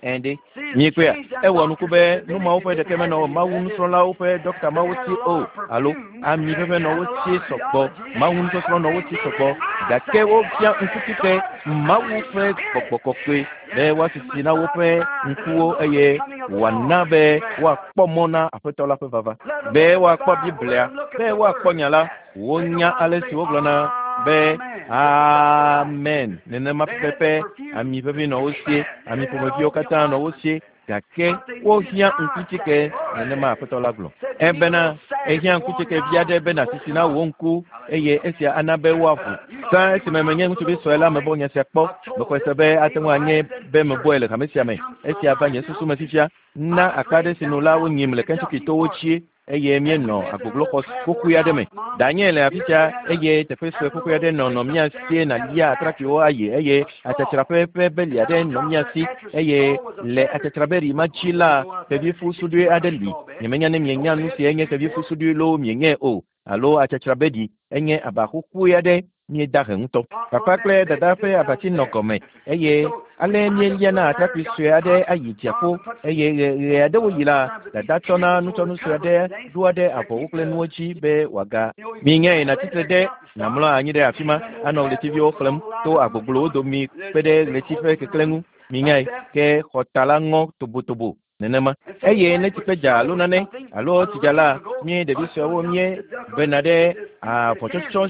Ɛ̃ ɖe, miekpɔea? Ewɔ nuku be nu mawo ƒe ɖeke menɔ Mawu nusrɔ̃lawo ƒe ɖɔkta mawo si o, alo ami ʋeʋẽ nɔ wo si sɔgbɔ, Mawu nusɔsrɔ̃ nɔ wo si sɔgbɔ, gake wofia ŋkutike Mawu ƒe gbɔgbɔ kɔkɔe be woasisi na woƒe ŋkuwo eye wòana be woakpɔ mɔ na Aƒetɔ la ƒe vava, be woakpɔ Biblia, be woakpɔ nya la. Wonya ale si wogblɔna be amen nenema pɛpɛpɛ. Ami ʋeʋĩ nɔ wo sie, ami ƒomeviwo katã nɔ wo sie, gake wohiã ŋkutike nenema Aƒetɔ la gblɔ. Ebena ehiã ŋkutike vi aɖe be nàsisi na wò ŋku eye esia ana be woaʋu. Tsã esime menye ŋutsuvi sue la mebɔ nya sia kpɔ. Mexɔe se be ate ŋu anye be mebɔe le hame sia me. Esia va nye susu me fifia. Na akpa aɖe si nu la wonyim le Kentucky towo tsie eye míenɔ agbogloxɔ xoxoe aɖe me. Danye le afi sia eye teƒe sue xoxoe aɖe nɔ nɔ mía sie nàlia atrakpuiwo ayi eye atsatsraƒe ƒe beli aɖe nɔ mía si eye le atsatsrabeli ma dzi la, xevifu suɖui aɖe li. Nyemenya ne mienya nu si enye xevifu suɖui loo mienyae o alo atsatsrabeli enye aba xoxoe aɖe. Míeda he ŋutɔ. Papa kple dada ƒe abatsi nɔ gɔme eye ale míeliana atrakpui sue aɖe ayi dziaƒo eye ɣe aɖewo yi la, dada tsɔna nutsɔnu sue aɖe ɖoa ɖe avɔwo kple nuwo dzi be wòaga. Minyae nàtsitre ɖe nàmlɔ anyi ɖe afi ma anɔ ɣletiviwo xlẽm to agbogblowo domi kpe ɖe ɣleti ƒe keklẽ ŋu. Minyae ke xɔta la ŋɔ tobotobo nenema. Eye ne tsikpe dza alo nane alo tsidza la, mí ɖevi suewo míebena ɖe avɔtsɔtsɔ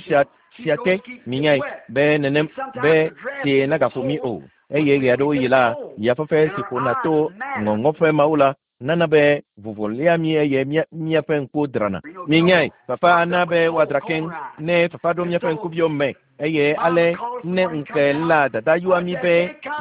sia te. Minyae be nenem be tsie nagaƒo mí o. Eye ɣe aɖewo yi la, yafafa si ƒona to ŋɔŋɔƒe mawo la nana be vovo lia mí eye míaƒe ŋkuwo drana. Minyae fafa ana be woadra keŋ ne fafa ɖo míaƒe ŋkuviwo me. Eye ale ne ŋke la dada yɔa mí be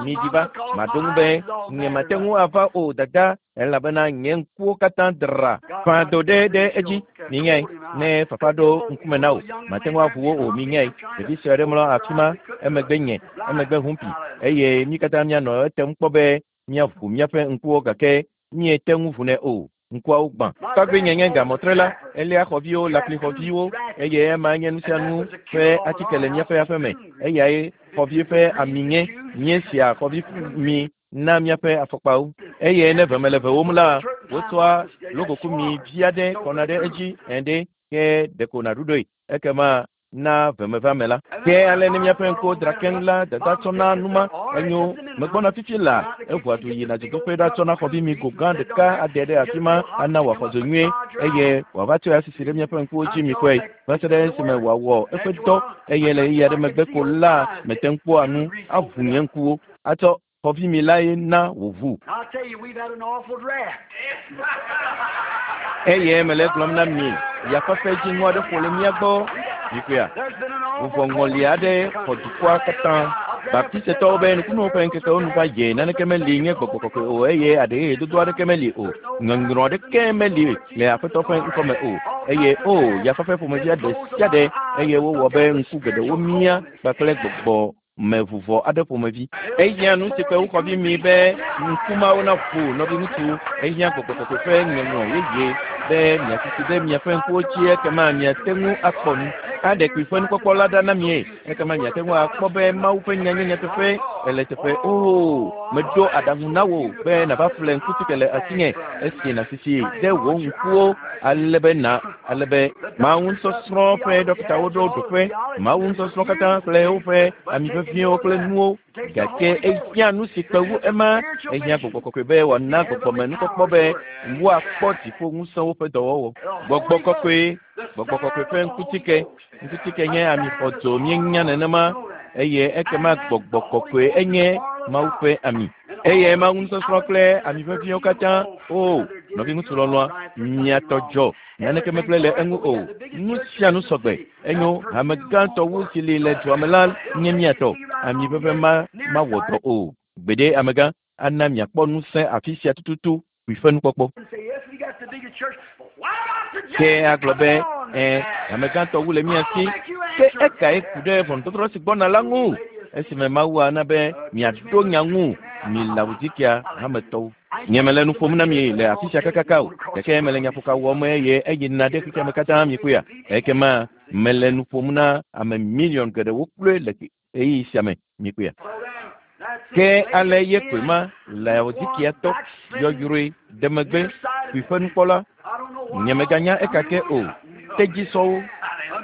miɖi va, maɖo ŋu be nyemate ŋu ava o dada, elabena nye ŋkuwo katã dra. Fã do ɖe ɖe edzi. Minyae ne fafa ɖo ŋkume na wò, mate ŋu aʋu wo o. Minyae ɖevi sue aɖe mlɔ afi ma, emegbe nye, emegbe humpi, eye mí katã míanɔ etem kpɔ be míaʋu míaƒe ŋkuwo gake míete ŋu ʋunɛ o. Ŋkuawo gbã. Tɔgbi nye nye gamɔtre la, elia xɔviwo, laklixɔviwo, eye ema nye nu sia nu ƒe atike le míaƒe aƒe me. Eyae xɔvi ƒe ami nye, míesia xɔvi mi na míaƒe afɔkpawo. Eye ne veme le vewom la, wotsɔa logokumi vi aɖe kɔna ɖe edzi ene ke ɖeko nàɖuɖɔe. Ekema na vemevame la. Ke ale ne míaƒe ŋkuwo dra keŋ la, dada tsɔna numa enyo megbɔna fifi la, eʋua du yina dzodoƒe ɖatsɔna xɔvi mi go gã ɖeka ade ɖe afi ma ana wòaxɔ dzo nyuie eye wòava tsɔe asisi ɖe míaƒe ŋkuwo dzi mikpɔe va se ɖe esime wòawɔ eƒe dɔ eye le ɣeyiɣi aɖe megbe ko la mete ŋu kpɔa nu aʋu nye ŋkuwo atsɔ xɔvi mi lae na wòʋu. I'll tell you, we've had an awful draft. Eye mele gblɔm na mi, yafafa dziŋɔ aɖe ƒo le mía gbɔ. Mikpɔea? There's been an awful Vuvɔ ŋɔli aɖe xɔ dukɔa katã. Baptistetɔwo be nukunuwo ƒe ŋkekewo nu va dze, naneke meli nye gbɔgbɔ kɔkɔe o eye aɖeɣeɣe dodo aɖeke meli o. Ŋɔŋlɔ aɖeke meli le Aƒetɔ ƒe ŋkɔme o. Eye o, yafafa ƒomevi aɖe sia ɖe eye wowɔ be ŋku geɖewo mía kpakple gbɔgbɔ me vuvɔ aɖe ƒomevi. Ehiã nu si kpe wokɔvi mi be ŋkumawo naʋu nɔviŋutsu. Ehiã gbɔgbɔ kɔkɔe ƒe ŋɔŋlɔ yeye be miasisi ɖe miaƒe ŋkuwo dzi ekema miate ŋu akpɔ nu. Aɖe kpui ƒe nukpɔkpɔ la ɖa na mie ekema miate ŋu akpɔ be Mawu ƒe nya nye nyateƒe ele teƒe. Oo, meɖo aɖaŋu na wò be nàva ƒle ŋkutike le asinye esi nàsisi ɖe wò ŋkuwo ale be na ale be Mawu nusɔsrɔ̃ ƒe ɖɔkitawo ɖo ɖoƒe Mawu nusɔsrɔ̃ katã kple woƒe ami veviwo kple nuwo gake ehiã nu si kpe wu ema. Ehiã gbɔgbɔ kɔkɔe be wòana gbɔgbɔme nukpɔkpɔ be woakpɔ dziƒo ŋusẽwo ƒe dɔwɔwɔ. Gbɔgbɔ kɔkɔe, gbɔgbɔ kɔkɔe ƒe ŋkutike. Ŋkutike nye ami xɔdzo míenya nenema eye ekema gbɔgbɔ kɔkɔe enye Mawu ƒe ami. Eye Mawu nusɔsrɔ̃ kple ami veviwo katã. O, nɔviŋutsu lɔlɔ̃a, mia tɔ dzɔ. Naneke megblẽ le eŋu o. Nu sia nu sɔgbe. Enyo, hame gãtɔ wu si li le dua me la nye mía tɔ. Ami ʋeʋẽ ma mawɔ dɔ o. Gbeɖe amegã ana miakpɔ ŋusẽ afi sia tututu kpui ƒe nukpɔkpɔ. Say, yes, we got the biggest church, but why not the Ke agblɔ be, ɛ, hame gãtɔ wu le mía si. Ke ekae ku ɖe ʋɔnudɔdrɔ̃ si gbɔna la ŋu? Esime Mawu ana be miaɖo nya ŋu mi Laodikia hametɔwo. Nye mele nu ƒom na mi le afi sia kakaka o, gake mele nyaƒoka wɔm eye eyina ɖe xexea me katã mikpɔea. Ekema mele nu ƒom na ame miliɔn geɖewo kloe le ɣeyiɣi sia me mikpɔea. Ke ale ye koe ma Laodikiatɔ yɔyrɔe ɖe megbe kpui ƒe nukpɔla. Nyemeganya eka ke o. Tedzisɔwo.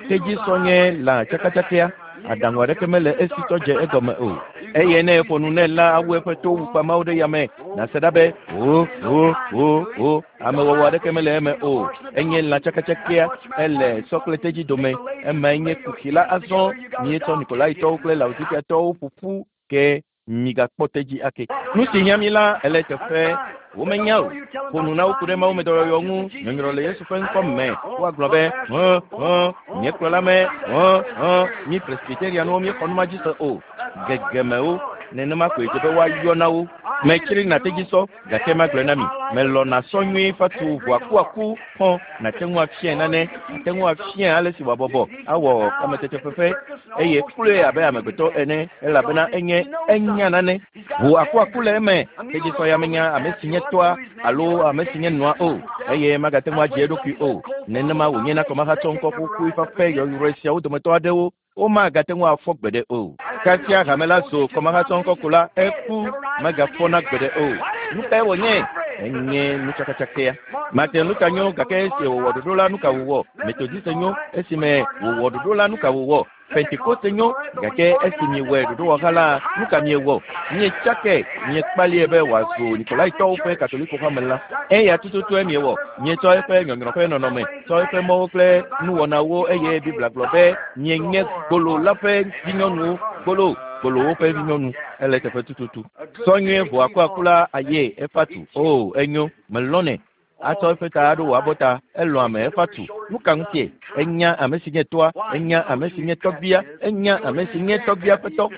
Tedzisɔ nye lã tsakatsakea. Aɖaŋu aɖeke mele esi tɔ dze egɔme o. Eye ne eƒo nu nɛ la, awu eƒe to wukpamawo ɖe yame. Nàse ɖa be o o o o. Amewɔwɔ aɖeke mele eme o. Enye lã tsakatsakea. Ele sɔ kple tedzi dome. Emae nye kuxi la azɔ. Míetsɔ Nikolaitɔwo kple Laodikiatɔwo ƒo ƒu ke migakpɔ tedzi ake. Nu si hiã mi la ele teƒe womenya o. Ƒo nu na wo ku ɖe Mawu me dɔyɔyɔ ŋu, nyɔnyrɔ le Yesu ƒe ŋkɔ me. Woagblɔ be, hẽ, hẽ, nye kplɔla me, hẽ, hẽ, mí Presbyterianwo míexɔ nu ma dzi se o. Gegemewo, nenema koe dze be woayɔ na wo. Metsri na tedzisɔ, gake magblɔe na mi, melɔ̃na sɔ nyuie fatu ʋu akuaku xɔ nàte ŋu afiae nane, nàte ŋu afiae ale si wòabɔbɔ awɔ kametetefefe eye kloe abe amegbetɔ ene elabena enye enya nane. Ʋu akuaku le eme, tedzisɔ ya menya ame si nye tɔa alo ame si nye nɔa o eye magate ŋu adzi eɖokui o. Nenema wònye na kɔmahatsɔ ŋkɔ ƒuƒui fafɛ yɔyrɔe siawo dometɔ aɖewo. Womagate ŋu afɔ gbeɖe o. Kasia hame la zu kɔmahatsɔŋkɔ ko la, eku, megafɔna gbeɖe o. Nu kae wònye? Enye nutsakatsakea. Martin Luther nyo, gake esi wòwɔ ɖoɖo la, nu ka wòwɔ? Methodiste nyo, esime wòwɔ ɖoɖo la, nu ka wòwɔ? Pentekoste nyo, gake esi miewɔe ɖoɖowɔha la, nu ka miewɔ? Mietsake, miekpalie be wòazu Nikolaitɔwo ƒe Katoliko hame la. Eya tututue miewɔ. Mietsɔ eƒe nyɔnyrɔ ƒe nɔnɔme, tsɔ eƒe mɔwo kple nuwɔnawo, eye Biblia gblɔ be mienye gbolo la ƒe vinyɔnuwo, gbolo, gbolowo ƒe vinyɔnu. Ele teƒe tututu. Sɔ nyuie ʋu akuaku la aye efa tu. Oo, enyo, melɔ̃nɛ. Atsɔ eƒe ta aɖo wò abɔta, elɔ̃ ame efa tu. Nu ka ŋutie? Enya ame si nye toa, enya ame si nye tɔgbuia, enya ame si nye tɔgbuia ƒe tɔ.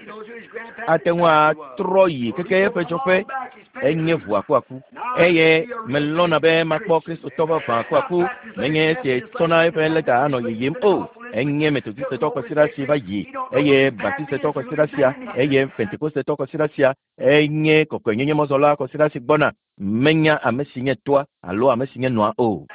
Ate ŋu atrɔ yi keke eƒe dzɔƒe, enye ʋu akuaku. Eye melɔ̃na be makpɔ Kristotɔ vavã akuaku, menye esi tsɔna eƒe lɛta anɔ yiyim o. Enye Metodistetɔ kɔsiɖa si va yi, eye Baptistetɔ kɔsiɖa sia, eye Pentekostetɔ kɔsiɖa sia, enye kɔkɔenyenyemɔzɔla kɔsiɖa si gbɔna. Menya ame si nye toa alo ame si nye nɔa o.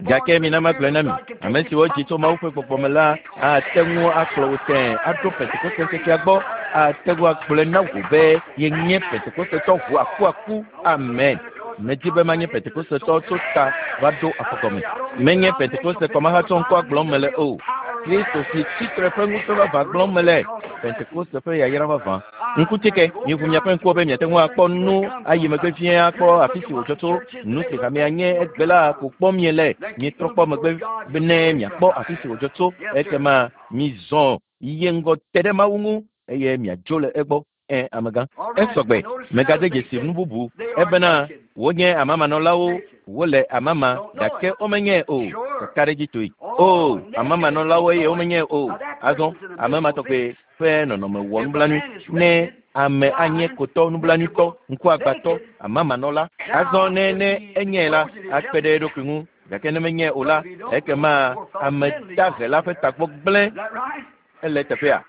Gake mina magblɔe na mi, ame siwo dzi tso Mawu ƒe gbɔgbɔ me la ate ŋu akplɔ wò tẽe aɖo Pentekoste ŋkekea gbɔ, ate ŋu agblɔe na wò be yenye Pentekostetɔ ʋu akuaku. Amen. Medi be manye Pentekostetɔ tso ta va ɖo afɔgɔme. Menye Pentekoste kɔmahatsɔ ŋkɔa gblɔm mele o. Kristo si tsitre ƒe ŋusẽ vavã gblɔm mele. Pentekoste ƒe yayra vavã. Ŋkutike, miʋu miaƒe ŋkuwo be miate ŋu akpɔ nu ayi megbe vie akpɔ afi si wòdzɔ tso. Nu si hamea nye egbe la ko kpɔm miele. Mietrɔ kpɔ megbe be ne miakpɔ afi si wòdzɔ tso. Ekema mizɔ yi ŋgɔ te ɖe Mawu ŋu eye miadzo le egbɔ. Ẽ, amegã. Esɔgbe, megade dzesi nu bubu ebena wonye amamanɔlawo, wole amama gake womenye o. Kakaɖedzitɔe. O, amamanɔlawo eye womenye o. Azɔ, ame ma tɔgbe ƒe nɔnɔme wɔ nublanui ne ame anye kotɔ nublanuitɔ, ŋkuagbãtɔ, amamanɔla. Azɔ ne ne enye la, akpe ɖe eɖokui ŋu, gake ne menye o la, ekema ame dahe la ƒe tagbɔ gblẽ. Ele teƒea.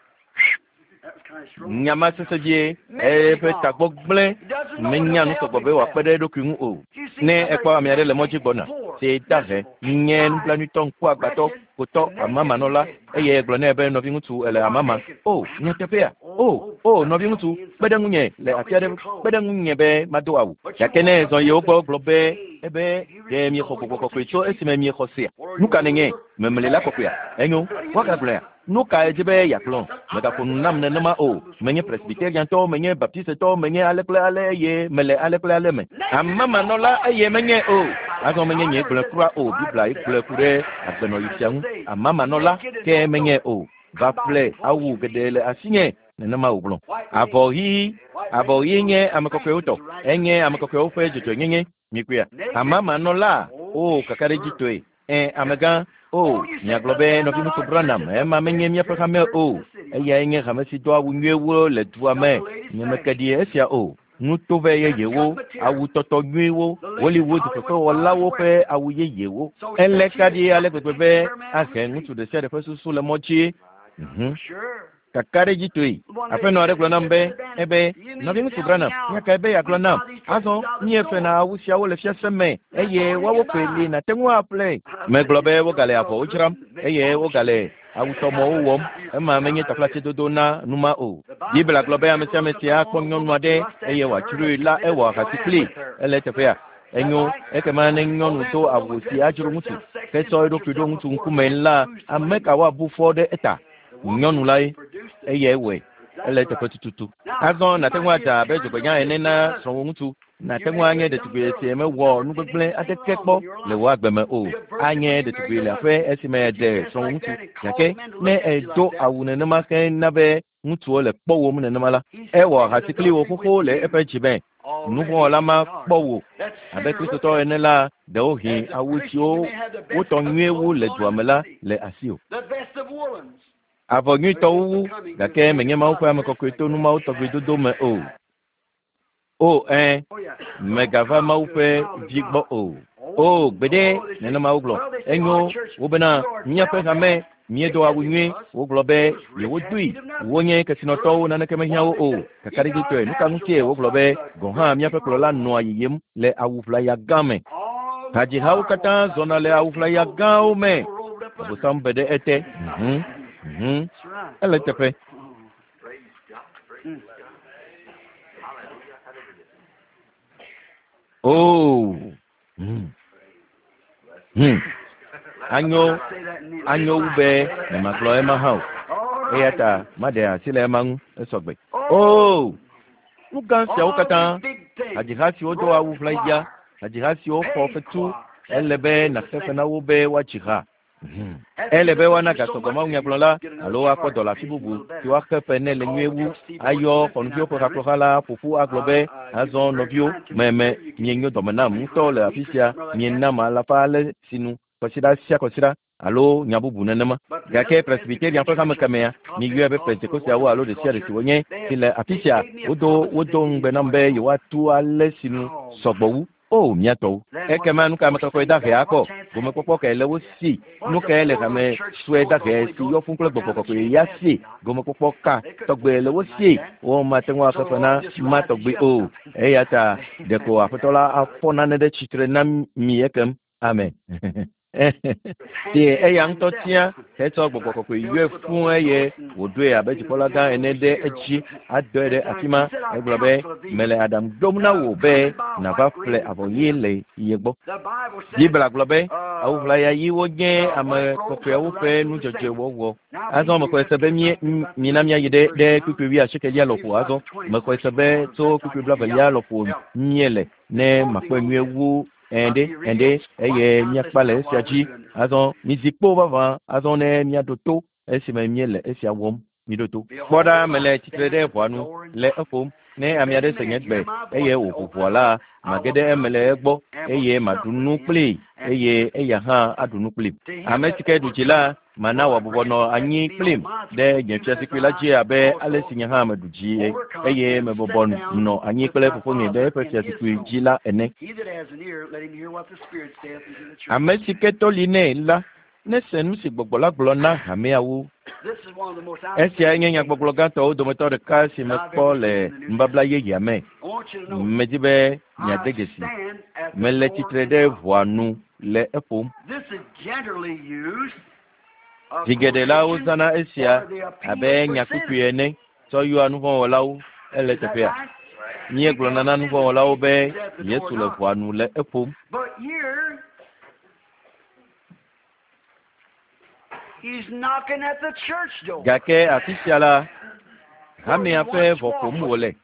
Nyama sese vie, eƒe tagbɔ gblẽ, menya nu sɔgbɔ be wòakpe ɖe eɖokui ŋu o. Ne ekpɔ ame aɖe le mɔ dzi gbɔna, si dahe, nye nublanuitɔ, ŋkuagbãtɔ, kotɔ, amamanɔla, eye egblɔ nɛ be nɔviŋutsu ele amama. O, nyateƒea? O, o, nɔviŋutsu, kpe ɖe ŋunye le afi aɖe, kpe ɖe ŋunye be mado awu. Gake ne ezɔ yi wo gbɔ gblɔ be, ebe ɖe miexɔ gbɔgbɔ kɔkɔe tso esime miexɔ sea? Nu ka nènye? Memli la kɔkɔea? Enyo, woagagblɔea? Nu kae dzi be yeagblɔ? Mègaƒo nu nam nenema o. Menye Presbyteriantɔ, menye Baptistetɔ, menye ale kple ale eye mele ale kple ale me. Amamanɔla eye menye o. Azɔ menye nye gblɔe kura o. Biblia ye gblɔe ku ɖe agbenɔɣi sia ŋu. Amamanɔla ke menye o. Va ƒle awu geɖe le asinye, nenema wògblɔ. Avɔ ɣi, avɔ ɣi nye ame kɔkɔewo tɔ. Enye ame kɔkɔewo ƒe dzɔdzɔenyenye. Mikpɔea? Amamanɔla, o kakaɖedzitɔe. Ẽ, amegã, o, miagblɔ be nɔviŋutsu Branham, ema menye míaƒe hame o. Eyae nye hame si do awu nyuiewo le dua me. Nyemeke ɖi esia o. Nutovɛ yeyewo, awu tɔtɔ nyuiwo, Hollywood fefewɔlawo ƒe awu yeyewo. Ele ka ɖi ale gbegbe be ahe ŋutsu ɖe sia ɖe ƒe susu le mɔ dzi. Kakaɖedzitɔe. Aƒenɔ aɖe gblɔ nam be, ebe, nɔviŋutsu Branham, nya kae be yeagblɔ nam? Azɔ, míefena awu siawo le fiase me, eye woawo koe li nàte ŋu aƒle. Megblɔ be wogale avɔwo dzram, eye wogale awutɔmɔwo wɔm. Ema menye taflatsedodo na nu ma o. Biblia gblɔ be ame sia ame si akpɔ nyɔnu aɖe eye wòadzroe la, ewɔ ahasi kplii. Ele eteƒea? Enyo, ekema ne nyɔnu do awu si adzro ŋutsu, ke tsɔ eɖokui ɖo ŋutsu ŋkume la, ame ka woabu fɔ ɖe eta? Nyɔnu lae, eyae wɔe. Ele eteƒe tututu. Azɔ nàte ŋu adza abe dzogbenya ene na srɔ̃wò ŋutsu. Nàte ŋu anye ɖetugbui si mewɔ nu gbegblẽ aɖeke kpɔ le wò agbe me o. Anye ɖetugbui le aƒe esime èɖe srɔ̃wò ŋutsu. Gake ne èdo awu nenema hena be ŋutsuwo le kpɔwòm nenema la, ewɔ ahasi kpli wò xoxo le eƒe dzi me. Nuvɔ̃wɔla ma kpɔ wò abe Kristotɔ ene la, ɖewohĩ awu siwo wotɔ nyuie wu le dua me la le asiwò. Avɔ nyuitɔwo wu, gake menye Mawu ƒe ame kɔkɔe to nu mawo tɔgbi dodo me o. O, ẽ, mègava Mawu ƒe vi gbɔ o. O, gbeɖe, nenema wogblɔ. Enyo, wobena míaƒe hame míedo awu nyuie, wogblɔ be yewodoe. Wonye kesinɔtɔwo, naneke mehiã wo o. Kakaɖedzitɔe, nu ka ŋutie wogblɔ be gɔ̃ hã míaƒe kplɔla nɔa yiyim le awu ʋlaya gã me? Hadzihawo katã zɔna le awu ʋlaya gãwo me. Abosam be ɖe ete. Ele teƒe. Oh. Anyo anyo wu be nyemagblɔ ema hã o. Eya ta maɖe asi le ema ŋu esɔgbe. Oh. Nu gã siawo katã, hadziha siwo do awu ʋlaya, hadziha siwo xɔ fetu, ele be nàxe fe na wo be woadzi ha. Ele be woana gasɔgbɔ mawunyagblɔla alo woakpɔ dɔ le afi bubu si woaxe fe nɛ le nyuie wu ayɔ xɔnuviwo ƒe hakplɔha la ƒo ƒu agblɔ be azɔ nɔviwo meme mienyo dɔme nam ŋutɔ le afi sia mienam alafa ale sinu kɔsiɖa sia kɔsiɖa alo nya bubu nenema. Gake Presbyterian ƒe hame kemea miyɔe be Pentekosteawo alo ɖe sia ɖe si wonye si le afi sia wodo ŋugbe nam be yewoatu ale sinu sɔgbɔ wu. O mía tɔwo. Ekema nu ka ame kɔkɔe dahe akpɔ? Gomekpɔkpɔ kae le wo si? Nu kae le hame sue dahe si yɔ fũu kple gbɔgbɔ kɔkɔe ya si? Gomekpɔkpɔ ka tɔgbe le wo si? Womate ŋu axe fe na ma tɔgbe o. Eya ta ɖeko Aƒetɔ la afɔ nane ɖe tsitre na mi ekem. Amen. Tie eya ŋutɔ tia hetsɔ gbɔgbɔ kɔkɔe yɔe fũu eye wòɖoe abe dzikpɔla gã ene ɖe edzi adɔe ɖe afi ma. Egblɔ be mele aɖaŋu ɖom na wò be nàva ƒle avɔ ɣi le ye gbɔ. Biblia gblɔ be awu ʋlaya ɣiwo nye ame kɔkɔeawo ƒe nudzɔdzɔewɔwɔ. Azɔ mexɔe se be mina míayi ɖe kpukpui wuiasiekelia lɔƒo. Azɔ mexɔe se be tso kpukpui blaevelia lɔƒo míele ne makpɔe nyuie wu ɛnɖe eye míakpa le esia dzi. Azɔ mizi kpo vavã azɔ ne míaɖo to esime míele esia wɔm. Miɖo to. Kpɔ ɖa mele tsitre ɖe ʋɔa nu le eƒom. Ne ame aɖe se nye gbe eye wòʋu ʋɔa la, mage ɖe eme le egbɔ eye maɖu nu kplii eye eya hã aɖu nu kplim. Ame si ke ɖu dzi la, mana wòabɔbɔ nɔ anyi kplim ɖe nye fiazikpui la dzi abe ale si nye hã meɖu dzi eye mebɔbɔ nɔ anyi kple fofonye ɖe eƒe fiazikpui dzi la ene. Ame si ke tɔ li nɛ la, nese nu si gbɔgbɔ la gblɔ na hameawo. Esiae nye nyagbɔgblɔ gãtɔwo dometɔ ɖeka si mekpɔ le nubabla yeyea me. Medi be miade dzesi. Mele tsitre ɖe ʋɔa nu le eƒom. Zi geɖe la wozãna esia abe nyakpukpui ene tsɔ yɔa nuvɔ̃wɔlawo. Ele teƒea. Míegblɔna na nuvɔ̃wɔlawo be Yesu le ʋɔa nu le eƒom. Gake afi sia la, hamea ƒe ʋɔ ƒom wòle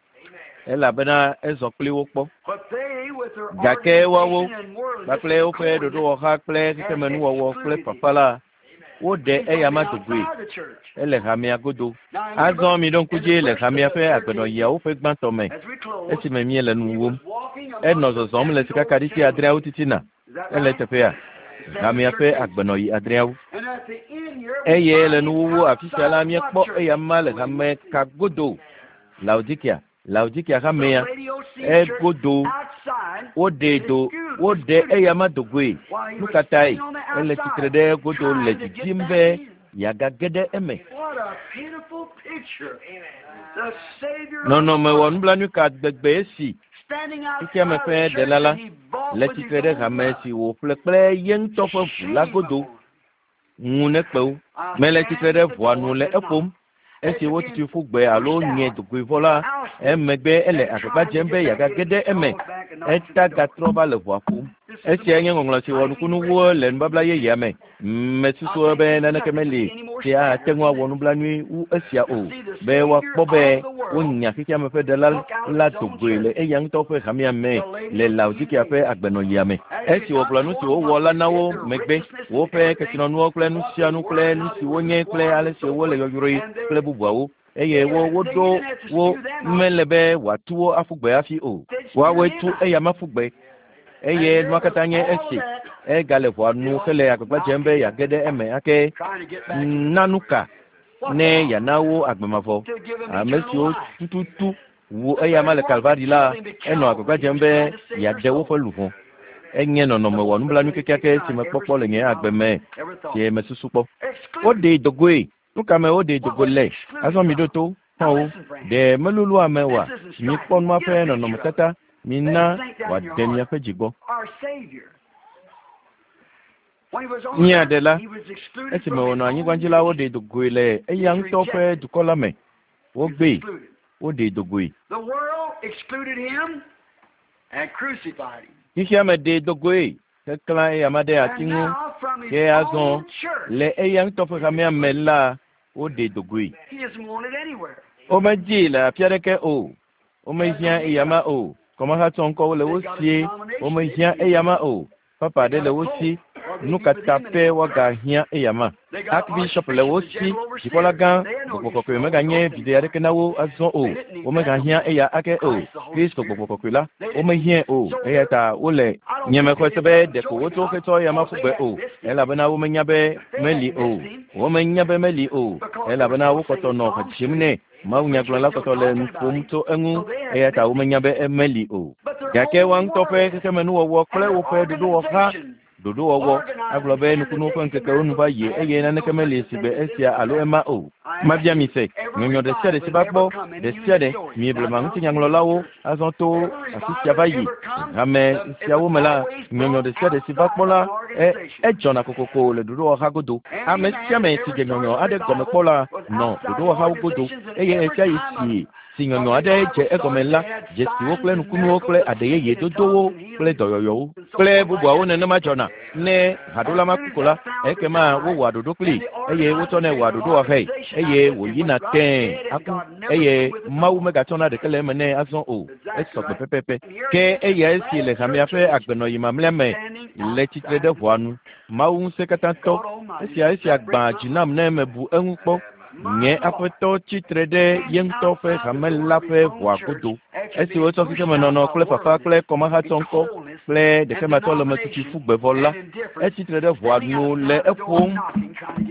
elabena ezɔ kpli wo kpɔ. Gake woawo kpakple woƒe ɖoɖowɔha kple xexemenuwɔwɔ kple fafa la, woɖe eyama dogoe. Ele hamea godo. Azɔ miɖo ŋku dzi le hamea ƒe agbenɔɣiawo ƒe gbãtɔ me esime míele nu wom. Enɔ zɔzɔm le sikakaɖiti adreawo titina. Ele teƒea. Hamea ƒe agbenɔɣi adreawo. Eye le nuwuwu afi sia la míekpɔ eyama le hame ka godo. Laodikia. Laodikia hamea egodo. Woɖe eyama dogoe. Nu ka tae? Ele tsitre ɖe godo le didim be yeagage ɖe eme. Nɔnɔme wɔ nublanui ka gbegbe esi xexeame ƒe ɖela la le tsitre ɖe hame si wòƒle kple ye ŋutɔ ƒe ʋu la godo. Ŋu nekpe wo. Mele tsitre ɖe ʋɔa nu le eƒom. Esi wotutui ƒu gbe alo nye dogoe vɔ la, emegbe ele agbagba dzem be yeagage ɖe eme. Eta gatrɔ va le ʋɔa ƒom. Esiae nye ŋɔŋlɔ si wɔ nukunuwo le nubabla yeyea me. Mesusu be naneke meli si ate ŋu awɔ nublanui wu esia o, be woakpɔ be wonya xexeame ƒe ɖela la dogoe le eya ŋutɔ ƒe hamea me le Laodikia ƒe agbenɔɣia me. Esi wògblɔ nu si wowɔ la na wo megbe, woƒe kesinɔnuwo kple nu sia nu kple nu si wonye kple ale si wole yɔyrɔe kple bubuawo, eye woɖo wo mele be wòatu wo aƒu gbe hafi o. Woawoe tu eyama ƒu gbe. Eye nua katã nye esi egale ʋɔa nu hele agbagba dzem be yeage ɖe eme ake na nu ka ne yeana wo agbe mavɔ. Ame siwo tututu wu eyama le Kalvari la, enɔ agbagba dzem be yeaɖe woƒe luʋɔ. Enye nɔnɔme wɔ nublanui kekeake si mekpɔkpɔ le nye agbe me si mesusu kpɔ. Woɖee dogoe. Nu ka me woɖee dogo le? Azɔ miɖo to xɔ̃wo. Ɖe melolo ame oa? Mikpɔ nua ƒe nɔnɔmetata. Mina wòade miaƒe dzi gbɔ. Mía Ɖela, esime wònɔ anyigba dzi la, woɖee do goe le eya ŋutɔ ƒe dukɔ la me. Wogbee, woɖee do goe. Xexea me ɖee do goe heklã eyama ɖe ati ŋu. Ke azɔ, le eya ŋutɔ ƒe hamea me la, woɖee do goe. Womedii le afi aɖeke o. Womehiã eyama o. Kɔmahatsɔ ŋkɔwo le wo sie. Womehiã eyama o. Papa aɖe le wo si. Nu ka ta pɛ woagahiã eyama? Archbishop le wo si. Dzikpɔlagã, Gbɔgbɔ Kɔkɔe meganye viɖe aɖeke na wo azɔ o. Womegahiã eya ake o. Kristo Gbɔgbɔ Kɔkɔe la, womehiãe o. Eya ta wole. Nyemexɔe se be ɖeko wotso hetsɔ eyama ƒu gbe o, elabena womenya be meli o. Womenya be meli o, elabena wokpɔtɔ nɔ ha dzim nɛ. Mawunyagblɔla kpɔtɔ le nu ƒom tso eŋu, eya ta womenya be meli o. Gake woa ŋutɔ ƒe xexemenuwɔwɔ kple woƒe ɖoɖowɔha ɖoɖowɔwɔ agblɔ be nukunuwo ƒe ŋkekewo nu va yi eye naneke meli sigbe esia alo ema o. Mabia mi se, nyɔnyɔ ɖe sia ɖe si va gbɔ, ɖe sia ɖe, mi blema ŋutinyaŋlɔlawo, azɔ to afi sia va yi hame siawo me la, nyɔnyɔ ɖe sia ɖe si va kpɔ la, e, edzɔna kokoko le ɖoɖowɔha godo. Ame sia ame si dze nyɔnyɔ aɖe gɔme kpɔ la nɔ ɖoɖowɔhawo godo, eye ɣesiaɣi si si nyɔnyɔ aɖe dze egɔme la, dzesiwo kple nukunuwo kple aɖe yeye dodowo kple dɔyɔyɔwo kple bubuawo nenema dzɔna. Ne haɖola ma ku ko la, ekema wowɔa ɖoɖo kplii eye wotsɔnɛ wɔa ɖoɖowɔhae eye wòyina tẽe aku eye Mawu megatsɔna ɖeke le eme nɛ azɔ o. Esɔ gbe pɛpɛpɛ. Ke eya esi le hamea ƒe agbenɔɣi mamlɛa me le tsitre ɖe ʋɔa nu. Mawu Ŋusẽkatãtɔ, esia esia gbã dzi nam ne mebu eŋu kpɔ. Nye Aƒetɔ tsi tre ɖe ye ŋutɔ ƒe hame la ƒe ʋɔa godo. Esi wotsɔ xexemenɔnɔ kple fafa kple kɔmahatsɔŋkɔ kple ɖekematsɔlemetutu ƒu gbe vɔ la, etsi tre ɖe ʋɔa nu le eƒom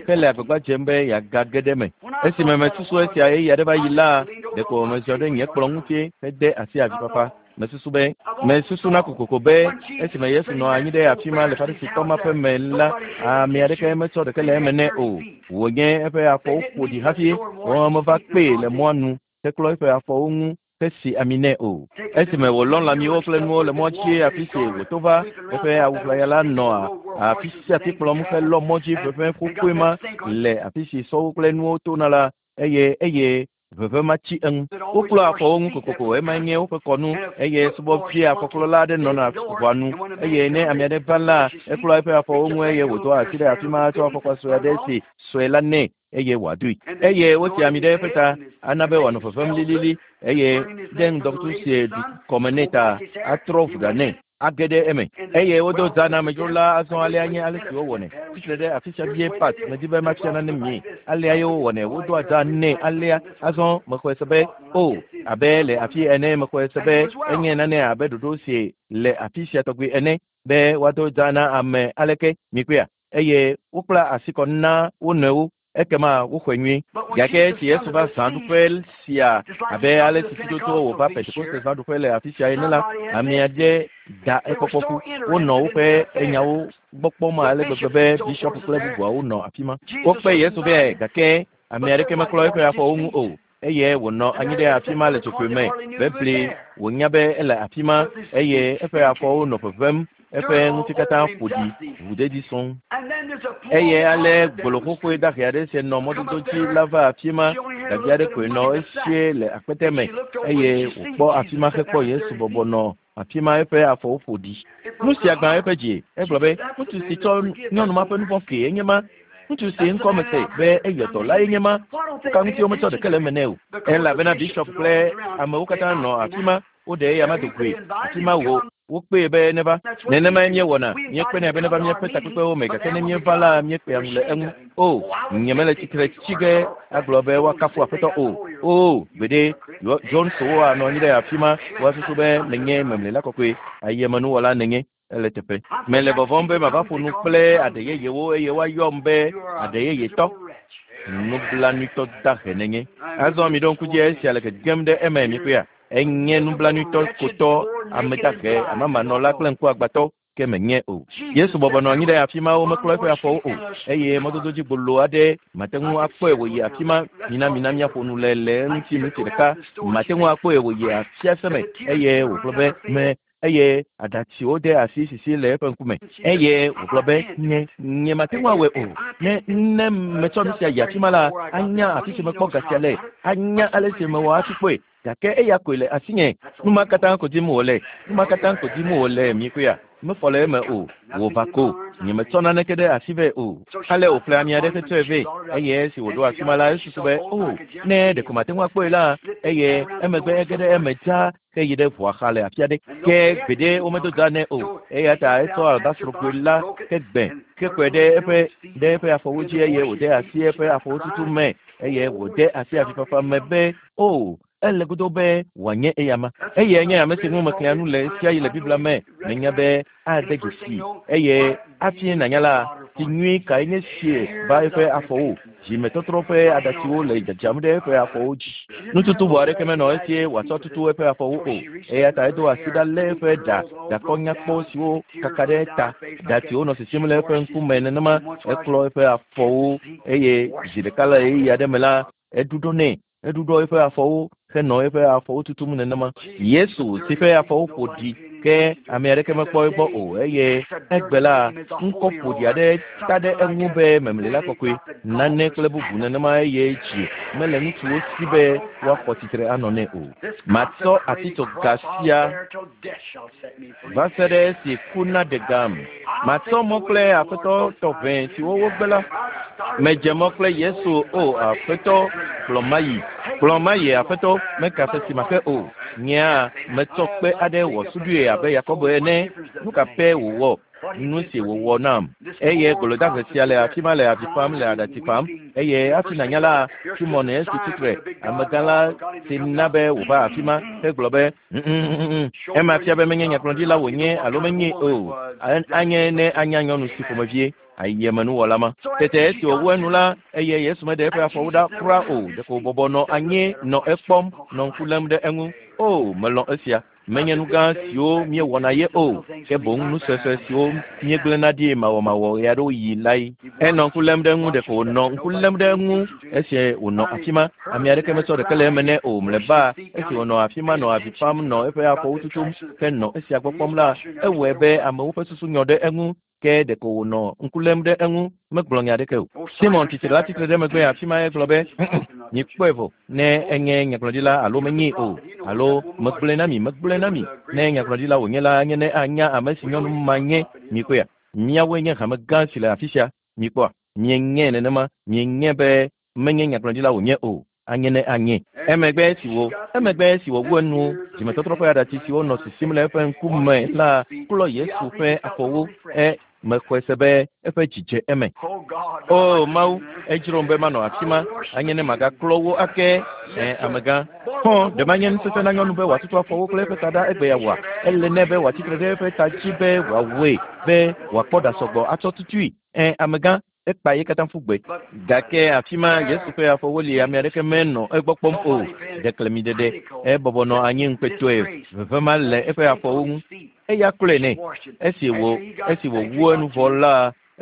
hele agbagba dzem be yeagage ɖe eme. Esime mesusu esia ɣeyiɣi aɖe va yi la, ɖeko meziɔ ɖe nye kplɔ̃ ŋuti hede asi avifafa. Mesusu be, mesusuna kokoko be esime Yesu nɔ anyi ɖe afi ma le Farisitɔ ma ƒe me la, ame aɖeke metsɔ ɖeke le eme nɛ o. Wònye eƒe afɔwo ƒo ɖi hafi womeva kpee le mɔa nu heklɔ eƒe afɔwo ŋu hesi ami nɛ o. Esime wòlɔ lãmiwo kple nuwo le mɔ dzi afi si wòto va, eƒe awu ʋlaya la nɔa afi sia afi kplɔm helɔ mɔ dzi ʋeʋẽ xoxoe ma le afi si sɔwo kple nuwo tona la, eye eye Ʋeʋẽ matsi eŋu. Woklɔa afɔwo ŋu kokoko, emae nye woƒe kɔnu, eye subɔvia afɔklɔla aɖe nɔna ʋɔa nu. Eye ne ame aɖe va la, eklɔa eƒe afɔwo ŋu eye wòdoa asi ɖe afi ma tsɔ afɔkpa sue aɖe si sue la nɛ eye wòadoe. Eye wosia ami ɖe eƒe ta ana be wòanɔ ʋeʋẽm lilili, eye ɖe ŋdɔkutsu si ɖu kɔme nɛ ta atrɔ ʋu ɖa nɛ. age ɖe eme. Eye wodo zã na amedzro la azɔ alea nye ale si wowɔnɛ. Tsitre ɖe afi sia vie Pat, medi be mafia nane mi. Alea ye wowɔnɛ. Wodoa zã nɛ alea. Azɔ mexɔe se be, o, abe le afi ene, mexɔe se be enye nane abe ɖoɖo si le afi sia tɔgbi ene, be woado zã na ame aleke. Mikpɔea? Eye wokpla asi kɔ na wo nɔewo. Ekema woxɔe nyuie. Gake esi Yesu va zãɖuƒe sia abe ale si tututu wòva Pentekoste zãɖuƒe le afi sia ene la, ame aɖe da ekpɔkpɔ ƒu. Wonɔ woƒe nyawo gbɔ kpɔm ale gbegbe be bisiɔp kple bubuawo nɔ afi ma. Wokpe Yesu vɛ, gake ame aɖeke meklɔ eƒe afɔwo ŋu o. Eye wònɔ anyi ɖe afi ma le dzogoe me bebli. Wònya be ele afi ma, eye eƒe afɔwo nɔ ʋeʋẽm, eƒe ŋuti katã ƒo ɖi, ʋuɖeɖi sɔŋ. Eye ale gbolo xoxoe dahe aɖe si nɔ mɔdodo dzi la va afi ma. Ɖevi aɖe koe nɔ esie le akpete me, eye wòkpɔ afi ma hekpɔ Yesu bɔbɔ nɔ afi ma eƒe afɔwo ƒo ɖi. Nu sia gbã eƒe dzi. Egblɔ be, Ŋutsu si tsɔ nyɔnu ma ƒe nu vɔ̃ kee enye ma. Ŋutsu si ŋkɔ mese be eyɔ dɔ lae nye ma. Nuka ŋuti wometsɔ ɖeke le eme nɛ o? Elabena bisiɔp kple amewo katã nɔ afi ma. Woɖe eya ma do goe. Afi ma wò wokpee be neva. Nenemae míewɔna. Míekpenɛ be neva míaƒe takpekpewo me, gake ne míeva la, míekpea ŋu le eŋu. O, nyemele tsitre tsi ge agblɔ be woakafu Aƒetɔ o. O, gbeɖe. Joneswo anɔ anyi ɖe afi ma, woasusu be menye memlela kɔkɔe, ayemenuwɔla nènye. Ele teƒe. Mele vɔvɔ̃m be mava ƒo nu kple aɖe yeyewo eye woayɔm be aɖe yeyetɔ. Nublanuitɔ dahe nènye. Azɔ miɖo ŋku dzi esia le gegem ɖe eme, mikpɔea? Enye nublanuitɔ kotɔ, ame dahe, amamanɔla kple ŋkuagbãtɔ, ke menye o. Yesu bɔbɔ nɔ anyi ɖe afi ma, womeklɔ eƒe afɔwo o, eye mɔdodo dzi gbolo aɖe mate ŋu akpɔe wòyi afi ma. Mina mina míaƒo nu le le eŋuti minti ɖeka. Mate ŋu akpɔe wòyi afiase me eye wògblɔ be, Me. eye aɖatsiwo de asi sisi le eƒe ŋkume eye wògblɔ be nye nyemate ŋu awɔe o ne ne metsɔ nu sia yi afi ma la anya afi si mekpɔ ga sia le anya ale si mewɔ hafi kpɔe gake eya koe le asinye nu ma katã ko dim wòle nu ma katã ko dim wòle mikpɔea mefɔ le eme o wòva ko nyemetsɔ naneke ɖe asi vɛ o ale wòƒle ami aɖe hetsɔe vɛ eye esi wòɖo afi ma la esusu be o ne ɖeko mate ŋu akpɔe la eye emegbe ege ɖe eme dzaa heyi ɖe ʋua xa le afi aɖe ke gbeɖe womedo da nɛ o eya ta etsɔ albastrogoe la ke gbẽ kekɔe ɖe eƒe ɖe eƒe afɔwo dzi eye wòde asi eƒe afɔwo tutu me eye wòde asi avifafa me be o ele godo be wòanye eyama eye nye ame si ŋu mexlẽa nu le sia yi le Biblia me menya be ade dzesi eye hafi nànya la tsi nyui kae nye sie va eƒe afɔwo dzimetɔtrɔ ƒe aɖatsiwo le dzadzam ɖe eƒe afɔwo dzi nututu vɔ aɖeke menɔ esie wòatsɔ tutu eƒe afɔwo o eya ta edo asi ɖa lé eƒe ɖa ɖakɔ nyakpɔ siwo kaka ɖe ta ɖatsiwo nɔ sisim le eƒe ŋkume nenema eklɔ eƒe afɔwo eye zi ɖeka le ɣeyiɣi aɖe me la eɖuɖɔ nɛ eɖuɖɔ eƒe afɔwo henɔ eƒe afɔwo tutum nenema Yesu si ƒe afɔwo ƒo ɖi ke ame aɖeke mekpɔ egbɔ o eye egbe la ŋkɔ ƒoɖi aɖe ta ɖe eŋu be memlila kɔkɔe nane kple bubu nenema eye dzi mele ŋutsuwo si be woaxɔ tsitre anɔ nɛ o matsɔ atitsoga sia va se ɖe esi ku naɖe gam matsɔ mɔ kple aƒetɔ tɔʋẽ siwo wogbe la medze mɔ kple Yesu o aƒetɔ kplɔ mayi kplɔ mayi aƒetɔ meka fe si make o nyea metsɔ kpe aɖe wɔ suɖui abe Yakobo ene nu ka pɛ wòwɔ nu si wòwɔ nam eye golodahe sia le afi ma le avi fam le aɖatsi fam eye hafi nànya la Simɔn esi tsitre amegã la si na be wòva afi ma hegblɔ be ema fia be menye nyagblɔɖila wònye alo menye o anye ne anya nyɔnu si ƒomevie ayemenuwɔla ma tete esi wòwu enu la eye Yesu meɖe eƒe afɔwo ɖa kura o ɖeko wòbɔbɔ nɔ anyi nɔ ekpɔm nɔ ŋku lém ɖe eŋu o melɔ̃ esia menye nu gã siwo míewɔna ye o ke boŋ nu suesue siwo míegblẽna ɖi mawɔmawɔ ɣe aɖewo yi lae enɔ ŋku lém ɖe eŋu ɖeko wònɔ ŋku lém ɖe eŋu esi wònɔ afi ma ame aɖeke metsɔ ɖeke le eme nɛ o mlɔeba esi wònɔ afi ma nɔ avi fam nɔ eƒe afɔwo tutum henɔ esia gbɔ kpɔm la ewɔe be amewo ƒe susu nyɔ ɖe eŋu ke ɖeko wònɔ ŋku lém ɖe eŋu megblɔ nya aɖeke o Simɔn tsitre la tsitre ɖe megbe afi ma egblɔ be mikpɔe vɔ ne enye nyagblɔɖila alo menyee o alo megblɔe na mi megblɔe na mi ne nyagblɔɖila wònye la anye ne anya ame si nyɔnu ma nye mikpɔea míawoe nye hame gã si le afi sia mikpɔa mienye nenema mienye be menye nyagblɔɖila wònye o anye ne anye emegbe esi wo emegbe esi wòwu enu dzimetɔtrɔ ƒe aɖatsi siwo nɔ sisim le eƒe ŋkume la klɔ Yesu ƒe afɔwo e mexɔe se be eƒe dzi dze eme o Mawu edzrom be manɔ afi ma anye ne magaklɔ wo ake ɛ amegã xɔ ɖe manye nusese na nyɔnu be wòatutu afɔwo kple eƒe taɖa egbe ya wɔa ele nɛ be wòatsitre ɖe eƒe ta dzi be wòawɔe be wòakpɔ ɖa sɔgbɔ atsɔ tutui ɛ amegã ekpa ye katã ƒu gbe gake afi ma Yesu ƒe afɔwo li ame aɖeke menɔ egbɔ kpɔm o ɖeklemiɖeɖe ebɔbɔ nɔ anyi ŋukpetɔe veve ma le eƒe afɔwo ŋu eya klɔe nɛ esi wò esi wòwu enu vɔ la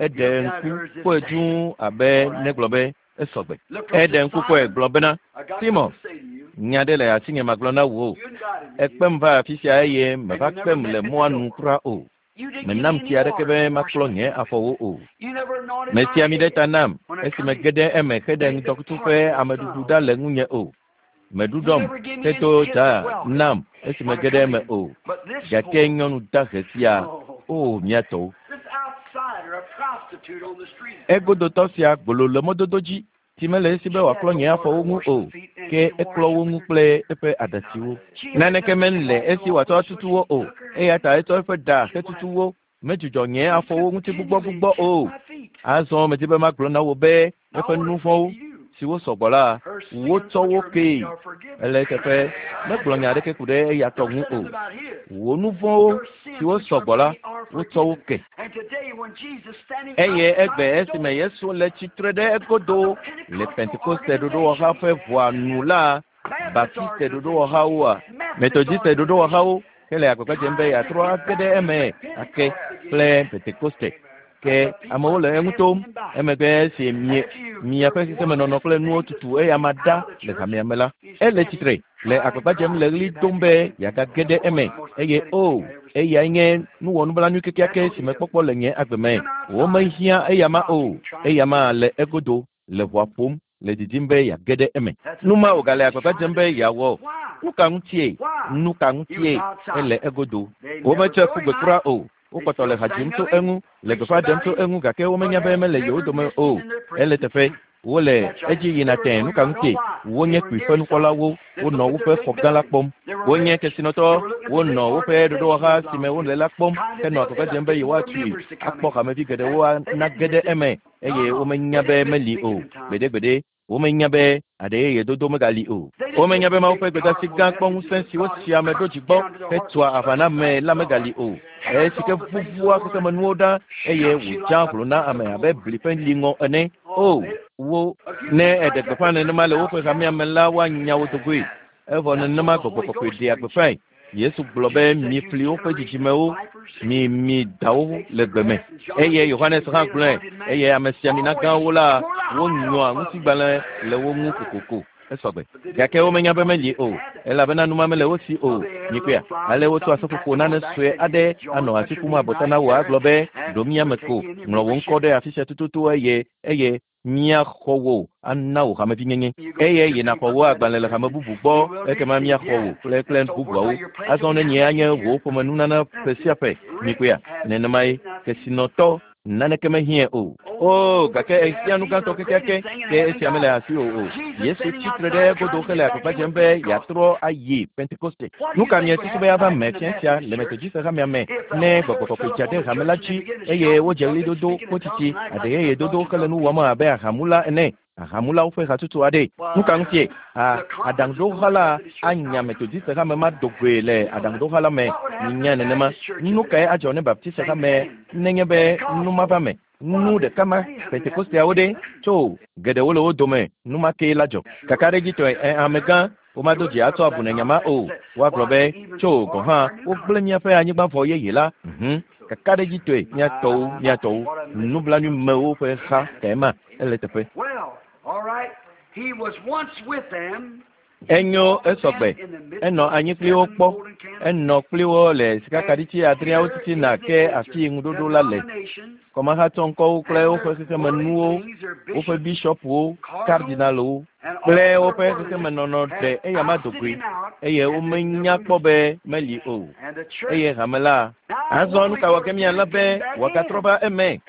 eɖe ŋku kpɔe dũu abe negblɔ be esɔgbe eɖe ŋku kpɔe gblɔ bena Simɔn nya ɖe le asinye magblɔ na wò ekpem va afi sia eye meva kpem le mɔa nu kura o menam tsi aɖeke be maklɔ nye afɔwo o mesi ami ɖe ta nam esi mege ɖe eme heɖe ŋdɔkutsu ƒe ameɖuɖu ɖa le ŋunye o meɖuɖɔm hedo dza nam esi mege ɖe eme o gake nyɔnu dahe sia o mía tɔwo egodotɔ sia gbolo le mɔdodo dzi si mele esi be wòaklɔ nye afɔwo ŋu o ke eklɔ wo ŋu kple eƒe aɖatsiwo naneke mele esi wòatsɔ atutu wo o eya ta etsɔ eƒe ɖa hetutu wo medzudzɔ nye afɔwo ŋuti gbugbɔgbugbɔ o azɔ medi be magblɔ na wò be eƒe nu vɔ̃wo siwo sɔgbɔ la wotsɔ wo kee ele eteƒe megblɔ nya aɖeke ku ɖe eya tɔ ŋu o wò nu vɔ̃wo siwo sɔgbɔ la wotsɔ wo ke eye egbe esime Yesu le tsitre ɖe egodo le Pentekoste ɖoɖowɔha ƒe ʋɔa nu la Baptiste ɖoɖowɔhawoa Methodiste ɖoɖowɔhawo hele agbagba dzem be yeatrɔ age ɖe eme ake kple Pentekoste. Ke amewo le eŋu tom. Emegbe esi miaƒe xexemenɔnɔ kple nuwo tutu eyama ɖa le hamea me la, ele tsitre le agbagba dzem le ɣli dom be yeagage ɖe eme eye o eyae nye nuwɔnublanui kekeake si mekpɔkpɔ le nye agbe me. Womehiã eyama o. Eyama le egodo le ʋɔa ƒom le didim be yeage ɖe eme. Nu ma wògale agbagba dzem be yeawɔ. Nu ka ŋutie? Nu ka ŋutie? Ele egodo. Wometsɔe ƒu gbe kura o. Wokpɔtɔ le ha dzim tso eŋu, le gbeƒã ɖem tso eŋu gake womenya be mele yewo dome o. Ele teƒe. Wole edzi yina tẽe. Nu ka ŋutie? Wonye kpuiƒe nukpɔlawo. Wonɔ woƒe xɔ gã la kpɔm. Wonye kesinɔtɔ. Wonɔ woƒe ɖoɖowɔha si me wole la kpɔm henɔ agbagba dzem be yewoatui akpɔ hamevi geɖewo nage ɖe eme eye womenya be meli o. Gbeɖegbeɖe, womenya be aɖe yeye dodo megali o. Womenya be Mawu ƒe gbedeasi gã kpɔ ŋusẽ si wosi ame ɖo dzi gbɔ hetua aʋa na ame la megali o. Esi ke vuvua xexemenuwo ɖa eye wòdza hlo na ame abe bli ƒe liŋɔ ene. O, wo ne eɖe gbeƒã nenema le woƒe hamea me la, woanya wo dogoe. Evɔ nenema gbɔgbɔ kɔkɔe ɖea gbeƒãe. Yesu gblɔ be mi fli woƒe dzidzimewo, mi mi dawo le gbe me. Eye Yohanes hã gblɔe eye amesiamina gãwo la wonyɔa ŋutigbalẽ le wo ŋu kokoko. Esɔgbe. Gake womenya be meli o, elabena numa mele wo si o. Mikpɔea? Ale wotsɔ seƒoƒo nane sue aɖe anɔ asi ƒum abɔta na wò agblɔ be ɖo mía me ko, ŋlɔ wò ŋkɔ ɖe afi sia tututu eye eye míaxɔ wò ana wò hamevinyenye. Eye yina xɔ wò agbalẽ le hame bubu gbɔ, ekema míaxɔ wò kple kple bubuawo. Azɔ ne nye anye wò ƒomenunana ƒe sia ƒe. Mikpɔea? Nenemae kesinɔtɔ naneke mehiãe o. O, gake ehiã nu gãtɔ kekeake ke esia mele asiwò o. Yesu tsitre ɖe egodo hele agbagba dzem be yeatrɔ ayi Pentekoste. Nu ka miesusu be ava me fia sia le Metodiste hamea me ne gbɔgbɔ kɔkɔe dza ɖe hame la dzi eye wodze ɣlidodo, kpotsitsi, aɖe yeye dodo hele nu wɔm abe ahamula ene? Ahamulawo ƒe hatsotso aɖe. Nu ka ŋutie? A aɖaŋuɖoha la anya Metodiste hame ma do goe le aɖaŋuɖoha la me. Minya nenema. Nu kae adzɔ ne Baptiste hame nenye be nu ma va me? Nu ɖeka ma Pentekosteawo ɖe tso geɖewo le wo dome nu ma kee la dzɔ. Kakaɖedzitɔe ɛ amegã womado dzi atsɔ abu ne nya ma o. Woagblɔ be tso gɔ̃ hã wogblẽ míaƒe anyigba vɔ yeye la. Mhm. Kakaɖedzitɔe míatɔwo míatɔwo nublanuimewo ƒe ha kae ma ele teƒe. Well, all right. He was once with them. Enyo esɔgbe. Enɔ anyi kpli wo kpɔ. Enɔ kpli wo le sikakaɖitsi adreawo titina ke afi ŋuɖoɖo la le. Kɔmahatsɔŋkɔwo kple woƒe xexemenuwo, woƒe bishɔpuwo, kardinalwo kple woƒe xexemenɔnɔ ɖe eyama do goe eye womenya kpɔ be meli o. Eye hame la azɔ nu ka wɔ ke míalé be wòagatrɔ va eme?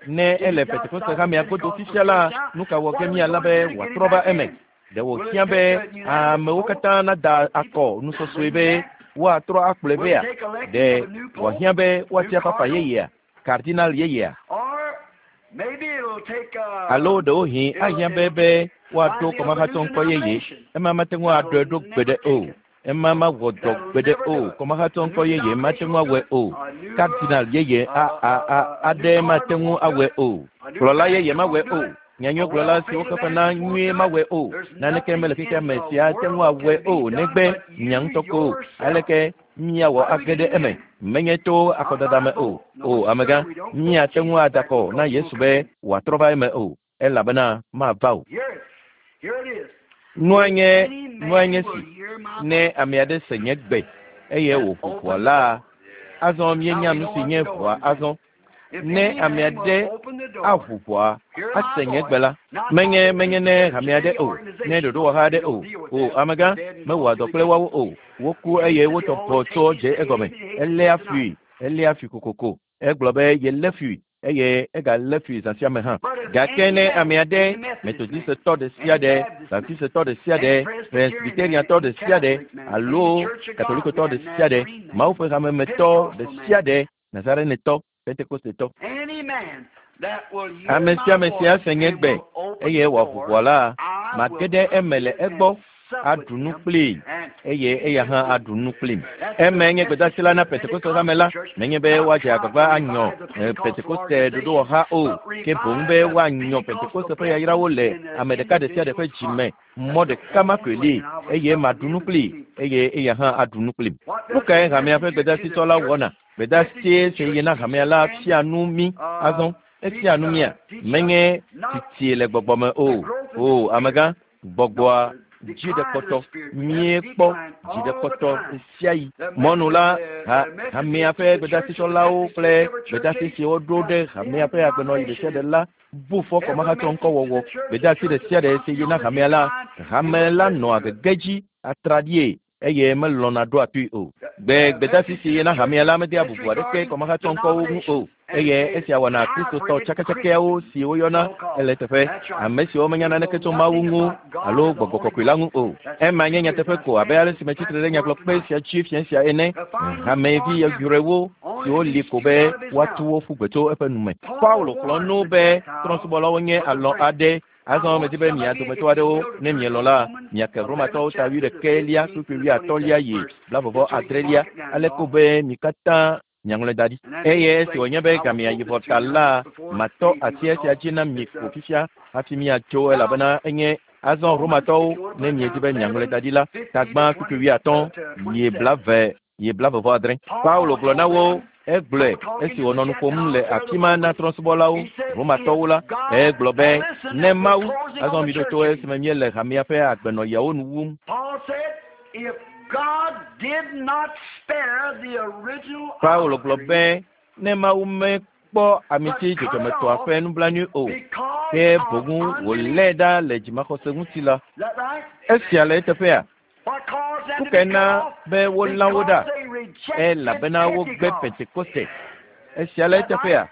Ne ele Pentekoste hamea godo fifia la, nu ka wɔ ke míalé be wòatrɔ va eme? Ɖe wòhiã be amewo katã nada akɔ nusɔsɔe be woatrɔ akplɔe vea? Ɖe wòhiã be woatia papa yeyea, kardinal yeyea? Or maybe it'll take a Alo ɖewohĩ ahiã be be woaɖo kɔmahatsɔŋkɔ yeye. Ema mate ŋu aɖɔe ɖo gbeɖe o. Ema mawɔ dɔ gbeɖe o. Kɔmahatsɔŋkɔ yeye mate ŋu awɔe o. Kardinal yeye a a a aɖe mate ŋu awɔe o. Kplɔla yeye mawɔe o. Nyanyuigblɔla siwo xexe na nyuie mawɔe o. Naneke mele xexea me si ate ŋu awɔe o negbe mia ŋutɔ ko. Aleke míawɔ age ɖe eme? Menye to akɔdada me o. O amegã, míate ŋu ada akɔ na Yesu be wòatrɔ va eme o elabena mava o. Here it, here it is. Nua nye Any nua nye man si will hear my ne ame aɖe se nye gbe eye wòƒo open ʋɔa la, door. azɔ míenya Now we nu know si what nye the door ʋɔa is. azɔ. If Ne any ame man will aɖe open the door, aʋu ʋɔa hear my ase nye voice. gbe la, Not menye not menye ne church, hame aɖe any o, ne organization. ɖoɖowɔha We aɖe o. don't deal with O them. amegã, They're dead and mewɔa gone dɔ to kple the woawo o. Woku Jesus eye said he wotɔ always ʋɔ tso hates dze egɔme. hates hates Eléa tonight. fui, eléa fui kokoko. Egblɔ be yelé fui eye egalé fui zã sia me hã. But if Gake any ne man, ame aɖe, any Methodist man, Metodistetɔ ɖe sia any ɖe, Baptist man, Baptistetɔ ɖe sia any ɖe, Presbyterian man, Presbyteriantɔ any ɖe sia ɖe, Catholic man, any alo Church of God Katolikotɔ ɖe man, sia ɖe, Nazarene man, Mawu ƒe hamemetɔ ɖe Pentecostal sia man, ɖe, Nazarenetɔ, Pentekostetɔ. any man that will hear Ame my sia ame si voice ase nye and gbe will open eye the wòaʋu door, ʋɔa la, I mage will ɖe come eme le in and egbɔ, sup with aɖu nu him kplii and eye he eya with hã me. aɖu nu kplim. That's the Eme nye message gbedeasi to la na the Pentekoste hame la, Pentecostal church, nenye be not woadze try to agbagba anyɔ revive the Pentecostal Pentekoste organization, ɖoɖowɔha o, but ke boŋ be revive the woanyɔ Pentecostal Pentekoste ƒe yayrawo blessings le in the ame ɖeka ɖe sia ɖe ƒe individual's dzi me. heart. Mɔ That's the ɖeka ma koe only way, li and I will eye sup with maɖu him nu and kplii he me. eye eya hã aɖu nu kplim. What Nu does kae the hamea ƒe messenger to the gbedeasitsɔla church wɔna? Gbedeasie si yi na hamea la fia nu mí azɔ. Efia nu mía. Menye tsitsi le gbɔgbɔ me o. O, amegã, gbɔgbɔa dzi ɖe kpɔtɔ. Míekpɔ dzi ɖe kpɔtɔ ɣe sia ɣi. Mɔnu la, ha hamea ƒe gbedeasitsɔlawo kple gbedeasi si woɖo ɖe hamea ƒe agbenɔɣi ɖe sia ɖe la bu fɔ kɔmahatsɔ ŋkɔwɔwɔ. Gbedeasi ɖe sia ɖe si yi na hamea la, hame la nɔa gege dzi atraɖie eye melɔ̃na ɖoa toe o. Gbe gbedeasi si yi na hamea la medea bubu aɖeke kɔmahatsɔ ŋkɔwo ŋu o. Eye esia wɔna Kristotɔ tsakatsakawo si woyɔna ele teƒe ame siwo menya naneke tso Mawu ŋu alo gbɔgbɔ kɔkɔe la ŋu o. Ema nye nyateƒe ko abe ale si metsitre ɖe nyagblɔkpe sia dzi fia sia ene. Hamevi yɔyrɔewo siwo li ko be woatu wo ƒu gbe tso eƒe nume. Paulo xlɔ̃ nu be trɔ̃subɔlawo nye alɔ aɖe. Azɔ medi be mia dometɔ aɖewo ne mielɔ̃ la, miake Romatɔwo ta 21 kpukpui 30 yi 46 ale ko be mi katã miaŋlɔe da ɖi. Eye esi wònye be gamea yi vɔ ta la, matɔ asi esia dzi na mi ko fifia hafi miatso elabena enye azɔ Romatɔwo ne miedi be miaŋlɔe da ɖi la, tagbã kpukpui 50 yi 20 yi 46. Paulo gblɔ na wo egblɔe esi wònɔ nu ƒom le afi ma na trɔ̃subɔlawo Romatɔwo la, egblɔ be ne Mawu azɔ mi ɖo to esime míele hamea ƒe agbenɔɣiawo nu wum. Paul said, if God did not spare the original Paulo gblɔ olive tree, be ne Mawu mekpɔ amiti dzɔdzɔmetɔa ƒe nublanui o, because ke of boŋ wòlé unbelief. ɖa le dzimaxɔse ŋuti la, Is that right? esia le eteƒea? What caused them Nu to kae be na cut off? be wolã wo ɖa? Because they rejected Elabena wogbe Pentecost. Pentekoste. Esia le eteƒea?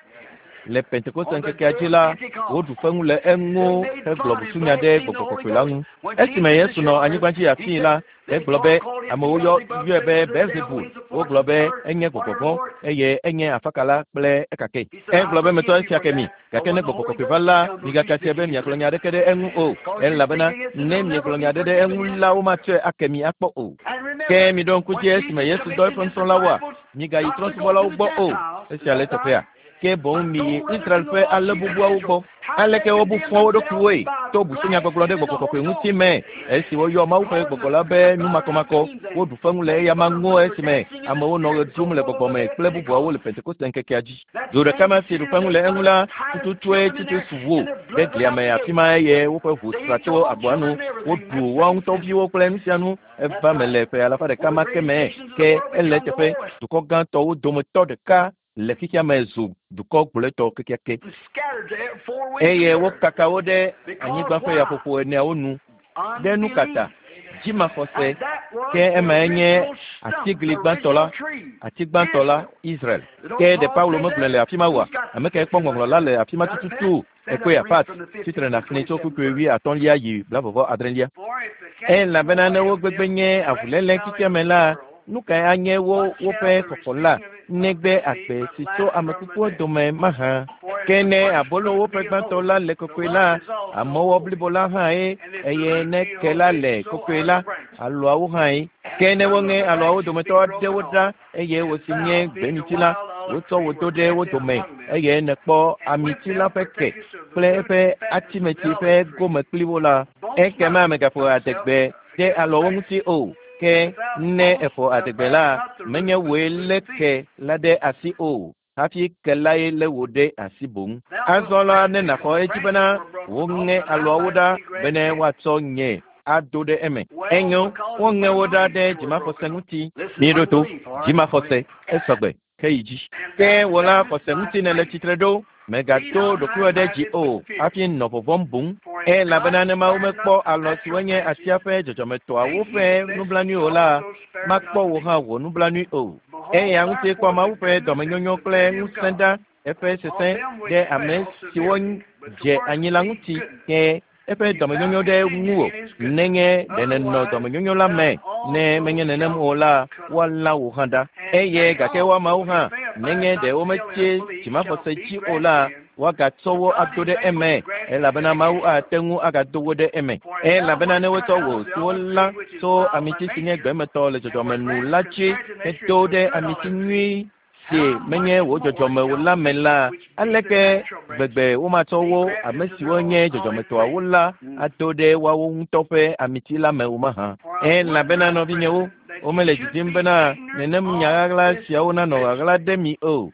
Le Pentekoste ŋkekea dzi la, woɖu feŋu le eŋu hegblɔ busunya ɖe gbɔgbɔ kɔkɔe la ŋu. Esime Yesu nɔ anyigba dzi afii la, egblɔ be amewo yɔ yɔe be Beelzebul. Wogblɔ be enye gbɔgbɔ vɔ̃ eye enye afakala kple ekake. Egblɔ be metɔ esia ke mi, gake ne gbɔgbɔ kɔkɔe va la, migaka sia be miagblɔ nya aɖeke ɖe eŋu o, elabena ne miegblɔ nya aɖe ɖe eŋu la, womatsɔe ake mi akpɔ o. And remember, Ke miɖo ŋku when dzi esime Jesus Yesu dɔ eƒe commissioned his nusrɔ̃lawoa, disciples migayi not to go to trɔ̃subɔlawo the gbɔ o. Gentiles, Esia le is that eteƒea? right? Ke boŋ But miyi go rather Israel to the ƒe lost alẽ sheep of bubuawo Israel. gbɔ. How Aleke they wobu condemn fɔ wo themselves ɖokuiwoe by to busunyagbɔgblɔ ɖe blaspheming the gbɔgbɔ kɔkɔe Holy ŋuti Ghost. me esi woyɔ Mawu ƒe gbɔgbɔ la be numakɔmakɔ. Woɖu feŋu le eyama ŋu esime amewo nɔ ɣe ɖum le gbɔgbɔ me kple bubuawo le Pentekoste ŋkekea dzi. Du ɖeka ma si ɖu feŋu le eŋu la, tututue Titus wu ɖe glia me afi ma eye woƒe ʋu sra tso agboa nu. Woɖu woawo ŋutɔ viwo kple nu sia nu. Eva me le ƒe alafa ɖeka ma ke me ke ele eteƒe dukɔ gãtɔwo dometɔ ɖeka le xexea me zu dukɔ gblɔetɔ kekeake. And scattered to every four winds of Eye the earth. wokaka wo ɖe Because anyigba ƒe why? yaƒoƒo eneawo nu ɖe nu kata Unbelief. dzimaxɔse And that was ke the emae nye original stump, the atigli gbãtɔ la original tree, ati gbãtɔ la Israel. Israel. Don't Ke ɖe Paul Paulo say megblɔe that? le afi ma oa? Who's got Ame kae kpɔ ŋɔŋlɔ la le afi ma got a pen? tututu? Stand up Ekpɔe and read Pat from the tsitre 15th to nàxlẽ tso 27th kpukpui verse. 50lia yi 46lia. For if the catching Elabena ne away wo of gbegbe them nye be avuléle xexea me reconciling with the la, world, nu kae anye wo what shall woƒe the xɔxɔ la receiving of it negbe of them be agbe but si tso life ame from the kukuwo dead? dome mahã? For if Ke the ne first abolo fruit woƒe be gbãtɔ holy, la le the kɔkɔe lump la, is also amɔwɔ holy. blibo la hãe And if the eye root ne be ke la holy, le so kɔkɔe are la, the branches. alɔawo hãe. Ke And ne some of woŋe the alɔawo branches dometɔ be aɖewo broken ɖa off, eye and wòsi nye thou, being a gbemiti la, wild olive wotsɔ tree, wò do were ɖe wo planted dome among them, eye nèkpɔ and with amiti la them ƒe ke partakest of the kple root eƒe and fatness of atimeti the ƒe olive tree. gome kpli wo la, Boast ekema not mègaƒo thyself adegbe ɖe against alɔwo the ŋuti branches. o. Ke If thou ne boast, èƒo thou adegbe la, bindest not the menye root, but wòe the lé root thee. ke la ɖe asi o, hafi ke lae lé wò ɖe asi boŋ. Thou Azɔ wilt la grant ne me nàxɔ the edzi bena branches were broken off, woŋe that I alɔawo might ɖa be grafted bene in. woatsɔ nye ado ɖe eme. Well, Enyo, because of woŋe wo ɖa unbelief ɖe they were dzimaxɔse broken off. ŋuti. Listen, Míeɖo to unbelief, all right? dzimaxɔse esɔgbe ke yi dzi. And Ke thou wò la standest xɔse by ŋuti nèle faith. tsitre ɖo. Be Mègato not ɖokuiwò ɖe dzi high-minded, o but fear. hafi nɔ vɔvɔ̃m boŋ. For if Elabena God ne Mawu spared mekpɔ not the alɔ siwo natural nye atia branches, ƒe dzɔdzɔmetɔawo thinking ƒe lest nublanui he o la, also spare makpɔ not wò thee. hã wò nublanui o. Behold, Eya ŋuti kpɔ therefore, Mawu the ƒe goodness and dɔmenyonyo kple severity of ŋusẽ God ɖa eƒe on sesẽ them which ɖe ame fell siwo severely, but dze towards anyi la thee ŋuti goodness, ke eƒe if thou dɔmenyonyo ɖe continue ŋuwò in his goodness. nenye ɖe nènɔ Otherwise, dɔmenyonyo la thou me ne menye also nenem shalt o be la cut off. woalã wò hã ɖa And eye they gake woamawo also, hã if they abide nenye not ɖe still in wometsi unbelief, shall dzimaxɔse be dzi o la grafted in. woagatsɔ wo For God ado is ɖe able eme to graft you elabena back Mawu in. ate ŋu agado wo ɖe eme For if thou elabena ne wast wotsɔ cut out wò of the siwo olive lã tree which is tso wild by amiti si nye nature, gbemetɔ le and dzɔdzɔme were nu grafted la dzi contrary to nature hedo into a ɖe good amiti olive tree, nyui si how menye much wò more dzɔdzɔme o shall la me they la which be the aleke natural branches gbegbe womatsɔ be wo grafted ame to siwo their nye own olive dzɔdzɔmetɔawo tree? la ado ɖe woawo ŋutɔ ƒe amiti la me o mahã? For I would Elabena not, nɔvinyewo brethren, Womele didim bena nenem nya ɣaɣla siawo nanɔ ɣaɣla ɖe mi o,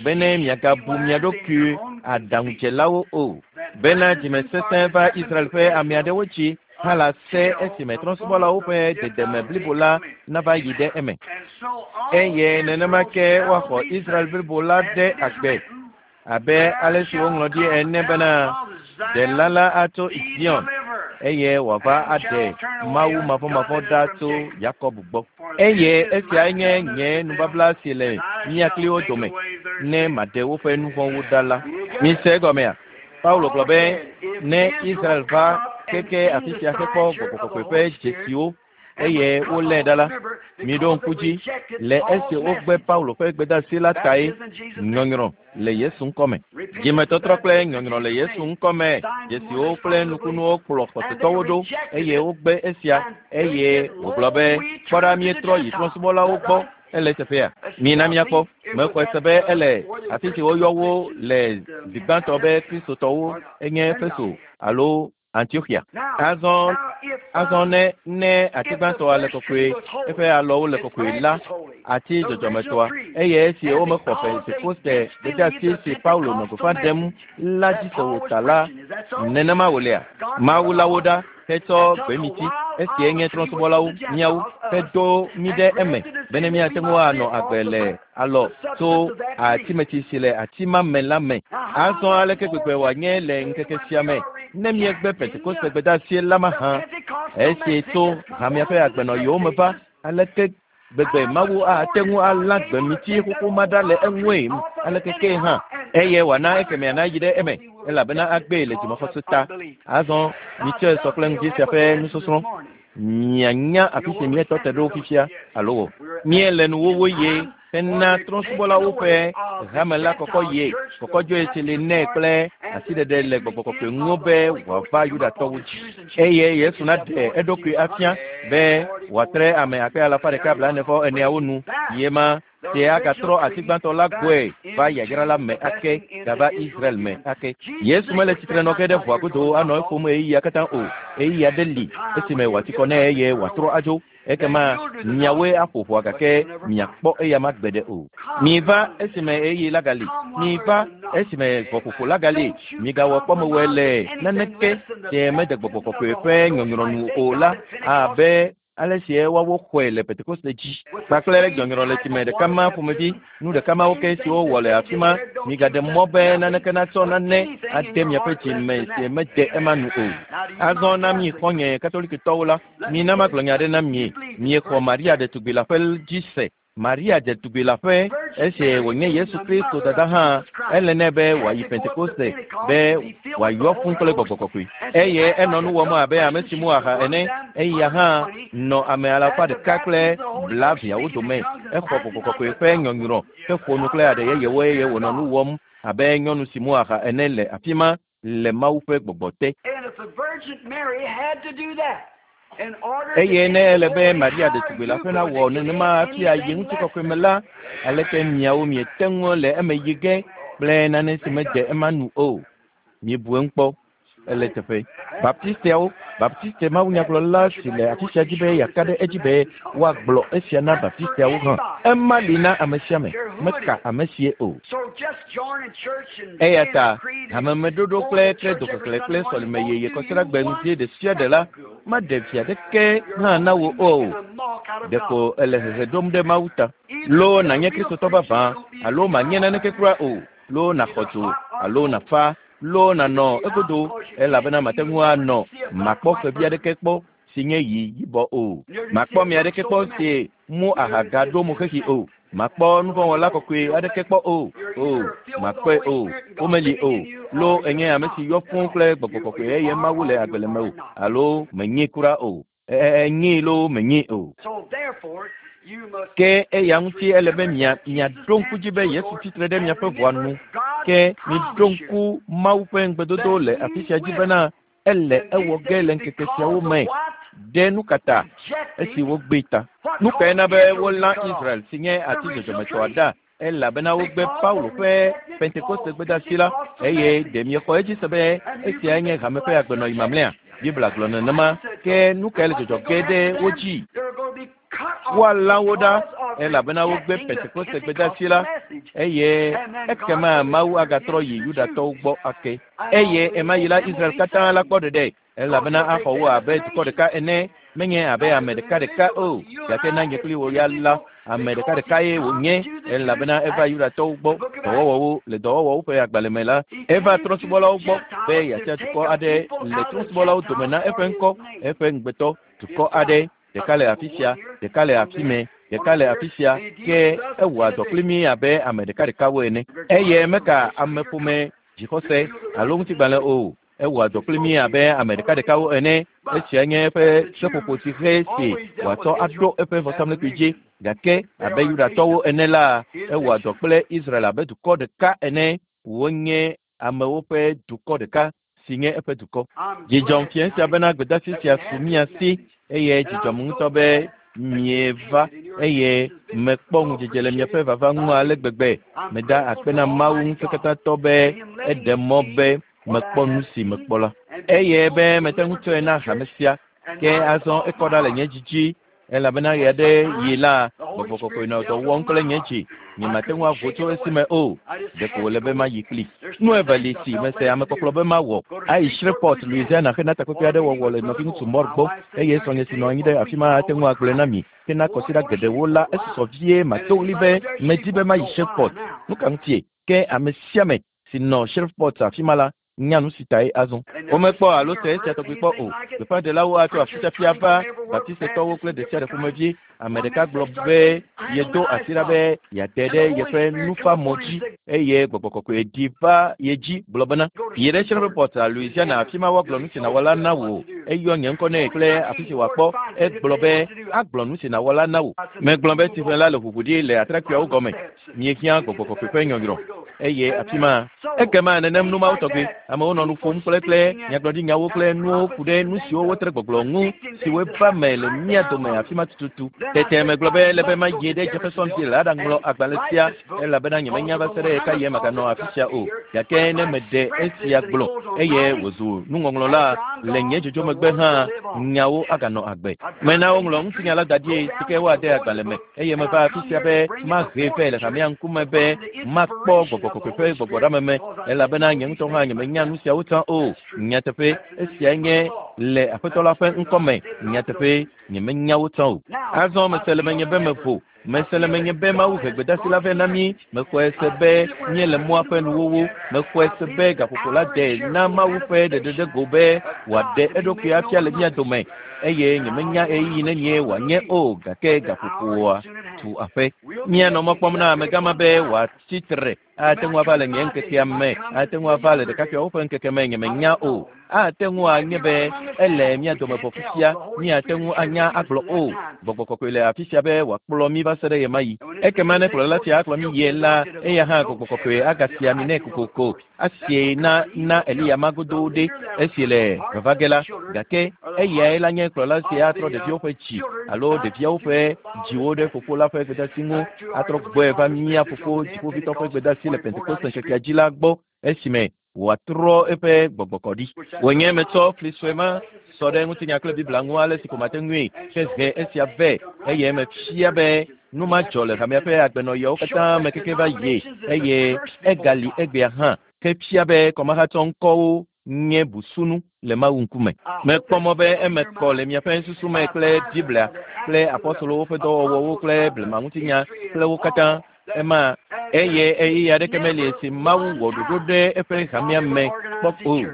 bene miagabu mia ɖokui aɖaŋudzelawo o. Bena dzimesesẽ va Israel ƒe ame aɖewo dzi hã la se esime trɔ̃subɔlawo ƒe dedeme blibo la nava yi ɖe eme. Eye nenema ke woaxɔ Israel blibo la ɖe agbe abe ale si woŋlɔ ɖi ene bena Ɖela la atso Zion eye wòava aɖe Mawu mavɔmavɔ ɖa tso Yakob gbɔ. Eye esiae nye nye nubabla si le mía kpli wo dome ne maɖe woƒe nu vɔ̃wo ɖa la. Mise egɔmea? Paulo gblɔ be ne Israel va keke afi sia hekpɔ gbɔgbɔ kɔkɔe ƒe dzesiwo eye wolé ɖa la, miɖo ŋku dzi le esi wogbe Paulo ƒe gbedeasi la tae nyɔnyrɔ le Yesu ŋkɔme. Dzimetɔtrɔ kple nyɔnyrɔ le Yesu ŋkɔme dzesiwo kple nukunuwo kplɔ xɔsetɔwo ɖo eye wogbe esia eye wògblɔ be kpɔ ɖa míetrɔ yi trɔ̃subɔlawo gbɔ ele teƒea. Mina míakpɔ. Mexɔe se be ele afi si woyɔ wo le zi gbãtɔ be Kristotɔwo enye Efeso alo Antiochia. Azɔ azɔ ne ne ati gbãtɔa le kɔkɔe, eƒe alɔwo le kɔkɔe la, ati dzɔdzɔmetɔa eye esi womexɔ Pentekoste gbedeasi si Paulo nɔ gbeƒã ɖem la dzi se o ta la, nenema wòlea? Mawu la wo ɖa hetsɔ gbemiti esie nye trɔ̃subɔlawo míawo hedo mí ɖe eme bene míate ŋu anɔ agbe le alɔ tso atimetsi si le ati ma me la me. Azɔ aleke gbegbe wòanye le ŋkeke sia me ne míegbe Pentekoste gbedeasi la mahã esi tso hamea ƒe agbenɔyiwo me va aleke gbegbe Mawu ate ŋu alã gbemiti xoxo ma ɖa le eŋue aleke ke hã eye wòana ekemea nayi ɖe eme elabena agbee le dzimaxɔse ta. Azɔ mitsɔe sɔ kple ŋdi sia ƒe nusɔsrɔ̃. Mianya afi si míetɔ te ɖo fifia alo o. Míele nuwuwu ye hena trɔ̃subɔlawo ƒe hame la kɔkɔ ye kɔkɔdzoe si li nɛ kple asiɖeɖe le gbɔgbɔ kɔkɔe ŋu be wòava Yudatɔwo dzi. Eye Yesu naɖe eɖokui afia be wòatre ame akpe alafa ɖeka blaene-vɔ-eneawo nu ye ma si agatrɔ ati gbãtɔ la gbɔe va yayra la me ake gava Israel me ake. Yesu mele tsitre nɔ ge ɖe ʋɔa godo anɔ eƒom ɣeyiɣia katã o. Ɣeyiɣi aɖe li esime wòati kɔ nɛ eye wòatrɔ adzo. Ekema miawoe aƒo ʋɔa gake miakpɔ eyama gbeɖe o. Miva esime ɣeyiɣi la gali. Miva esime ʋɔƒoƒo la gali. Migawɔ kpɔmewɔe le naneke si mede gbɔgbɔ kɔkɔe ƒe nyɔnyrɔ nu o la abe ale si woawo xɔe le Pentekoste dzi kpakple nyɔnyrɔ le tsime ɖeka ma ƒomevi nu ɖeka mawo ke siwo wɔ le afi ma. Migaɖe mɔ be naneke natsɔ nane ade miaƒe dzi me si mede ema nu o. Azɔ na mi xɔ̃nye Katolikitɔwo la, mina magblɔ nya aɖe na mi. Miexɔ Maria ɖetugbi la ƒe dzi se. Maria ɖetugbi la ƒe esi wònye Yesu Kristo dada hã, ele nɛ be wòayi Pentekoste be wòayɔ fũ kple gbɔgbɔ kɔkɔe. Eye enɔ nu wɔm abe ame si mu aha ene. Eya hã nɔ ame alafa ɖeka kple blaeveawo dome. Exɔ gbɔgbɔ kɔkɔe ƒe nyɔnyrɔ heƒo nu kple aɖe yeyewo eye wònɔ nu wɔm abe nyɔnu si mu aha ene le afi ma le Mawu ƒe gbɔgbɔ te. And if the Virgin Mary had to do that in order to Eye ne get ele be glory, Maria how are ɖetugbi la you ƒe going nawɔ to get nenema hafi ayi anything ŋutikɔkɔe less me la, aleke miawo miete ŋu le eme yi ge kple nane si mede ema nu o. Miebu eŋu kpɔ. Ele teƒe. Baptisteawo, Baptiste mawunyagblɔla si le afi sia dzi be yeaka ɖe edzi be woagblɔ esia na Baptisteawo hã. Ema li na ame sia ame, meka ame sie o. So just joining church and Eya saying ta a creed and hamemeɖoɖo going kple to church credo every xexlẽ Sunday kple morning sɔlime won't yeye do kɔsiɖagbe you ŋdi one ɖe sia ɖe la maɖe vi aɖeke hã na wò o. making a mock out of Ɖeko God. ele hehe ɖom ɖe Mawu ta. Either Loo be a nànye real Kristotɔ Christian vavã or don't be alo manye naneke kura o. Loo nàxɔ dzo alo nàfa loo nànɔ egodo elabena mate ŋu anɔ makpɔ xevi aɖeke kpɔ si nye yi yibɔ o. Makpɔ ame aɖeke kpɔ si mu aha gaɖo mo xexi o. Makpɔ nuvɔ̃wɔla kɔkɔe aɖeke kpɔ o. O, makpɔe o. Womeli o. Loo enye ame si yɔ fũu kple gbɔgbɔ kɔkɔe eye Mawu le agbe le mewò alo menye kura o. Enyee loo menye o. So therefore, you must Ke eya ŋuti ele be mia miaɖo ŋku dzi be Yesu tsitre ɖe miaƒe ʋɔa nu. Ke miɖo ŋku Mawu ƒe ŋugbedodo le afi sia dzi bena ele ewɔ ge le ŋkeke siawo me ɖe nu ka ta esi wogbee ta. Nu kae na be wolã Israel si nye ati dzɔdzɔmetɔa ɖa elabena wogbe Paulo ƒe Pentekoste gbedeasi la eye ɖe miexɔ edzi se be esiae nye hame ƒe agbenɔyi mamlɛa. Biblia gblɔ nenema ke nu kae le dzɔdzɔ ge ɖe wo dzi? They're going to be cut Woalã wo ɖa elabena wogbe Pentekoste gbedeasi la, eye ekema Mawu agatrɔ yi Yudatɔwo gbɔ ake. Eye ema yi la Israel katã la kpɔ ɖeɖe, elabena axɔ wo abe dukɔ ɖeka ene, menye abe ame ɖekaɖeka o, gake na nye kpli wò ya la, ame ɖekaɖekae wònye, elabena eva Yudatɔwo gbɔ dɔwɔwɔwo le dɔwɔwɔwo ƒe agbalẽ me la, eva trɔ̃subɔlawo gbɔ be yeatia dukɔ aɖe le trɔ̃subɔlawo dome na eƒe ŋkɔ, eƒe ŋugbetɔ, dukɔ aɖe, ɖeka le afi sia, ɖeka le afi mɛ, ɖeka le afi sia, ke ewɔa dɔ kpli mí abe ame ɖekaɖekawo ene. Eye meka ameƒome dzixɔse alo ŋutigbalẽ o. Ewɔa dɔ kpli mí abe ame ɖekaɖekawo ene. Esia nye eƒe seƒoƒo si xe si wòatsɔ aɖo eƒe vɔsamlekpui dzi. Gake abe Yudatɔwo ene la, ewɔa dɔ kple Israel abe dukɔ ɖeka ene. Wonye amewo ƒe dukɔ ɖeka si nye eƒe dukɔ. Dzidzɔm fia sia bena gbedeasi sia su mía si eye dzidzɔm ŋutɔ be mieva eye mekpɔ ŋudzedze le miaƒe vava ŋu ale gbegbe. Meda akpe na Mawu ŋusẽkatãtɔ be eɖe mɔ be mekpɔ nu si mekpɔ la. Eye be mete ŋu tsɔe na hame sia. Ke azɔ ekɔ ɖa le nye dzi dzi elabena ɣe aɖe yi la, gbɔgbɔ kɔkɔe nɔ dɔ wɔm kple nye dzi. Nyemate ŋu avo tso esime o. Ɖeko wòle be mayi kpli. Nu eve li si mese amekpɔkplɔ be mawɔ. Ayi Shreveport, Louisiana hena takpekpe aɖe wɔwɔ le nɔviŋutsu Moore gbɔ eye srɔ̃nye si nɔ anyi ɖe afi ma ate ŋu agblɔe na mi. Hena kɔsiɖa geɖewo la, esusɔ vie mato ɣli be medi be mayi Shreveport. Nu ka ŋutie? Ke ame sia ame si nɔ Shreveport afi ma la nya nu si tae azɔ. Womekpɔ alo se esia tɔgbi kpɔ o. Gbeƒãɖelawo atso afisiafia va Baptistetɔwo kple ɖe sia ɖe ƒomevi. Ame ɖeka gblɔ be yedo asi ɖa be yeate ɖe yeƒe nufamɔ dzi eye gbɔgbɔ kɔkɔe ɖi va ye dzi gblɔ bena, yi ɖe Shreveport, Louisiana, afi ma woagblɔ nu si nàwɔ la na wò. Eyɔ nye ŋkɔ nɛ kple afi si wòakpɔ. Egblɔ be agblɔ nu si nàwɔ la na wò. Megblɔ be tsiʋe la le ʋuʋu ɖi le atrakpuiawo gɔme. Míehiã gbɔgbɔ kɔkɔe ƒe nyɔnyrɔ eye afi ma ekema nenem nu mawo tɔgbi. Amewo nɔ nu ƒom kple kple nyagblɔɖinyawo kple nuwo ku ɖe nu siwo wotre gbɔgblɔ ŋu siwo va me le mía dome afi ma tututu. Tete megblɔ be ele be mayi ɖe Jeffersonville aɖaŋlɔ agbalẽ sia elabena nyemenya va se ɖe ɣekaɣie maganɔ afi sia o. Gake ne meɖe esia gblɔ eye wòzu nuŋɔŋlɔ la le nye dzodzo megbe hã, nyawo aganɔ agbe. Mena woŋlɔ ŋutinya la da ɖi si ke woade agbalẽ me eye meva afi sia be mahe vɛ le hamea ŋkume be makpɔ gbɔgbɔ kɔkɔe ƒe gbɔgbɔɖameme elabena nye ŋutɔ hã nyemenya nu siawo tsã o. Nyateƒe, esia nye le Aƒetɔ la ƒe ŋkɔme. Nyateƒe, nyemenya wo tsã o. Azɔ mese le menye be mevo. Mese le menye be Mawu he gbedeasi la vɛ na mí. Mexɔe se be míele mɔa ƒe nuwuwu. Mexɔe se be gaƒoƒo la de na Mawu ƒe ɖeɖeɖego be wòaɖe eɖokui afia le mía dome eye nyemenya ɣeyiɣi nenie wòanye o gake gaƒoƒoa tu aƒe. Míanɔ mɔ kpɔm na amegã ma be wòatsi tre. Ate ŋu ava le nye ŋkekea me, ate ŋu ava le ɖekakpuiawo ƒe ŋkeke me, nyemenya o. Ate ŋu anye be ele mía dome vɔ fifia, míate ŋu anya agblɔ o. Gbɔgbɔ kɔkɔe le afi sia be wòakplɔ mí va se ɖe ɣemaɣi. Ekema ne kplɔla sia akplɔ mí yie la, eya hã gbɔgbɔ kɔkɔe agasia ami nɛ kokoko. Asie na na Eliya ma godoo ɖe esi le vava ge la. Gake eyae la nye kplɔla si atrɔ ɖeviwo ƒe dzi alo ɖeviawo ƒe dziwo ɖe fofo la ƒe gbedeasi ŋu, atrɔ gbɔe va mía fofo dziƒovitɔ ƒe gbedeasi le Pentekoste ŋkekea dzi la gbɔ esime wòatrɔ eƒe gbɔgbɔ kɔ ɖi. Wònye metsɔ fli sue ma sɔ ɖe ŋutinya kple Biblia ŋu ale si ko mate ŋui hehe esia vɛ eye mefia be nu ma dzɔ le hamea ƒe agbenɔɣiawo katã me keke va yi eye egali egbea hã ke fia be kɔmahatsɔ ŋkɔwo nye busunu le Mawu ŋkume. Mekpɔ mɔ be eme kɔ le miaƒe susu me kple Biblia kple apɔstolowo ƒe dɔwɔwɔwo kple blemaŋutinya kple wo katã. Ema eye ɣeyiɣi aɖeke meli si Mawu wɔ ɖoɖo ɖe eƒe hamea me kpɔ o.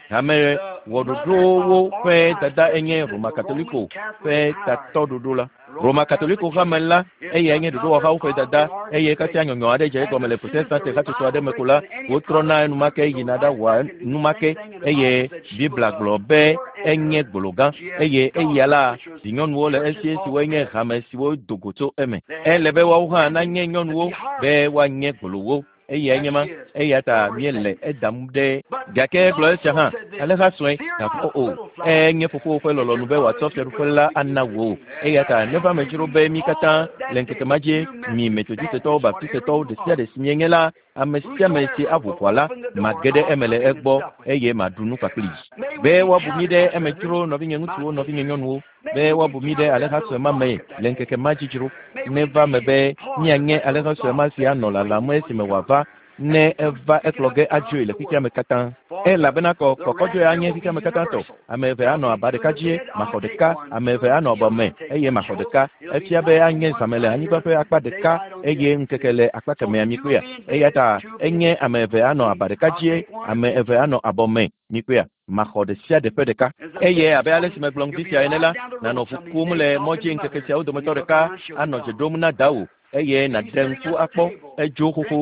Hame wɔɖoɖowo ƒe dada enye Roma Katoliko ƒe tatɔɖoɖo la. Roma Katoliko hame la, eyae nye ɖoɖowɔhawo ƒe dada eye kasia nyɔnyɔ aɖe dze egɔme le Protestante hatsotso aɖe me ko la, wotrɔna enumake yina ɖawɔa numake eye Biblia gblɔ be enye gbolo gã eye eya la vinyɔnuwo le esi siwoe nye hame siwo do go tso eme. Ele be woawo hã nanye nyɔnuwo be woanye gbolowo. Eyae nye ma, eya ta míele edam ɖe. Gake gblɔ esia hã, alẽha sue, gavɔ o. Enye fofowò ƒe lɔlɔ̃nu be wòatsɔ fiaɖuƒe la ana wò. Eya ta neva me dzro be mí katã le ŋkeke ma dzi, mi Metodistetɔwo, Baptistetɔwo, ɖe sia ɖe si mienye la, ame sia ame si aʋu ʋɔa la, mage ɖe eme le egbɔ eye maɖu nu kpakplii. Be woabu mí ɖe eme dzro, nɔvinye ŋutsuwo, nɔvinye nyɔnuwo. Be woabu mí ɖe alẽha sue ma me le ŋkeke ma dzi dzro. Neva eme be míanye alẽha sue ma si anɔ lalam esime wòava, ne eva ekplɔ ge adzoe le xexea me katã. Elabena kɔ kɔkɔdzoe anye xexea me katã tɔ. Ame eve anɔ aba ɖeka dzie, maxɔ ɖeka, ame eve anɔ abɔ me, eye maxɔ ɖeka. Efia be anye zãme le anyigba ƒe akpa ɖeka eye ŋkeke le akpa kemɛa mikpɔea. Eya ta enye ame eve anɔ aba ɖeka dzie, ame eve anɔ abɔ me mikpɔea. Maxɔ ɖe sia ɖe ƒe ɖeka. Eye abe ale si megblɔ ŋdi sia ene la, nànɔ ʋu kum le mɔ dzi ŋkeke siawo dometɔ ɖeka anɔ dze ɖom na dawò eye nàɖe ŋku akpɔ edzo xoxo,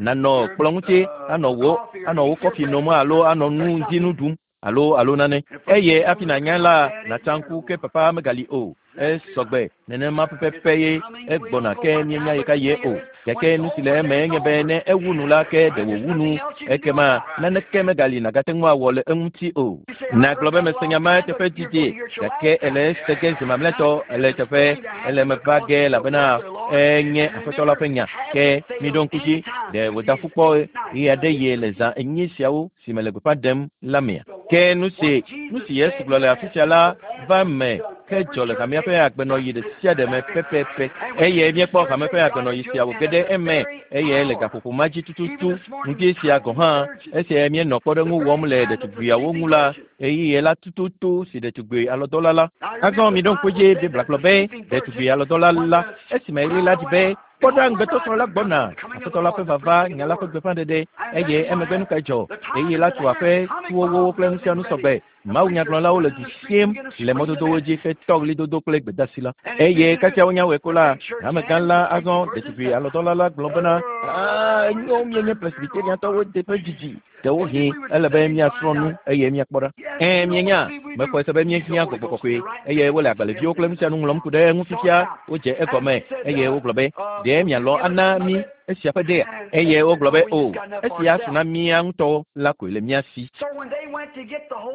nànɔ kplɔ̃ ŋuti anɔ wò anɔ wò kɔfi nom alo anɔ nu ŋdi nu ɖum alo alo nane. Eye hafi nànya la, nàtsa ŋku ke papa megali o. Esɔgbe nenema pɛpɛpɛ ye egbɔna ke míenya ɣekaɣie o. Gake nu si le eme enye be ne ewu nu la ke ɖe wòwu nu, ekema naneke megali nàgate ŋu awɔ le eŋuti o. Nàgblɔ be mese nya ma eteƒe didi, gake ele ese ge zi mamlɛtɔ, ele eteƒe, ele eme va ge elabena enye Aƒetɔ la ƒe nya. Ke miɖo ŋku dzi, ɖe wòda ƒu kpɔ ɣeaɖeɣi le zã enyi siawo si mele gbeƒã ɖem la mea? Ke nu si nu si Yesu gblɔ le afi sia la va eme ke dzɔ le hamea ƒe agbenɔɣi ɖe sia ɖe me pɛpɛpɛ. Eye míekpɔ hame ƒe agbenɔɣi sia wòge ɖe eme eye le gaƒoƒo ma dzi tututu ŋdi sia gɔ̃ hã, esi míenɔ kpɔɖeŋu wɔm le ɖetugbuiawo ŋu la, ɣeyiɣi la tututu si ɖetugbui alɔdɔla la. Azɔ miɖo ŋku edzi, Biblia gblɔ be ɖetugbui alɔdɔla la, esime ɣli la ɖi be, Kpɔ ɖa, ŋugbetɔsrɔ̃ la gbɔna, Aƒetɔ la ƒe vava, nya la ƒe gbeƒãɖeɖe, eye emegbe nu kae dzɔ? Ɣeyiɣi la tu aƒe, tuwowo kple nu sia nu sɔgbe. Mawunyagblɔlawo le du sim le mɔdodowo dzi hetɔ ɣlidodo kple gbedasi la. Eye kasia wonya wɔe ko la, hamegã la azɔ ɖetugbui alɔdɔla la gblɔ bena, Aa, enyo, míenye Presbyteriantɔwo teƒe didi. Ɖewohĩ ele be míasrɔ̃ nu eye míakpɔ ɖa. Ɛ̃, mienya, mexɔe se be míehiã gbɔgbɔ kɔkɔe, eye wole agbalẽviwo kple nu sia nu ŋlɔm ku ɖe eŋu fifia. Wodze egɔme eye wogblɔ be, Ɖe mialɔ̃ ana mí esia ƒe ɖea? Eye wogblɔ be, O, esia su na mía ŋutɔwo la koe le mía si.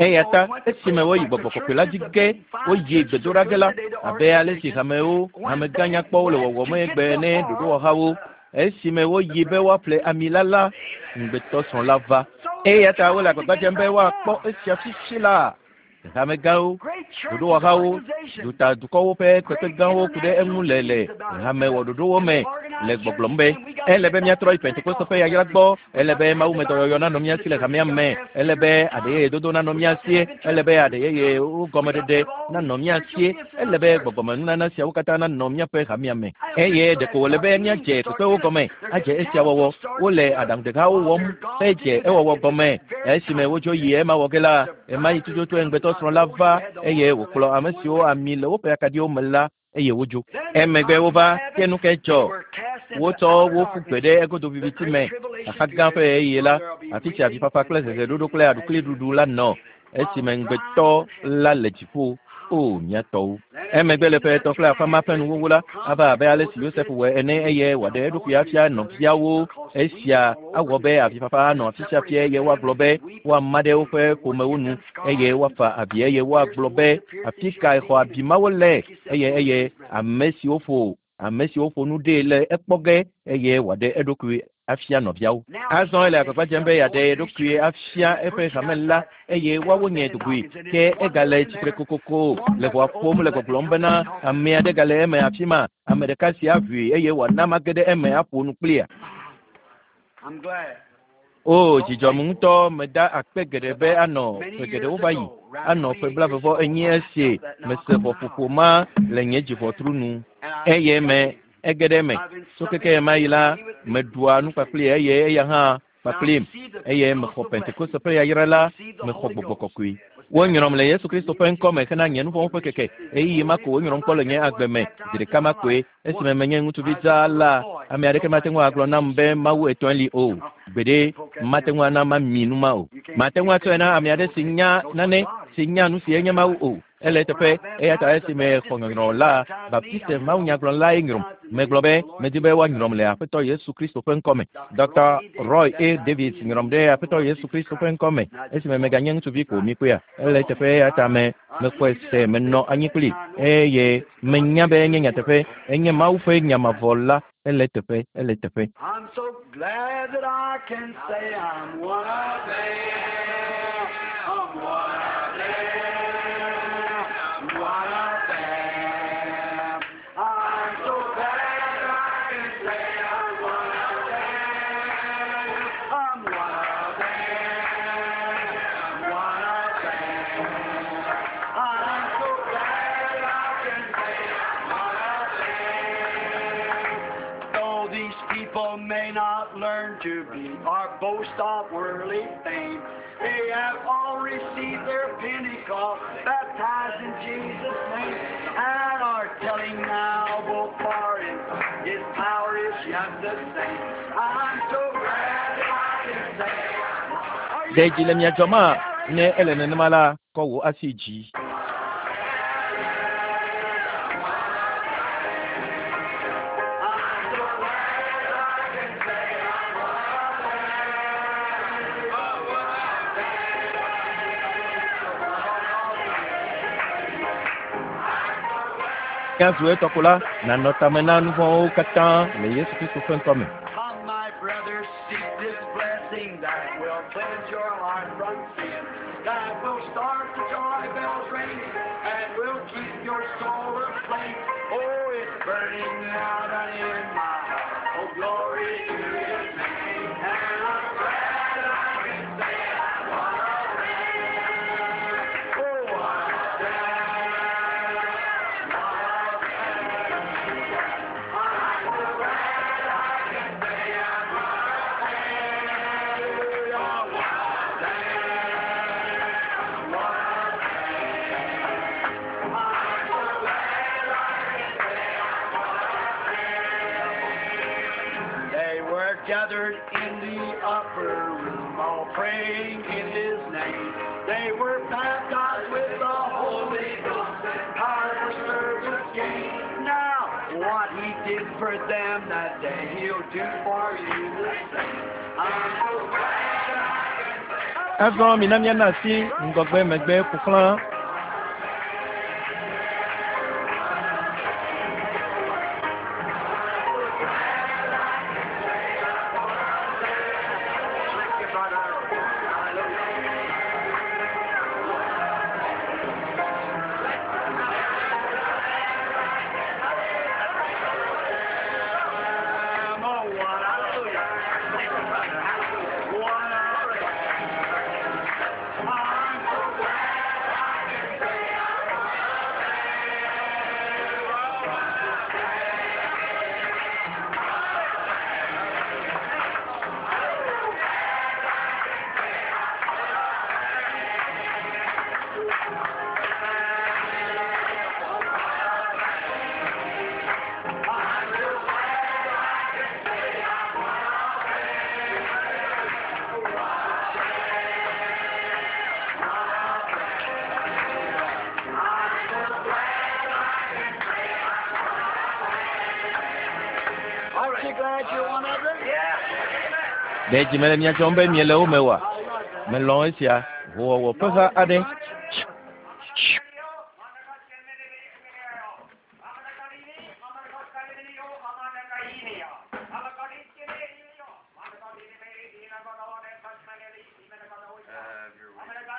Eya ta esime woyi gbɔgbɔ kɔkɔe la dzi ge, woyi gbedoɖa ge la, abe ale si hamewo, hamegã nyakpɔwo le wɔwɔm egbe ene, ɖoɖowɔhawo, Esime woyi be woaƒle ami la la, ŋugbetɔsrɔ̃ la va. Eya ta wole agbagba dzem be woakpɔ esia fifi laa. Hamegãwo, ɖoɖowɔhawo, dutadukɔwo ƒe kpekpe gãwo ku ɖe eŋu le le hamewɔɖoɖowo me le gbɔgblɔm be ele be míatrɔ yi Pentekoste ƒe yayra gbɔ, ele be mawumedɔyɔyɔ nanɔ mía si le hamea me, ele be aɖe yeye dodo nanɔ mía si, ele be aɖe yeyewo gɔmeɖeɖe nanɔ mía si, Ele be gbɔgbɔmenunana siawo katã nanɔ míaƒe hamea me. Eye ɖeko wòle be míadze kpekpewo gɔme adze esia wɔwɔ. Wole aɖaŋudehawo wɔm hedze ewɔwɔ gɔme. Esime wodzo yi ema wɔ ge la, ɣemaɣi tututue ŋugbetɔsrɔ̃ la va eye wòkplɔ ame siwo ami le woƒe akaɖiwo me la eye wodzo. Emegbe wova ke nu kae dzɔ? Wotsɔ wo ƒu gbe ɖe egodo viviti me, xaxa gã ƒe ɣeyiɣi la, afi si avifafa kple zezeɖoɖo kple aɖukliɖuɖu la nɔ. esime ŋugbetɔ la le dziƒo. O, mía tɔwo! Emegbe le ƒe etɔ̃ kple afã ma ƒe nuwuwu la, ava abe ale si Yosef wɔe ene eye wòaɖe eɖokui afia nɔviawo. Esia awɔ be avifafa anɔ afi sia afi eye woagblɔ be woama ɖe woƒe ƒomewo nu eye woafa avi eye woagblɔ be, Afi kae xɔ abi mawo le? Eye eye ame siwo ƒo ame siwo ƒo nu ɖee le ekpɔ ge eye wòaɖe eɖokui afia nɔviawo. Azɔ ele agbagba dzem be yeaɖe ye ɖokui afia eƒe hame la eye woawo nye dugui. Ke egale tsitre kokoko le ʋɔa ƒom le gbɔgblɔm bena, Ame aɖe gale eme afi ma, ame ɖeka si aʋui eye wòana mage ɖe eme aƒo nu kplia. O, dzi dzɔm ŋutɔ, meda akpe geɖe be anɔ ƒe geɖewo va yi, anɔ ƒe blaeve vɔ enyi esi mese ʋɔƒoƒo ma le nye dziʋɔtru nu. Eye me, ege ɖe eme. Tso keke ɣemaɣi la, meɖua nu kpakplii eye eya hã kpakplim, eye mexɔ Pentekoste ƒe yayra la, mexɔ Gbɔgbɔ Kɔkɔe. Wonyrɔm le Yesu Kristo ƒe ŋkɔ me hena nye nuvɔ̃wo ƒe keke. Ɣeyiɣi ma ko wonyrɔm kpɔ le nye agbe me, zi ɖeka ma koe. Esime menye ŋutsuvi dzaa la, ame aɖeke mate ŋu agblɔ nam be Mawu etɔ̃e li o. Gbeɖe, mate ŋu ana mami nu ma o. Mate ŋu atsɔe na ame aɖe si nya nane, si nya nu si enye Mawu o. Ele eteƒe, eya ta esime xɔ nyɔnyrɔ la, Baptiste mawunyagblɔlae nyrɔm. Megblɔ be, Medi be woanyrɔm le Aƒetɔ Yesu Kristo ƒe ŋkɔ me. Ɖɔkta Roy A. Davis nyrɔm ɖe Aƒetɔ Yesu Kristo ƒe ŋkɔ me esime meganye ŋutsuvi ko. Mikpɔea? Ele eteƒe, eya ta me, mexɔe se, menɔ anyi kplii, eye menya be enye nyateƒe, enye Mawu ƒe nya mavɔ la. Ele eteƒe, ele eteƒe. I'm so glad that I can say I'm one of them. I'm one of them. One of them. to be, or boast of worldly fame. They have all received their Pentecost, baptized in Jesus' name, and are telling now both far and His power is yet the same. I'm so glad that I can say. Are Ɖe you dzi le mia dzɔma? Ne ele nenema la, kɔ wò asi dzi. I'm so glad I can say I'm one of them. Oh, what a Míazu etɔko la, nànɔ tame na nu vɔ̃wo katã le Yesu Kristo ƒe ŋkɔ me. Come, my brothers, seek this blessing that will cleanse your heart from sin, that will start the joy bells ringing, and will keep your soul aflame. Oh, it's burning out and in my heart. Oh, glory to His name. And I'm glad I can say I'm one of them. Oh, I'm glad, one of them. I'm so glad I can say I'm one of them. Hallelujah, one of them, one of them. I'm so glad I can say I'm one of them. They were gathered in the upper room, all praying in His name. They were baptized with the Holy Ghost and power for service gained. Now, what He did for them that day, He'll do for you the same. I'm so glad I can say. Azɔ mina míana asi ŋgɔgbe megbe ƒo xlã. Thank you, brother. Hallelujah. Oh, what hallelujah. Thank you, brother. Hallelujah. What hallelujah. I'm so glad I can say I'm one of them. Oh, what Aren't you glad you're one of them? Yeah. Ɖe dzi mele mia dzɔm be miele wo me oa? Melɔ̃ esia. Hoowɔwɔ ƒe ha aɖe. Have your way.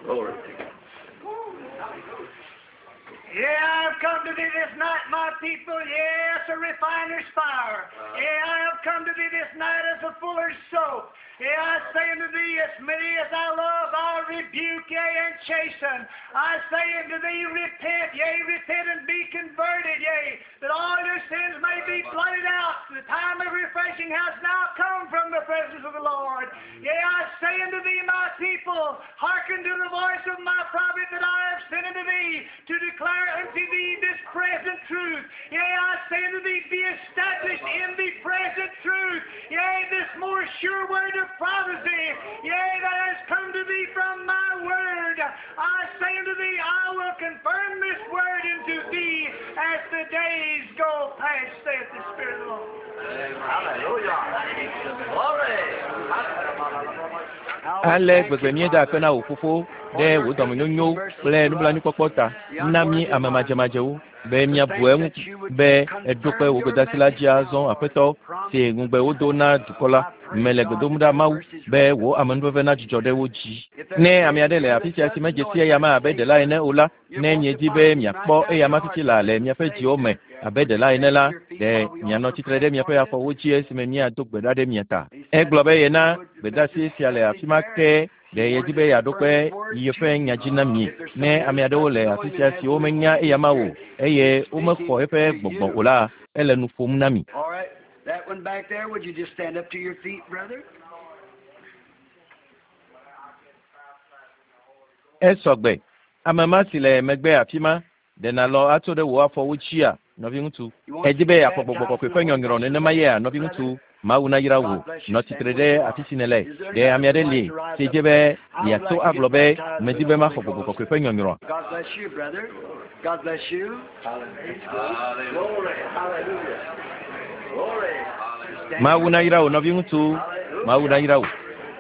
Glory to God. Yeah, I've come to thee this night, my people, yes, a refiner's fire. Yeah, I have come to thee this night as a fuller's soap. Yeah, I say unto thee, as many as I love, I rebuke, yea, and chasten. I say unto thee, repent, yea, repent and be converted, yea, that all your sins may be blotted out. The time of refreshing has now come from the presence of the Lord. Yea, I say unto thee, my people, hearken to the voice of my prophet that I have sent unto thee to declare unto thee this present truth. Yea, I say unto thee, be established in the present truth. Yea, this more sure word of prophecy, yea, that has come to thee from my word. I say unto thee, I will confirm this word unto thee as the days go past, saith the Spirit of the Lord. Hallelujah. Glory. Ale gbegbe míeda akpe na wò fofo. Ɖe wò dɔmenyonyo kple nublanuikpɔkpɔ ta na mí ame madzemadzewo be míabu eŋu be èɖo kpe wò gbedeasi la dzi azɔ Aƒetɔ si ŋugbe wodo na dukɔ la. Mele gbe dom ɖa Mawu be wò amenuveve nadzudzɔ ɖe wo dzi. Ne ame aɖe le afi sia si medze si eyama abe ɖela ene o la, ne miedi be miakpɔ eyama fifi laa le miaƒe dziwo me abe ɖela ene la, ɖe mianɔ tsitre ɖe miaƒe afɔwo dzi esime míado gbe ɖa ɖe mia ta. Egblɔ be yena gbedeasi sia le afi ma ke Ɖe yedi be yeaɖo kpe yeƒe nya dzi na mi ne ame aɖewo le afi sia siwo menya eyama o eye womexɔ eƒe gbɔgbɔ o la, ele nu ƒom na mi. Esɔ gbe. Ame ma si le megbe afi ma, ɖe nàlɔ̃ atso ɖe wò afɔwo dzia, nɔviŋutsu? Èdi be yeaxɔ gbɔgbɔ kɔkɔe ƒe nyɔnyrɔ nenema yea, nɔviŋutsu? Mawu nayra wò. Nɔ tsitre ɖe afi si nèle. Ɖe ame aɖe li si dze be yeato agblɔ be, Medi be maxɔ gbɔgbɔ kɔkɔe ƒe nyɔnyrɔa? Mawu nayra wò, nɔviŋutsu. Mawu nayra wò.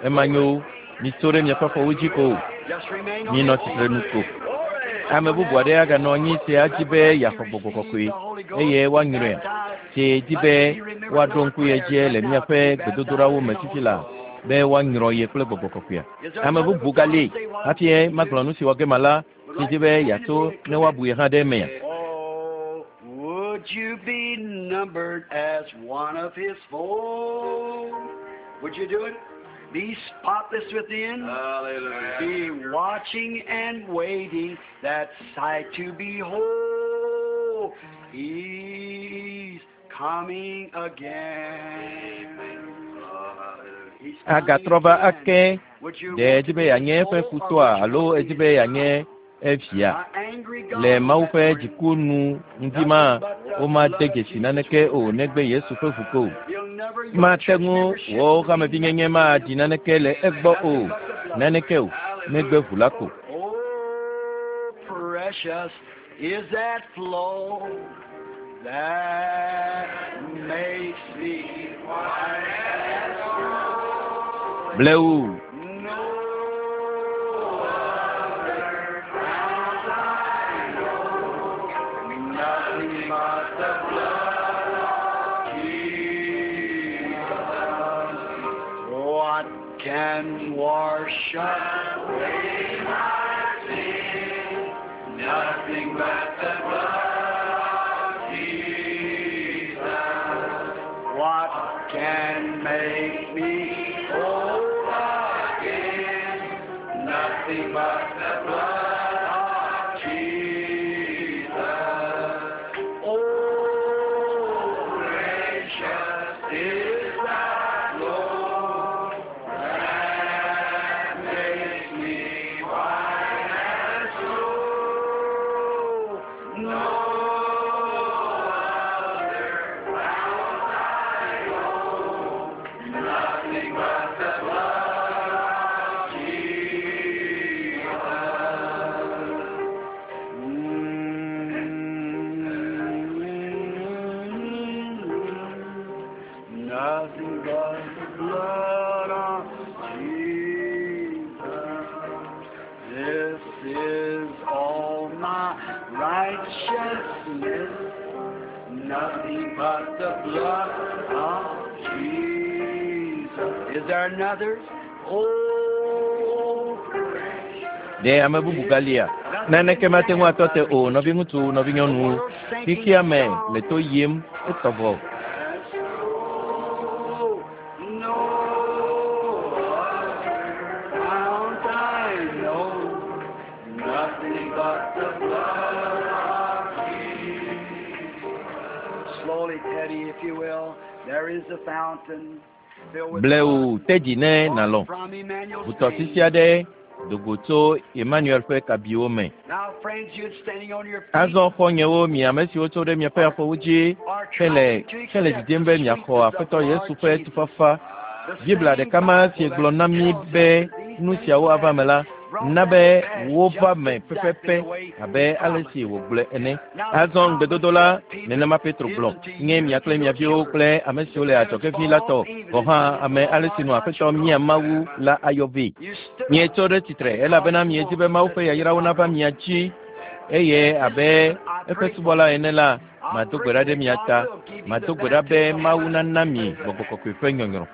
Ema nyo. Mitso ɖe miaƒe afɔwo dzi ko. Minɔ tsitre nu ko. Ame bubu aɖe aganɔ anyi si adi be yeaxɔ gbɔgbɔ kɔkɔe eye woanyrɔe, si di be woaɖo ŋku ye dzi le míaƒe gbedodoɖawo me fifi laa be woanyrɔ ye kple gbɔgbɔ kɔkɔea. Ame bubu gali hafi magblɔ nu si wɔ ge mala si di be yeato ne woabu ye hã ɖe emea. Would you be numbered as one of his fold? Would you do it? Be spotless within. Hallelujah. Be watching and waiting that sight to behold. He's coming again. He's coming Agatrɔ va again. ake. Would you Ɖe want edi to be be yeanye his eƒe foe or futɔa would you alo want to edi be be his yeanye evia? An angry God Le Mawu that ƒe morning. dziku nu ŋdi ma, womade dzesi naneke o negbe Yesu ƒe ʋu ko o. He'll never, your Mate church ŋu membership wò will mean hamevinyenye nothing to maɖi him. naneke le egbɔ o, Nothing but the blood. naneke o, negbe ʋu la ko. Oh, precious is that flow that makes me white as snow. Blewu. No other fount I know, nothing but the blood of Jesus. What can wash away my sin? Nothing but the blood of Jesus. What can make me whole again? Nothing but the blood of Jesus. Oh, precious is that flow that makes me white as snow. No other fount I know, nothing but the blood of Jesus. Nothing but the blood of Jesus. This is all my righteousness. Nothing but the blood of Jesus. Is there another? Oh, precious. Ɖe ame bubu galia? Naneke mate ŋu atɔ te o, nɔviŋutsu, nɔvinyɔnuwo. Xexea me le to yim etɔ vɔ. Oh, no other fount I know, nothing but the blood of Jesus. Slowly, Teddy, if you will. There is a fountain filled with Blewu blood te dzi ne nàlɔ̃. from Emmanuel's Ʋutɔsisi veins. aɖe do go tso Emmanuel ƒe kabiwo me. Now, friends, you're standing on your feet Azɔ xɔ̃nyewo, mi ame siwo tso ɖe miaƒe afɔwo dzi are hele trying to hele accept didim the be miaxɔ sweetness of Aƒetɔ the Yesu Lord ƒe Jesus. tufafa. The Biblia same ɖeka ma si Bible gblɔ that na mí tells us be that these nu things siawo will ava me la, happen Na be wova me pɛpɛpɛ abe ale si wògblɔe ene. Azɔ ŋugbedodo la, nenema Petro gblɔ, nye mia kple mia viwo kple ame siwo le adzɔge ʋĩ la tɔ, gɔ̃ hã ame ale si nu Aƒetɔ mía Mawu la ayɔ vɛ. Mietso ɖe tsitre elabena miedi be Mawu ƒe yayrawo nava mia dzi eye abe eƒe subɔla ene la, mado gbe ɖa ɖe mia ta. Mado gbe ɖa be Mawu nana mi gbɔgbɔ kɔkɔe ƒe nyɔnyrɔ.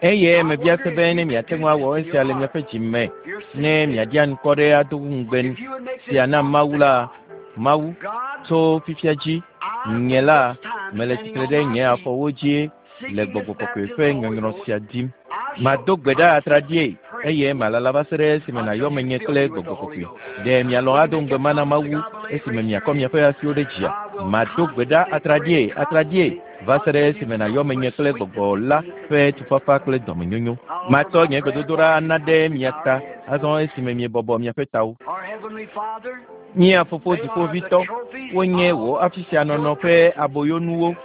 Eye mebia se be ne miate ŋu awɔ esia le miaƒe dzi me, ne miaɖi anukɔ ɖe ado ŋugbe sia na Mawu la, Mawu, tso fifia dzi, nye la, mele tsitre ɖe nye afɔwo dzi le gbɔgbɔ kɔkɔe ƒe nyɔnyrɔ sia dim. Mado gbe ɖa atraɖie eye malala va se ɖe esime nàyɔ menye kple gbɔgbɔ kɔkɔe. Ɖe mialɔ̃ ado ŋugbe ma na Mawu esime miakɔ miaƒe asiwo ɖe dzia? Mado gbe ɖa atraɖie, atraɖie va se ɖe esime nàyɔ menye kple gbɔgbɔ la ƒe tufafa kple dɔmenyonyo. Matsɔ nye gbedodoɖa ana ɖe mia ta azɔ esime miebɔbɔ miaƒe tawo. Our Heavenly Father, Mía fofo dziƒovitɔ, wonye wò afi sia nɔnɔ ƒe aboyonuwo.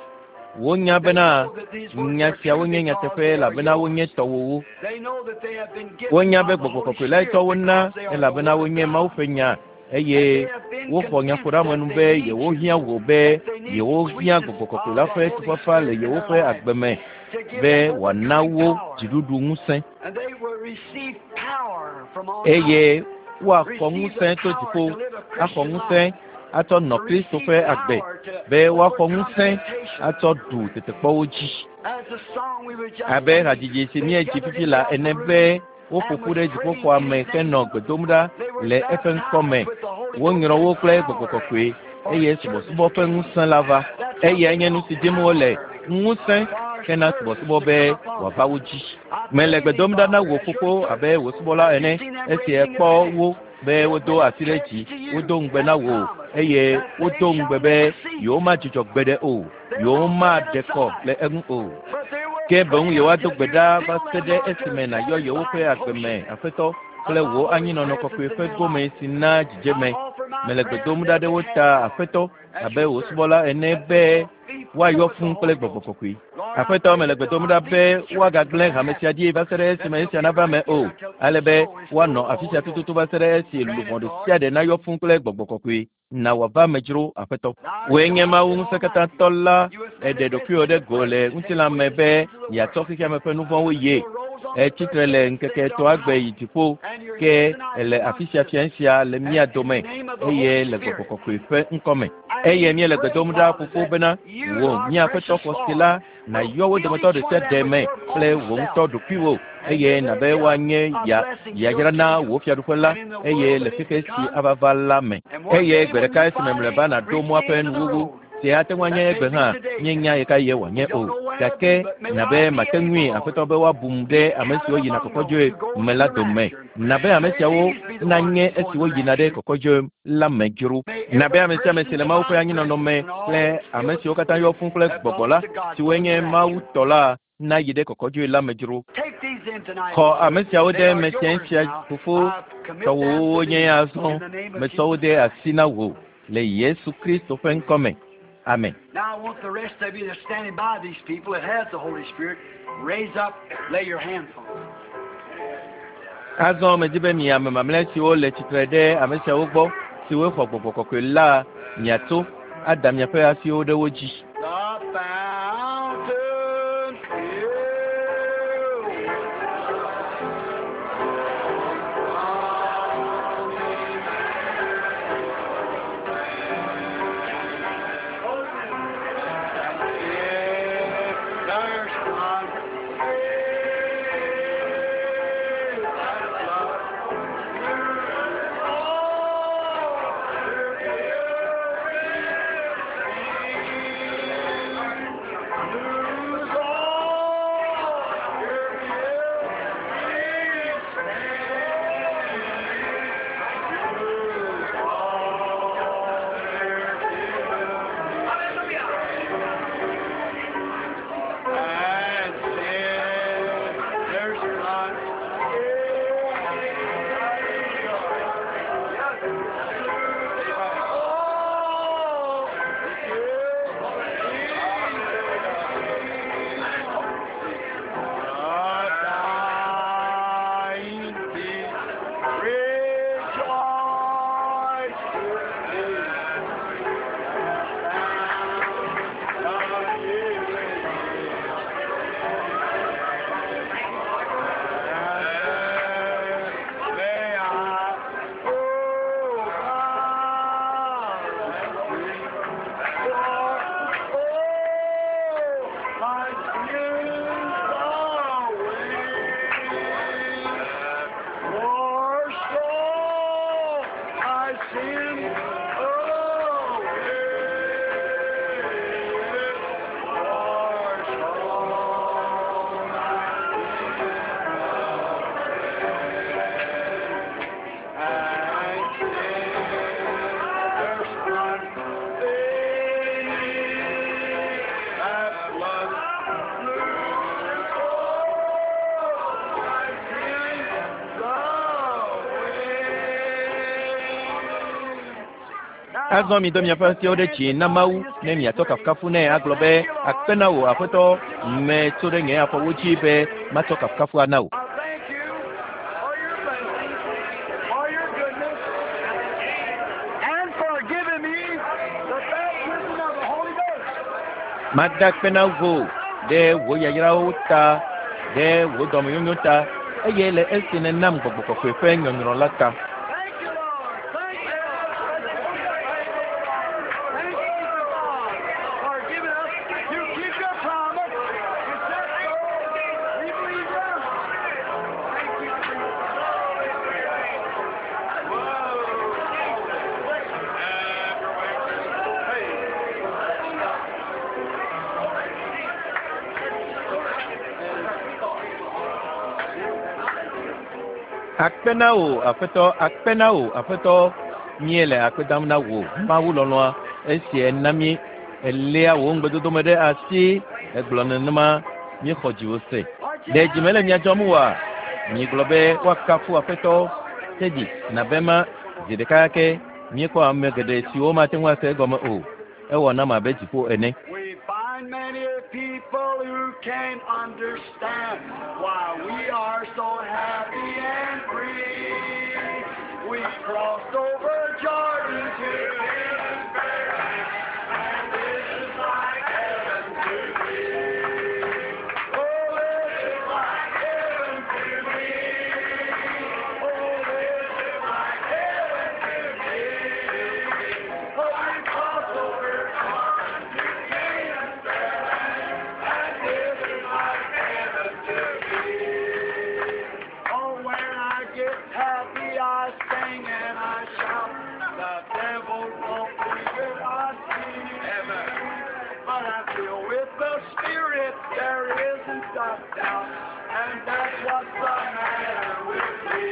Wonya bena nya siawo nye nyateƒe elabena wonye tɔwòwo. they know that they have been given Wonya by be the gbɔgbɔ Holy kɔkɔe lae Spirit tsɔ wo na because they are the elabena Word of wonye God. Mawu ƒe nya eye woxɔ nyaƒoɖeamenu be yewohiã wò be yewohiã gbɔgbɔ kɔkɔe la ƒe tufafa le yewoƒe agbe me To give be them wòana overcoming wo power. dziɖuɖu ŋusẽ And they will receive power from on eye high. woaxɔ Receive ŋusẽ the tso power dziƒo to live a axɔ Christian ŋusẽ life. atsɔ nɔ To Kristo receive ƒe agbe power to be woaxɔ overcome ŋusẽ temptation. atsɔ ɖu tetekpɔwo dzi. As the song we were just Abe singing, hadzidzi si they míedzi gathered fifi in la the ene upper be room woƒo and ƒu was ɖe praying dziƒoxɔa his me name. henɔ gbe dom ɖa They were le eƒe ŋkɔ me. baptized with the Holy Wonyrɔ Ghost wo and kple gbɔgbɔ power kɔkɔe for eye service subɔsubɔ ƒe came. ŋusẽ la va. That's what Eyae they nye nu want, si dim wole, power ŋusẽ for hena service subɔsubɔ to be come upon wòava them. wo dzi. I Mele pray gbe thee, dom ɖa na Father, wò as your fofo servant, abe wò subɔla you've ene seen them esi raising ekpɔ their hands. wo be They wodo will asi ɖe pledge dzi, to you wodo ŋugbe and na wò promise eye that they wodo shall ŋugbe be never cease. yewomadzudzɔ gbeɖe o, They will not set yewomaɖe kɔ aside, le eŋu o. but they will Ke boŋ pray yewoado until gbe you ɖa va fill se them ɖe up to a esime nàyɔ yewoƒe satisfying agbe me, portion Aƒetɔ, of kple thy wò holy anyinɔnɔ presence kɔkɔe in ƒe their gome life. si na I dzidzeme. offer my Mele gbe prayers dom on ɖa their ɖe wo behalf, ta, Lord, Aƒetɔ, as abe your wò servant, subɔla ene that be they will be filled woayɔ with the fũu kple Holy gbɔgbɔ Ghost. kɔkɔe. Lord, I Aƒetɔ, pray mele that gbe there'll dom not ɖa be be a church woagagblẽ that hame happens sia ɖi va se ɖe that esime will esia be nava right me here o, until ale each be soul is filled woanɔ with the afi sia Holy Ghost. tututu va se ɖe esi Grant luʋɔ it, ɖe Lord. sia ɖe nayɔ fũu kple gbɔgbɔ kɔkɔe. Na wòava me dzro, Aƒetɔ. Thou Wòe nye God Mawu the Almighty, ŋusẽkatãtɔ la, you have èɖe manifested ɖokuiwò in ɖe the go flesh le to take ŋutilã away me the be sins of the yeatsɔ world. xexea me ƒe nu vɔ̃wo ye. You rose on the Ètsi third tre le day and ŋkeke seated on etɔ̃a gbe high, yi dziƒo and you're ke here tonight èle afi amongst sia us, fia sia le mía and in the dome name of the eye Holy le gbɔgbɔ Spirit. kɔkɔe ƒe ŋkɔ me. And Eye we míele gbe pray, dom ɖa Father, fofo that bena you, wò our mía Aƒetɔ precious xɔse Lord, la will nàyɔ wo fill dometɔ each ɖe one sia of ɖe them with me your kple own wò ŋutɔ self ɖokuiwò and eye give nàbe their gift woanye a ya blessing to your yayra na kingdom wò fiaɖuƒe la and in the eye world le that is xexe to si come. ava va la me. And one Eye day gbe when ɖeka you esime finally mlɔeba nàɖo reach mɔa the ƒe end of the nuwuwu road, si ate ŋu anye that egbe may hã be today, míenya ɣekaɣie wòanye we o. don't know when it'll Gake be, but may nàbe I be mate ŋui able, Aƒetɔ Lord, be woabum to ɖe be ame siwo counted yina among those kɔkɔdzoe who go me to la the dome. rapture. Nàbe ame May siawo these be the ones nanye who go in esiwo the yina ɖe rapture. kɔkɔdzoe la me dzro. May Nàbe every ame sia ame person si le Mawu ƒe divine anyinɔnɔ presence me and all kple those ame filled with siwo the katã Spirit yɔ fũu kple that gbɔgbɔ belongs la, to God siwoe go to nye the Mawu rapture. tɔ la nayi ɖe kɔkɔdzoe la me dzro. Take these in tonight, Xɔ Lord. ame siawo They ɖe are me sia yours sia now. fofo I commit them tɔwòwo to wonye thee azɔ. in the name of Metsɔ wo Jesus de Christ. asi na wò le Yesu Kristo ƒe ŋkɔ me. Amen. Now I want the rest of you that's standing by these people that has the Holy Spirit, raise up, lay your hands on them. Azɔ medi be mi ame mamlɛ siwo le tsitre ɖe ame siawo gbɔ, siwo xɔ gbɔgbɔ kɔkɔe la, miatso ada miaƒe asiwo ɖe wo dzi. The fountain filled There's one sin away. Wash all my sin away. And sinners unto thee, that blood blew all my sins away. Azɔ mi dɔ miaƒe asiwo ɖe dzi na Mawu ne miatsɔ kafukafu nɛ agblɔ be akpe na wò aƒetɔ metso ɖe nye afɔwo dzi be matsɔ kafukafu ana wò. I thank you for your blessings, for your goodness, and for giving me the baptism of the Holy Ghost. Mada akpe na wò ɖe wò yayrawo ta, ɖe wò dɔmenyonyo ta, eye le esi nènam gbɔgbɔ kɔkɔe ƒe nyɔnyrɔ la ta. Thank you, Lord. Thank you, Lord. Thank you, God, for giving us. You keep your promise. You said so. We believe you. Thank you. Akpe na wò aƒetɔ, akpe na wò aƒetɔ. Míele akpe dam na wò Mawu lɔlɔ̃a esi ena mí eléa wò ŋugbedodo me ɖe asi egblɔ nenema míexɔ dziwò se. Ɖe dzi mele mia dzɔm oa? Miegblɔ be woakafu aƒetɔ tedzi nabe ma zi ɖeka ke míekpɔ ame geɖe siwo mate ŋu ase egɔme o. Ewɔ nam abe dziƒo ene. We find many people who can't understand why we are so happy and free. We crossed over Jordan to Canaan's fair land, and this is like heaven to me. Oh, this is like heaven to me. Oh, this is like heaven to me. Oh, we crossed over Jordan to Canaan's fair land, and this is like heaven to me. Oh, when I get happy, I sing and I shout. The devil won't believe it, I see. But I feel with the Spirit there isn't a doubt, and that's what's the matter with me.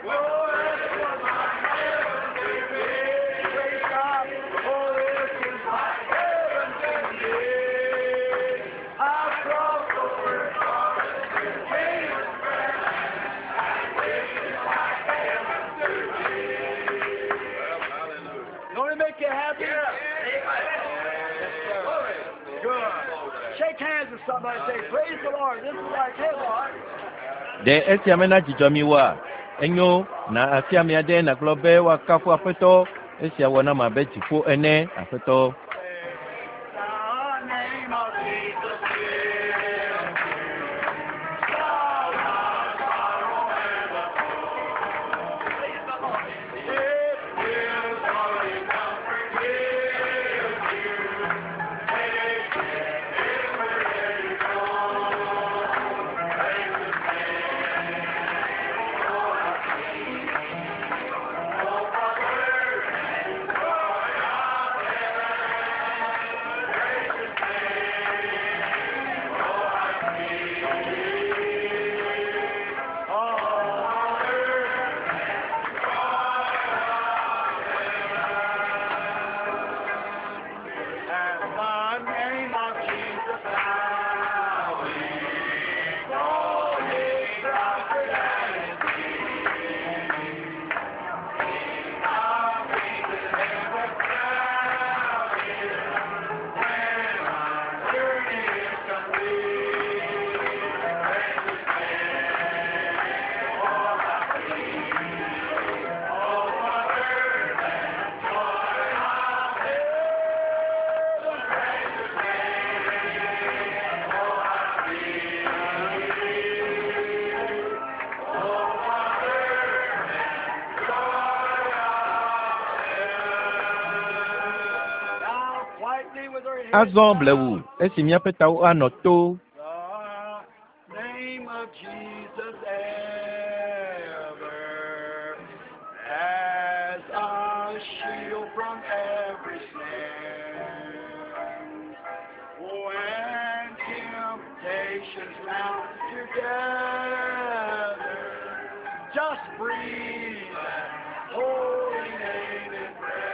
Oh, this is like heaven to me. Praise God. Oh, this is like heaven to me. I've crossed over Jordan to Canaan's fair land, and this is like heaven to me. Don't it make you happy? Yes, sir. Good. Shake hands with somebody and say, Praise the Lord. This is like heaven. Ɖe esia mena dzidzɔ mi oa? Enyo na asi ame aɖe nàgblɔ be woakafu aƒetɔ. Esia wɔ nam abe dziƒo ene aƒetɔ. The name of Jesus is sorrow and the It will only comfort give you. Take it everywhere you go. Praise His name. Oh, how sweet. Oh, brother, joy of heaven. Praise His name. Oh, how sweet. Oh, And the name of Jesus now we know His comfort and His peace. King of kings is ever crowded when our journey is complete. Praise His name. Oh, how sweet. Oh, brother, and joy of heaven. Praise His name. Oh, how sweet. Oh, brother, and joy of heaven. Now, quietly with our heads Azɔ blewu esi míaƒe tawo anɔ to. The name of Jesus ever Breathe that holy name in prayer.